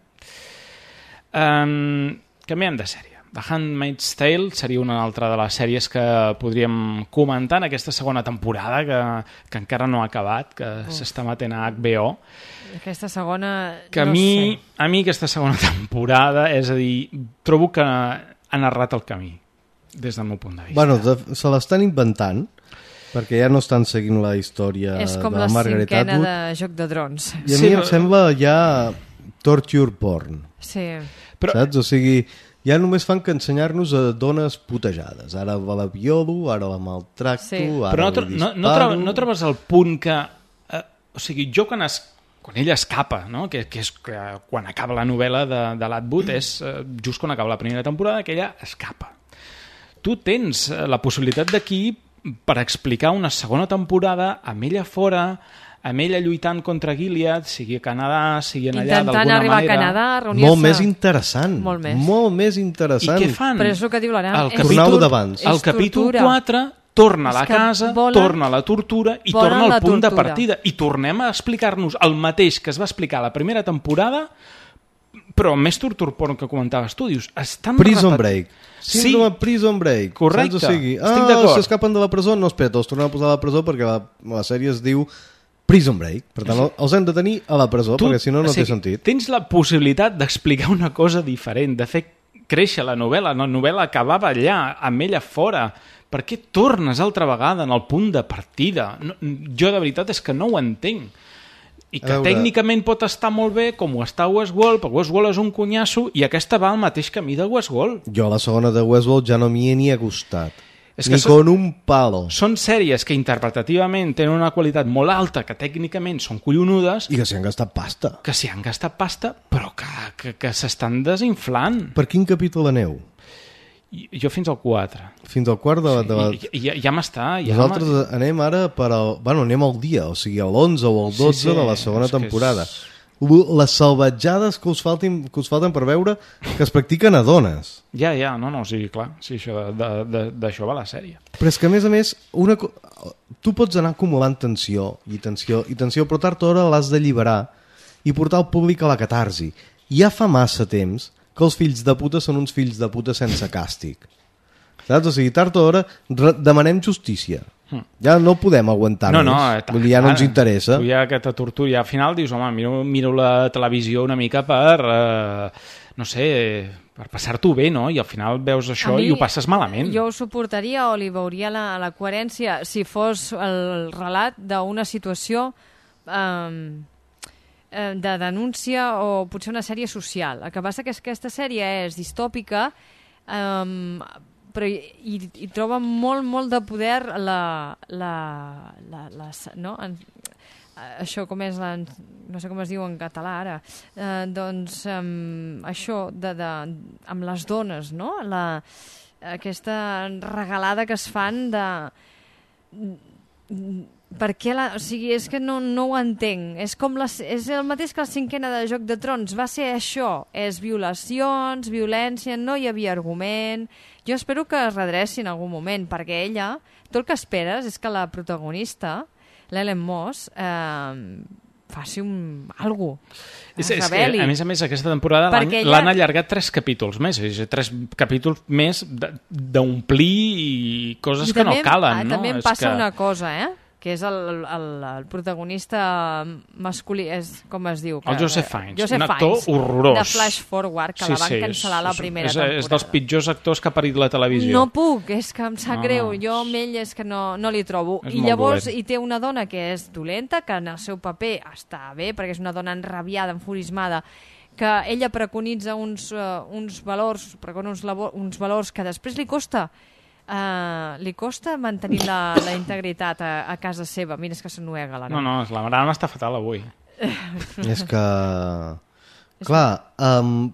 Um, canviem de sèrie. The Handmaid's Tale seria una altra de les sèries que podríem comentar en aquesta segona temporada, que, que encara no ha acabat, que s'està matent a H B O. Aquesta segona... Que a, no mi, sé. a mi aquesta segona temporada, és a dir, trobo que ha narrat el camí, des del meu punt de vista. Bueno, de, se l'estan inventant, perquè ja no estan seguint la història És com de la Margaret cinquena Atwood. de Joc de Drons. I a sí, mi em sembla ja torture porn. Sí. Però... Saps? O sigui, ja només fan que ensenyar-nos a dones putejades. Ara la violo, ara la maltracto, Sí. ara Però no, li tro no, disparo... no, trobes, no trobes el punt que... Eh, o sigui, jo quan, es, quan ella escapa, no? que, que és que quan acaba la novel·la de, de l'Atwood, és eh, just quan acaba la primera temporada que ella escapa. Tu tens eh, la possibilitat d'aquí per explicar una segona temporada amb ella fora, amb ella lluitant contra Gilead, sigui a Canadà, sigui en allà Intentant d'alguna arribar manera... a Canadà, reunir-se... Molt més interessant. Molt més. Molt més interessant. I què fan? Però és el que diu l'Aram. El És capítol, d'abans. el capítol quatre torna a la És que casa, volen- torna a la tortura i volen torna al la punt de tortura. partida. I tornem a explicar-nos el mateix que es va explicar a la primera temporada, però amb més tortur porn que comentaves tu. Dius, estan Prison repetit- Break. Síndrome sí. Prison Break. Correcte. Saps? O sigui, Estic ah, d'acord. s'escapen de la presó, no, espera, els tornem a posar a la presó perquè la, la sèrie es diu Prison Break. Per tant, els hem de tenir a la presó, Tu, perquè si no, no o sigui, té sentit. Tens la possibilitat d'explicar una cosa diferent, de fer créixer la novel·la. La novel·la acabava allà, amb ella fora. Per què tornes altra vegada en el punt de partida? No, jo, de veritat, és que no ho entenc. I que A veure... tècnicament pot estar molt bé, com ho està Westworld, però Westworld és un cunyasso i aquesta va al mateix camí de Westworld. Jo a la segona de Westworld ja no m'hi he ni acostat. És ni que són- con un palo. Són sèries que interpretativament tenen una qualitat molt alta, que tècnicament són collonudes... I que s'hi han gastat pasta. Que s'hi han gastat pasta, però que, que, que s'estan desinflant. Per quin capítol aneu? Jo fins al quatre. Fins al quart de la... De la... I, i, ja, ja m'està... Ja Nosaltres anem ara per al... Bueno, anem al dia, o sigui, a l'onze o al dotze Sí, sí, de la segona és que temporada. és- Les salvatjades que us, faltin, que us falten per veure que es practiquen a dones. Ja, ja, no, no, sí, clar, sí, això de- de- de- d'això va la sèrie. Però és que, a més a més, una... co- tu pots anar acumulant tensió i tensió i tensió, però tard o d'hora l'has d'alliberar i portar el públic a la catarsi. Ja fa massa temps que els fills de puta són uns fills de puta sense càstig. Saps? O sigui, tard o d'hora re- demanem justícia. Mm. Ja no podem aguantar No, més. no, eh, Vull dir, ja no ens ara, interessa. Tu ja que te torturi, al final dius, home, miro, miro la televisió una mica per, eh, no sé, per passar-t'ho bé, no? I al final veus això A mi, i ho passes malament. Jo ho suportaria o li veuria la, la coherència si fos el relat d'una situació um, de denúncia o potser una sèrie social. El que passa que és que aquesta sèrie és distòpica, um, però hi, hi, hi troba molt, molt de poder la... la, la, la no? En, això com és la, no sé com es diu en català ara, eh, doncs um, això de, de, amb les dones, no? La, aquesta regalada que es fan de... Per què la... O sigui, és que no, no ho entenc. És, com la, és el mateix que la cinquena de Joc de Trons. Va ser això. És violacions, violència, no hi havia argument. Jo espero que es redressi en algun moment, perquè ella, tot el que esperes és que la protagonista, l'Ellen Moss, eh, faci un... algú. És, és que, a més a més, aquesta temporada l'han Perquè ella- l'han allargat tres capítols més, és a dir, tres capítols més de- d'omplir i coses I que també, no calen. ah, no? també em És passa que... una cosa, eh? Que és el, el, el protagonista masculí, és, com es diu? Que, El Joseph Fiennes, Joseph un actor Fiennes, horrorós. de Flash Forward, que Sí, la van sí, cancel·lar és, la és- primera és, temporada. És dels pitjors actors que ha parit la televisió. No puc, és que em sap No, greu. no. Jo amb ell és que no, no li trobo. És I molt llavors dolent. hi té una dona que és dolenta, que en el seu paper està bé, perquè és una dona enrabiada, enfurismada, que ella preconitza uns, uh, uns valors, precona uns, labo- uns valors que després li costa Uh, li costa mantenir la, la integritat a, a casa seva. Mira, és que s'ennuega la No, no, la Marana està fatal avui. És que... Clar, um,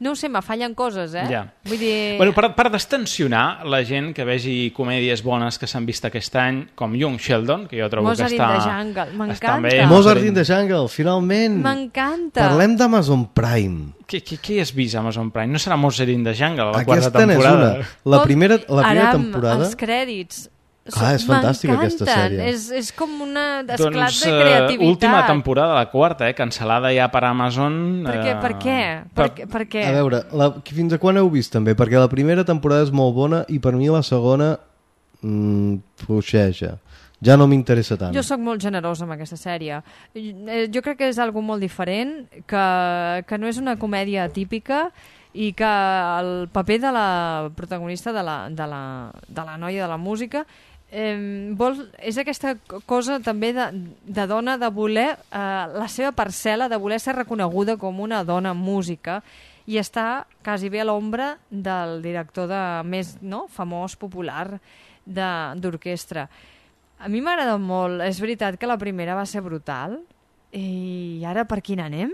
no ho sé, me fallen coses, eh? Ja. Vull dir... Bueno, per, per destensionar la gent que vegi comèdies bones que s'han vist aquest any, com Young Sheldon, que jo trobo Mozart que in està... the Jungle, està m'encanta. bé, Mozart in the Jungle, finalment. M'encanta. Parlem d'Amazon Prime. Què, què, què has vist a Amazon Prime? No serà Mozart in the Jungle, la Aquesta quarta temporada? n'és una. La primera, la primera Aram, temporada... els crèdits... Ah, és fantàstica aquesta sèrie. És, és com una esclat Doncs de eh, creativitat. última temporada, la quarta, eh, cancel·lada ja per Amazon. Per què? Per què? Per, per, per què? A veure, la, fins a quan heu vist també? Perquè la primera temporada és molt bona i per mi la segona mmm, fluixeja. Ja no m'interessa tant. Jo sóc molt generosa amb aquesta sèrie. Eh, Jo crec que és algo molt diferent, que, que no és una comèdia típica i que el paper de la protagonista, de la, de la, de la noia de la música, eh, vol, és aquesta cosa també de, de dona de voler eh, la seva parcel·la, de voler ser reconeguda com una dona música i està quasi bé a l'ombra del director de més no, famós, popular d'orquestra. A mi m'agrada molt. És veritat que la primera va ser brutal i ara per quina anem?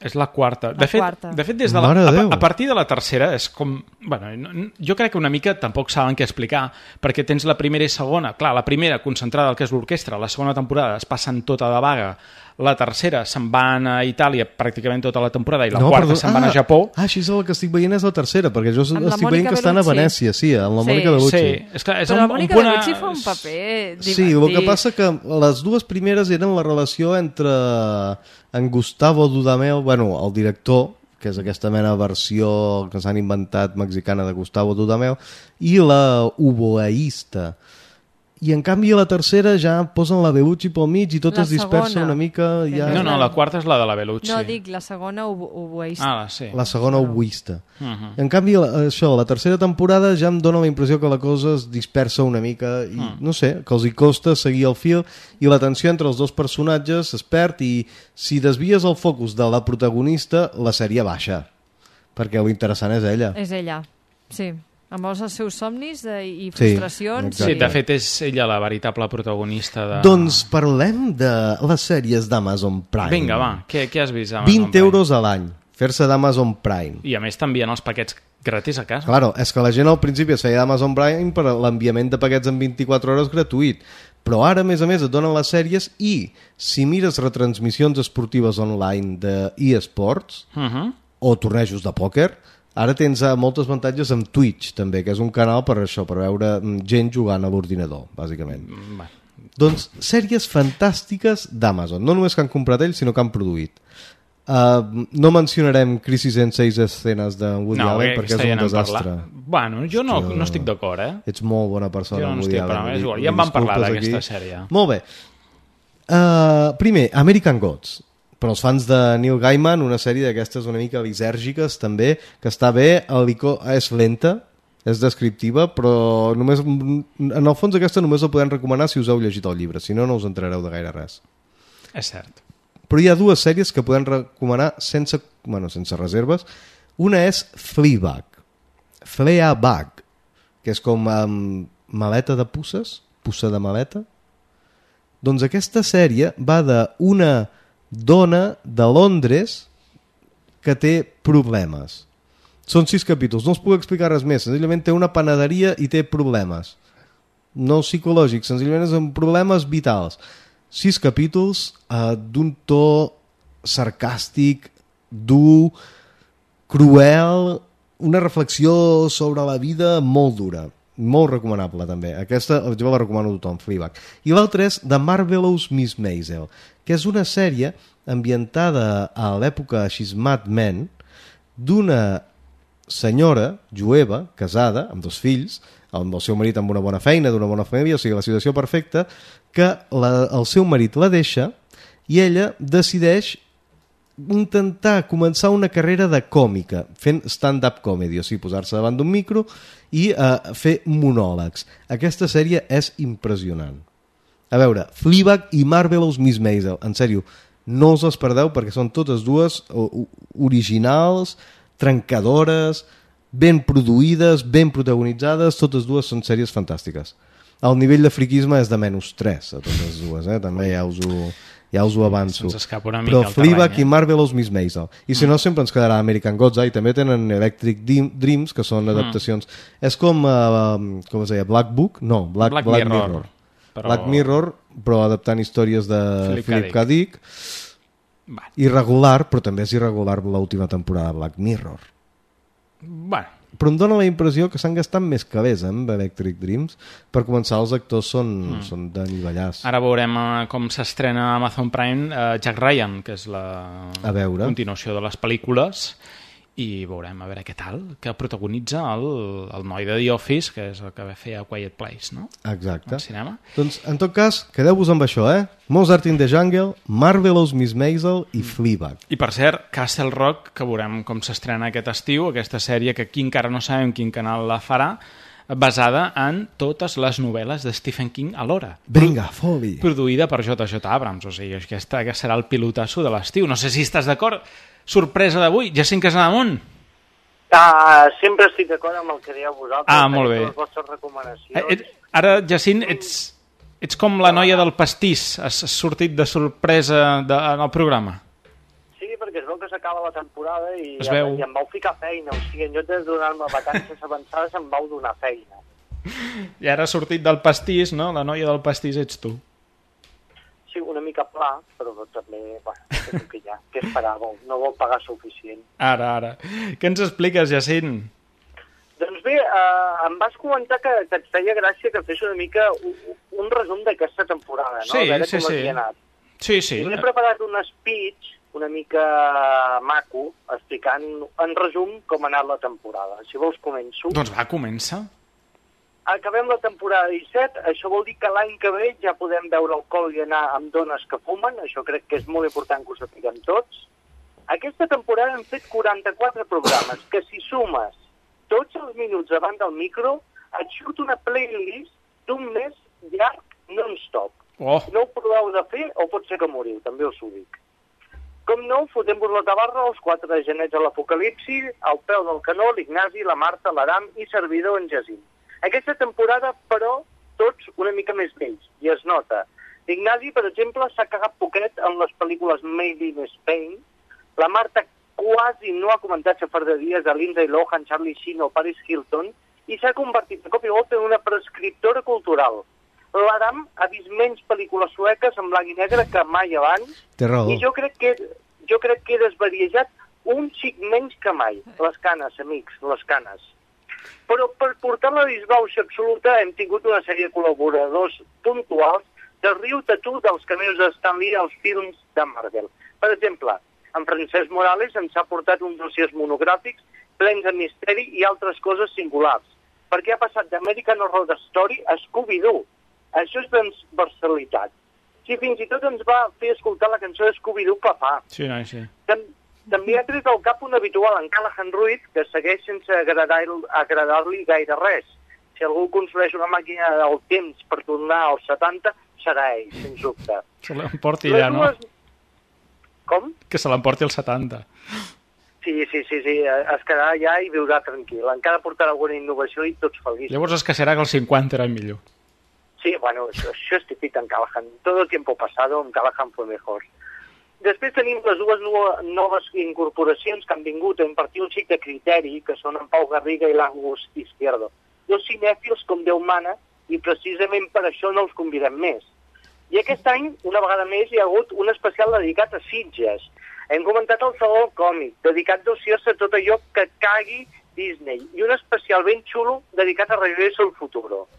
És la quarta. La De fet, quarta. de fet des de la, Mare de a, Déu. a partir de la tercera és com... Bueno, no- jo crec que una mica tampoc saben què explicar, perquè tens la primera i segona. Clar, la primera concentrada al que és l'orquestra, la segona temporada es passen tota de vaga, la tercera se'n van a Itàlia pràcticament tota la temporada i la No, quarta perdó. se'n van Ah, a Japó. Ah, així és el que estic veient és la tercera, perquè jo Amb la estic Mònica veient que estan a Bellucci. Venècia, sí, amb la Sí. Mònica Bellucci. Sí, és que és Però un, la un Mònica punt... Bellucci a- fa un paper divertit. Sí, el que passa que les dues primeres eren la relació entre en Gustavo Dudamel, bueno, el director, que és aquesta mena de versió que s'han inventat mexicana de Gustavo Dudamel, i la oboeista. I en canvi a la tercera ja posen la Bellucci pel mig i tot La es dispersa segona. una mica. Ja... No, no, la quarta és la de la Bellucci. No, dic, la segona oboeista. Ah, sí. La segona oboista. Uh -huh. En canvi, la- això, la tercera temporada ja em dóna la impressió que la cosa es dispersa una mica i, Mm. no sé, que els hi costa seguir el fil i la tensió entre els dos personatges es perd i si desvies el focus de la protagonista, la sèrie baixa. Perquè el interessant és ella. És ella, sí. Amb els seus somnis de, i Sí, frustracions. Sí, de fet és ella la veritable protagonista de... Doncs parlem de les sèries d'Amazon Prime. Vinga, va, què, què has vist? a Amazon vint Prime? euros a l'any, fer-se d'Amazon Prime. I a més t'envien els paquets gratis a casa. Claro, és que la gent al principi es feia d'Amazon Prime per l'enviament de paquets en vint-i-quatre hores gratuït, però ara a més a més et donen les sèries i si mires retransmissions esportives online de eSports Uh -huh. o tornejos de pòquer, ara tens eh, moltes avantatges amb Twitch també, que és un canal per això, per veure mm, gent jugant a l'ordinador, bàsicament. Va. Doncs sèries fantàstiques d'Amazon, no només que han comprat ells, sinó que han produït. Uh, no mencionarem Crisis en seis escenes de Woody No, Allen eh, perquè és aquesta ja un n'hem desastre. parlat. Bueno, jo no, Hòstia, no estic d'acord, eh? Ets molt bona persona, Jo no Woody estic, Allen. però és li- igual, li ja en vam parlar disculpes d'aquesta aquí. sèrie. Molt bé. Uh, primer, American Gods. Per als fans de Neil Gaiman, una sèrie d'aquestes una mica lisèrgiques també, que està bé, el ico... és lenta, és descriptiva, però només, en el fons aquesta només la podem recomanar si us heu llegit el llibre, si no, no us entrareu de gaire res. És cert. Però hi ha dues sèries que podem recomanar sense, bueno, sense reserves. Una és Fleabag. Fleabag, que és com um, maleta de pusses, pussa de maleta. Doncs aquesta sèrie va d'una dona de Londres que té problemes. Són sis capítols, no us puc explicar res més. Senzillament té una panaderia i té problemes. No psicològics, senzillament són problemes vitals. Sis capítols eh, d'un to sarcàstic, dur, cruel, una reflexió sobre la vida molt dura. Molt recomanable també. Aquesta jo la recomano a tothom, Fleabag. I l'altra és The Marvelous Miss Maisel, que és una sèrie ambientada a l'època She's Mad Men d'una senyora jueva, casada, amb dos fills, amb el seu marit amb una bona feina, d'una bona família, o sigui, la situació perfecta, que la, el seu marit la deixa i ella decideix intentar començar una carrera de còmica, fent stand-up comedy, o sigui, posar-se davant d'un micro i uh, fer monòlegs. Aquesta sèrie és impressionant. A veure, Fleabag i Marvelous Miss Maisel, en sèrio, no us les perdeu perquè són totes dues originals, trencadores, ben produïdes, ben protagonitzades, totes dues són sèries fantàstiques. El nivell de friquisme és de menys tres a totes dues, eh? També ja us ho, ja us ho avanço. Se'ns escapa una mica Però el Fleabag terreny, eh? i Marvelous Miss Maisel. I si no, sempre ens quedarà American Gods, eh? I també tenen Electric Dreams, que són adaptacions. Mm. És com, uh, com es deia, Black Book? No, Black, Black Black Mirror. Mirror. Però... Black Mirror, però adaptant històries de Philip Philip K. K. Dick. Irregular, però també és irregular l'última temporada de Black Mirror. Bueno. Però em dóna la impressió que s'han gastat més calés eh, amb Electric Dreams. Per començar, els actors són, mm. són de nivellars. Ara veurem uh, com s'estrena a Amazon Prime uh, Jack Ryan, que és la a veure. continuació de les pel·lícules, i veurem a veure què tal, que protagonitza el, el noi de The Office, que és el que va fer a Quiet Place, no? Exacte. Al cinema. Doncs, en tot cas, quedeu-vos amb això, eh? Mozart in the Jungle, Marvelous Miss Maisel i Fleabag. I per cert, Castle Rock, que veurem com s'estrena aquest estiu, aquesta sèrie que aquí encara no sabem quin canal la farà, basada en totes les novel·les de Stephen King alhora. Vinga, foli! Produïda per J J Abrams, o sigui, aquesta que serà el pilotasso de l'estiu. No sé si estàs d'acord. Sorpresa d'avui, Jacint Casademont. Uh, sempre estic d'acord amb el que dieu vosaltres. Ah, molt bé. Les vostres recomanacions. Eh, et, ara, Jacint, ets, ets com la noia del pastís. Has sortit de sorpresa de, en el programa. Sí, perquè es veu que s'ha s'acaba la temporada i, Es veu. i em vau ficar feina. O sigui, en lloc de donar-me vacances avançades, em vau donar feina. I ara ha sortit del pastís, no? La noia del pastís ets tu. Sí, una mica pla, però també, bueno, és el que hi ha. Què esperàveu? No vol pagar suficient. Ara, ara. Què ens expliques, Jacint? Doncs bé, eh, em vas comentar que, que et feia gràcia que fes una mica un, un resum d'aquesta temporada, no? Sí, a veure sí, com sí. havia anat. Sí, sí. I m'he preparat un speech una mica maco, explicant en resum com ha anat la temporada. Si vols començo. Doncs va, comença. Acabem la temporada disset, això vol dir que l'any que ve ja podem veure alcohol i anar amb dones que fumen, això crec que és molt important que ho sapiguem tots. Aquesta temporada hem fet quaranta-quatre programes, que si sumes tots els minuts davant del micro, et surt una playlist d'un mes llarg non-stop. Oh. No ho proveu de fer o pot ser que moriu, també us ho dic. Com no, fotem-vos la tabarra, els quatre genets a l'apocalipsi, al peu del canó, l'Ignasi, la Marta, l'Aram i servidor en Jacint. Aquesta temporada, però, tots una mica més vells, i es nota. L'Ignasi, per exemple, s'ha cagat poquet en les pel·lícules Made in Spain. La Marta quasi no ha comentat xafarderies de Lindsay Lohan, Charlie Sheen o Paris Hilton i s'ha convertit de cop i volta en una prescriptora cultural. L'Adam ha vist menys pel·lícules sueques en blanc i negre que mai abans. Té raó. I jo crec que, jo crec que he desvariejat un xic menys que mai. Les canes, amics, les canes. Però per portar la disbauxa absoluta hem tingut una sèrie de col·laboradors puntuals de riu-te tu dels cameos de Stan Lee als films de Marvel. Per exemple, en Francesc Morales ens ha portat uns dossiers monogràfics plens de misteri i altres coses singulars, perquè ha passat d'American Horror Story a Scooby-Doo. Això és transversalitat. Sí, fins i tot ens va fer escoltar la cançó de Scooby-Doo Papà. Sí, no, sí. Tam També ha tret al cap un habitual, en Callahan Ruiz, que segueix sense agradar-li agradar gaire res. Si algú construeix una màquina del temps per tornar als setanta, serà ell, sens dubte. Se l'emporti ja, no? dues... Com? Que se l'emporti als setanta. Sí, sí, sí, sí, es quedarà allà i viurà tranquil. Encara portarà alguna innovació i tots feliços. Llavors es queixarà que els cinquanta eren millor. Sí, bueno, això, això és típic en Callahan. Todo el tiempo pasado en Callahan fue mejor. Després tenim les dues noves incorporacions que han vingut a impartir un xic de criteri, que són en Pau Garriga i l'Angus Izquierdo. Dos cinèfils com Déu mana, i precisament per això no els convidem més. I aquest any, una vegada més, hi ha hagut un especial dedicat a Sitges. Hem comentat el Saló del Còmic, dedicat dossiers a tot allò que cagui Disney, i un especial ben xulo dedicat a Regreso al Futuro.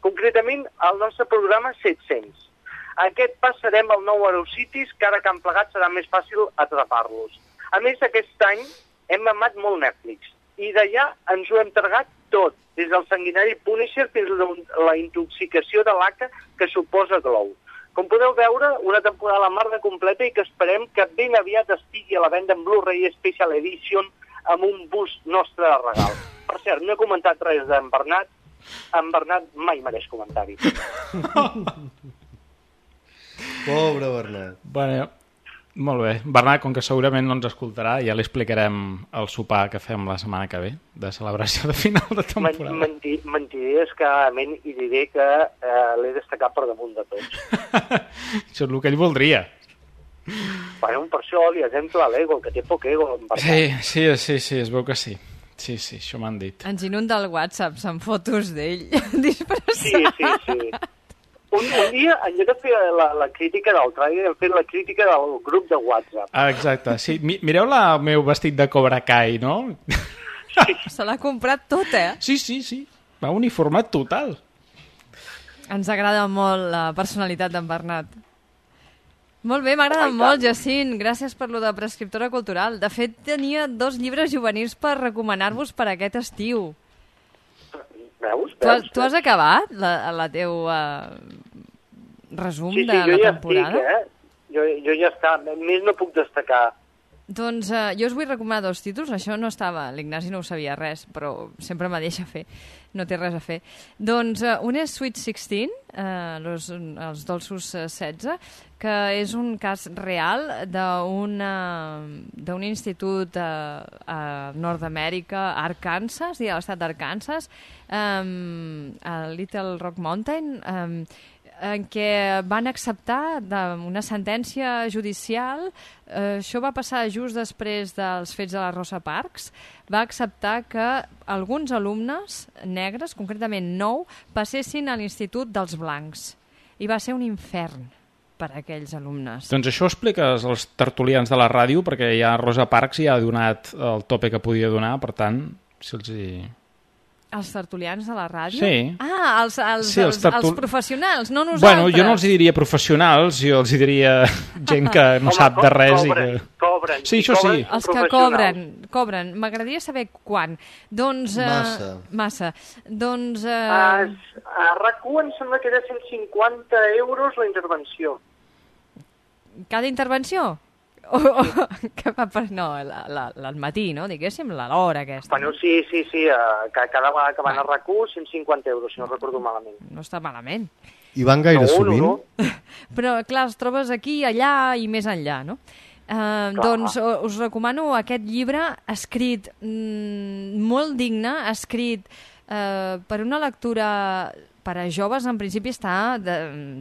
Concretament, el nostre programa set-cents. Aquest passarem al nou Aerocities, que ara que han plegat serà més fàcil atrapar-los. A més, aquest any hem mamat molt Netflix, i d'allà ens ho hem tragat tot, des del sanguinari Punisher fins a la intoxicació de l'A C A que suposa Glow. Com podeu veure, una temporada a la mar de completa i que esperem que ben aviat estigui a la venda en Blu-ray Special Edition amb un bust nostre de regal. Per cert, no he comentat res d'en Bernat. En Bernat mai mereix comentari. Pobre Bernat. Bueno, molt bé. Bernat, com que segurament no ens escoltarà, ja li explicarem el sopar que fem la setmana que ve, de celebració de final de temporada. Mentir, mentiré escadament i diré que eh, l'he destacat per damunt de tots. Això és el que ell voldria. Bueno, per això li exemple l'ego, que té poc ego. Sí, sí, sí, sí, es veu que sí. Sí, sí, això m'han dit. Ens inunda el WhatsApp amb fotos d'ell disfressat. Sí, sí, sí. Un, un dia, en lloc de fer la, la crítica del trailer, hem fet la crítica del grup de WhatsApp. Ah, exacte, sí. Mireu la meu vestit de Cobra Kai, no? Sí. Se l'ha comprat tot, eh? Sí, sí, sí. Va uniformat total. Ens agrada molt la personalitat d'en Bernat. Molt bé, m'agrada molt, Jacint. Gràcies per lo de prescriptora cultural. De fet, tenia dos llibres juvenils per recomanar-vos per aquest estiu. Veus? Tu, has, tu has acabat la, la teu uh, resum sí, sí, de la ja temporada? Estic, eh? jo, jo ja està. Més no puc destacar. Doncs uh, jo us vull recomanar dos títols. Això no estava, l'Ignasi no ho sabia res, però sempre me deixa fer. No té res a fer. Doncs uh, un és Sweet sixteen, uh, los, els dolços uh, setze, que és un cas real d'un institut a, a Nord-Amèrica, Arkansas, i a l'estat d'Arkansas, um, a Little Rock Mountain. Um, en què van acceptar una sentència judicial, eh, això va passar just després dels fets de la Rosa Parks, va acceptar que alguns alumnes negres, concretament nou, passessin a l'Institut dels Blancs. I va ser un infern per a aquells alumnes. Doncs això ho expliques als tertulians de la ràdio, perquè ja Rosa Parks ja ha donat el tope que podia donar, per tant, si els hi... Els tertulians de la ràdio? Sí. Ah, els, els, sí, els, els, tertul... els professionals, no nosaltres. Bueno, jo no els diria professionals, jo els diria gent que no Home, sap de res. Cobren, i que... cobren. Sí, això cobren sí. Els que cobren, cobren. M'agradaria saber quan. Doncs... Uh, massa. Massa. Doncs... Uh... A, a RAC u em sembla que era cent cinquanta euros la intervenció. Cada intervenció? O, o, que va per, no, la, la, al matí, no? Diguéssim, l'hora aquesta. Bueno, sí, sí, sí, uh, cada vegada que van a RAC u, cent cinquanta euros, si no recordo malament. No està malament. I van gaire no, sovint? No, no. Però, clar, els trobes aquí, allà i més enllà, no? Uh, doncs us recomano aquest llibre escrit mm, molt digne, escrit uh, per una lectura... per a joves, en principi està de,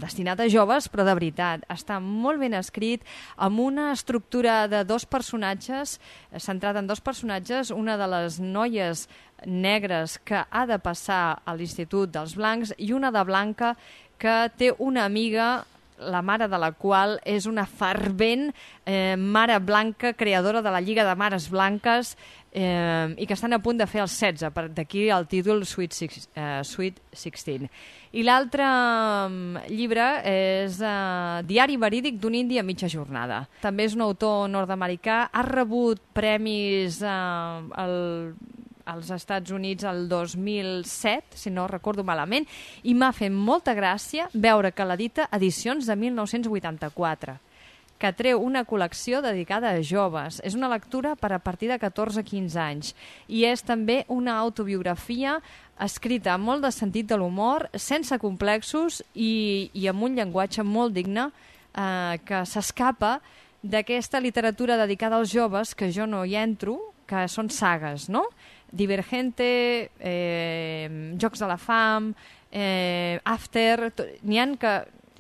destinat a joves, però de veritat. Està molt ben escrit, amb una estructura de dos personatges, centrat en dos personatges, una de les noies negres que ha de passar a l'Institut dels Blancs i una de blanca que té una amiga, la mare de la qual és una fervent eh, mare blanca, creadora de la Lliga de Mares Blanques, eh, i que estan a punt de fer el setze, d'aquí el títol Sweet, Six, eh, Sweet sixteen. I l'altre um, llibre és uh, Diari verídic d'un indi a mitja jornada. També és un autor nord-americà, ha rebut premis uh, al... als Estats Units el dos mil set, si no recordo malament, i m'ha fet molta gràcia veure que l'edita Edicions de mil nou-cents vuitanta-quatre, que treu una col·lecció dedicada a joves. És una lectura per a partir de catorze a quinze anys i és també una autobiografia escrita amb molt de sentit de l'humor, sense complexos i, i amb un llenguatge molt digne eh, que s'escapa d'aquesta literatura dedicada als joves que jo no hi entro, que són sagues, no? Divergente, eh, Jocs de la Fam, eh, After... N'hi ha que...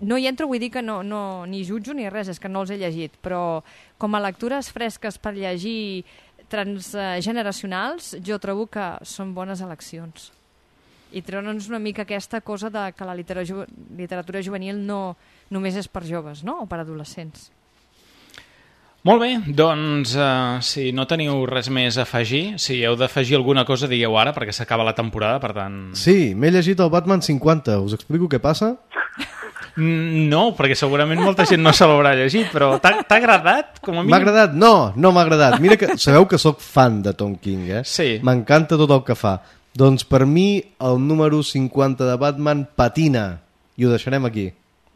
No hi entro, vull dir que no, no, ni jutjo ni res, és que no els he llegit, però com a lectures fresques per llegir transgeneracionals, jo trobo que són bones eleccions. I treure'ns una mica aquesta cosa de que la literatura, literatura juvenil no només és per joves, no? O per adolescents. Molt bé, doncs uh, si no teniu res més a afegir, si heu d'afegir alguna cosa digueu ara, perquè s'acaba la temporada, per tant... Sí, m'he llegit el Batman cinquanta, us explico què passa? No, perquè segurament molta gent no se l'haurà llegit, però t'ha agradat? M'ha agradat? No, no m'ha agradat. Mira que sabeu que sóc fan de Tom King, eh? Sí. M'encanta tot el que fa. Doncs per mi el número cinquanta de Batman patina, i ho deixarem aquí.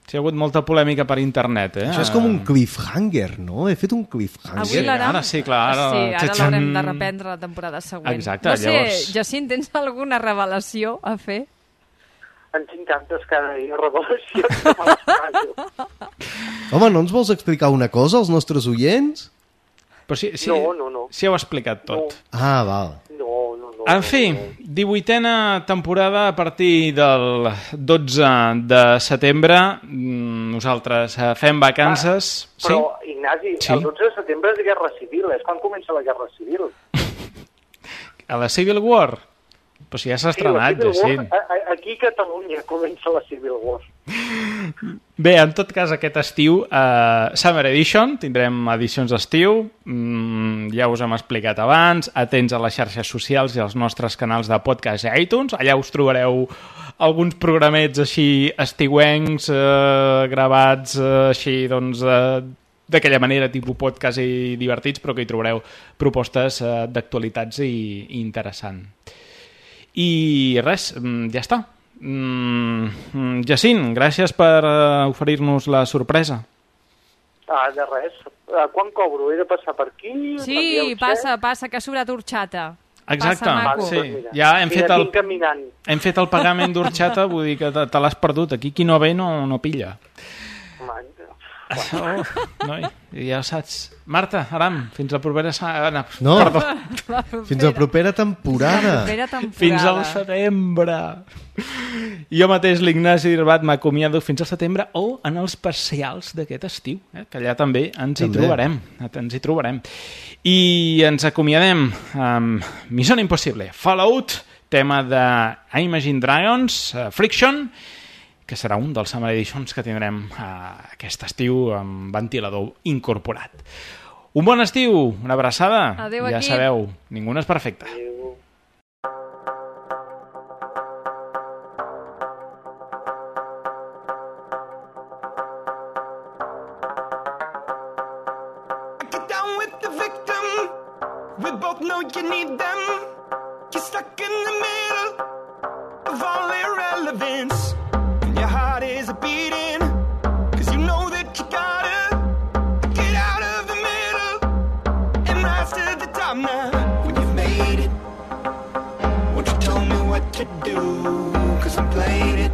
Sí, ha hagut molta polèmica per internet, eh? Això és com un cliffhanger, no? He fet un cliffhanger. Avui l'ara... Ara sí, clar. Ara, sí, ara l'haurem de reprendre la temporada següent. Exacte, no sé, llavors... Jacint, tens alguna revelació a fer? En tinc tantes cada dia, revelacions que me les passo. Home, no ens vols explicar una cosa als nostres oients? Però si, si, no, no, no. Si heu explicat tot. No. Ah, val. No, no, no. En fi, divuitena temporada a partir del dotze de setembre. Nosaltres fem vacances. Ah, però, sí? Ignasi, sí? el dotze de setembre és Guerra Civil. És quan comença la Guerra Civil. A la Civil War? Però si ja s'ha estrenat, sí, Jacint. Aquí a Catalunya comença la Civil War. Bé, en tot cas, aquest estiu, uh, Summer Edition, tindrem edicions d'estiu, mm, ja us hem explicat abans, atents a les xarxes socials i als nostres canals de podcast a iTunes, allà us trobareu alguns programets així estiuencs, uh, gravats uh, així, doncs... Uh, d'aquella manera, tipus podcast i divertits, però que hi trobareu propostes uh, d'actualitats i, i interessant. I res, ja està. Mm, Jacint, gràcies per uh, oferir-nos la sorpresa. Ah, de res. Uh, quan cobro? He de passar per aquí? Sí, passa, passa, que ha sobrat horxata. Exacte, passa, sí. Ja hem fet, el, caminant. hem fet el pagament d'orxata, vull dir que te, te l'has perdut. Aquí qui no ve no, no pilla. Oh, noi, ja ho saps. Marta, Aram, fins la propera setmana. No, Perdó. La propera. fins a la propera temporada. La propera temporada. Fins al setembre. Jo mateix, l'Ignasi Irbat, m'acomiado fins al setembre o en els parcials d'aquest estiu, eh? Que allà també ens També. hi trobarem. Ens hi trobarem. I ens acomiadem amb Mission Impossible, Fallout, tema de Imagine Dragons, uh, Friction, que serà un dels Summer Editions que tindrem uh, aquest estiu amb ventilador incorporat. Un bon estiu, una abraçada. Adéu, ja equip. sabeu, ningú no és perfecte. Get down with the victim. We both know you need them. You're stuck in the middle of all irrelevance. And your heart is a beating. Cause you know that you gotta get out of the middle and rise to the top now. When you've made it, won't you tell me what to do? Cause I'm playing it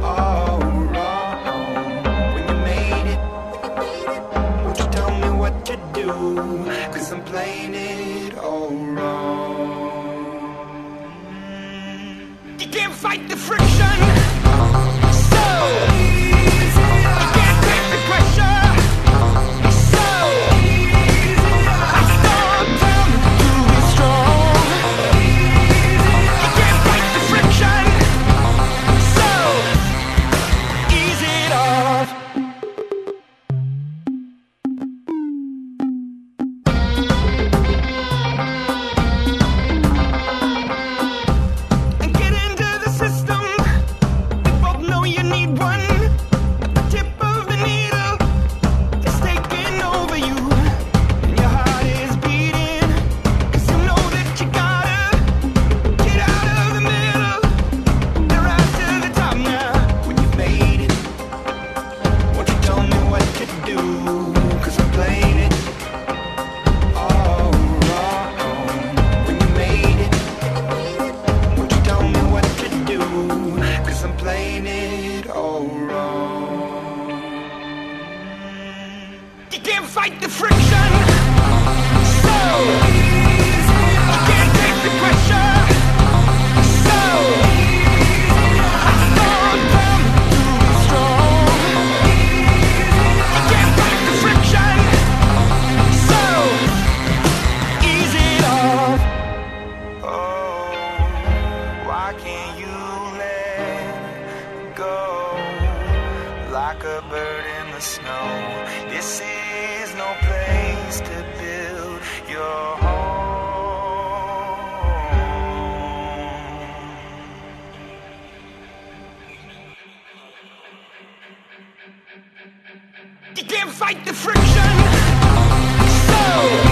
all wrong. When you made it, won't you tell me what to do? Cause I'm playing it all wrong. You can't fight the friction. So easy. You can't take the pressure. So easy. It's not time to be strong. You can't fight the friction. So ease it off. And get into the system. We both know you need one. The tip of the needle is taking over you. And your heart is beating. Cause you know that you gotta get out of the middle and rise to the top now. When you've made it, won't you tell me what to do? Cause I'm playing it all wrong. When you made it, won't you tell me what to do? Cause I'm playing it all wrong. You can't fight the friction. So easy. You can't take the pressure. So easy. It's not time to be strong. You can't fight the friction. So ease it off. Oh, why can't you let go? Like a bird in the snow. This is no place to build your home. You can't fight the friction. So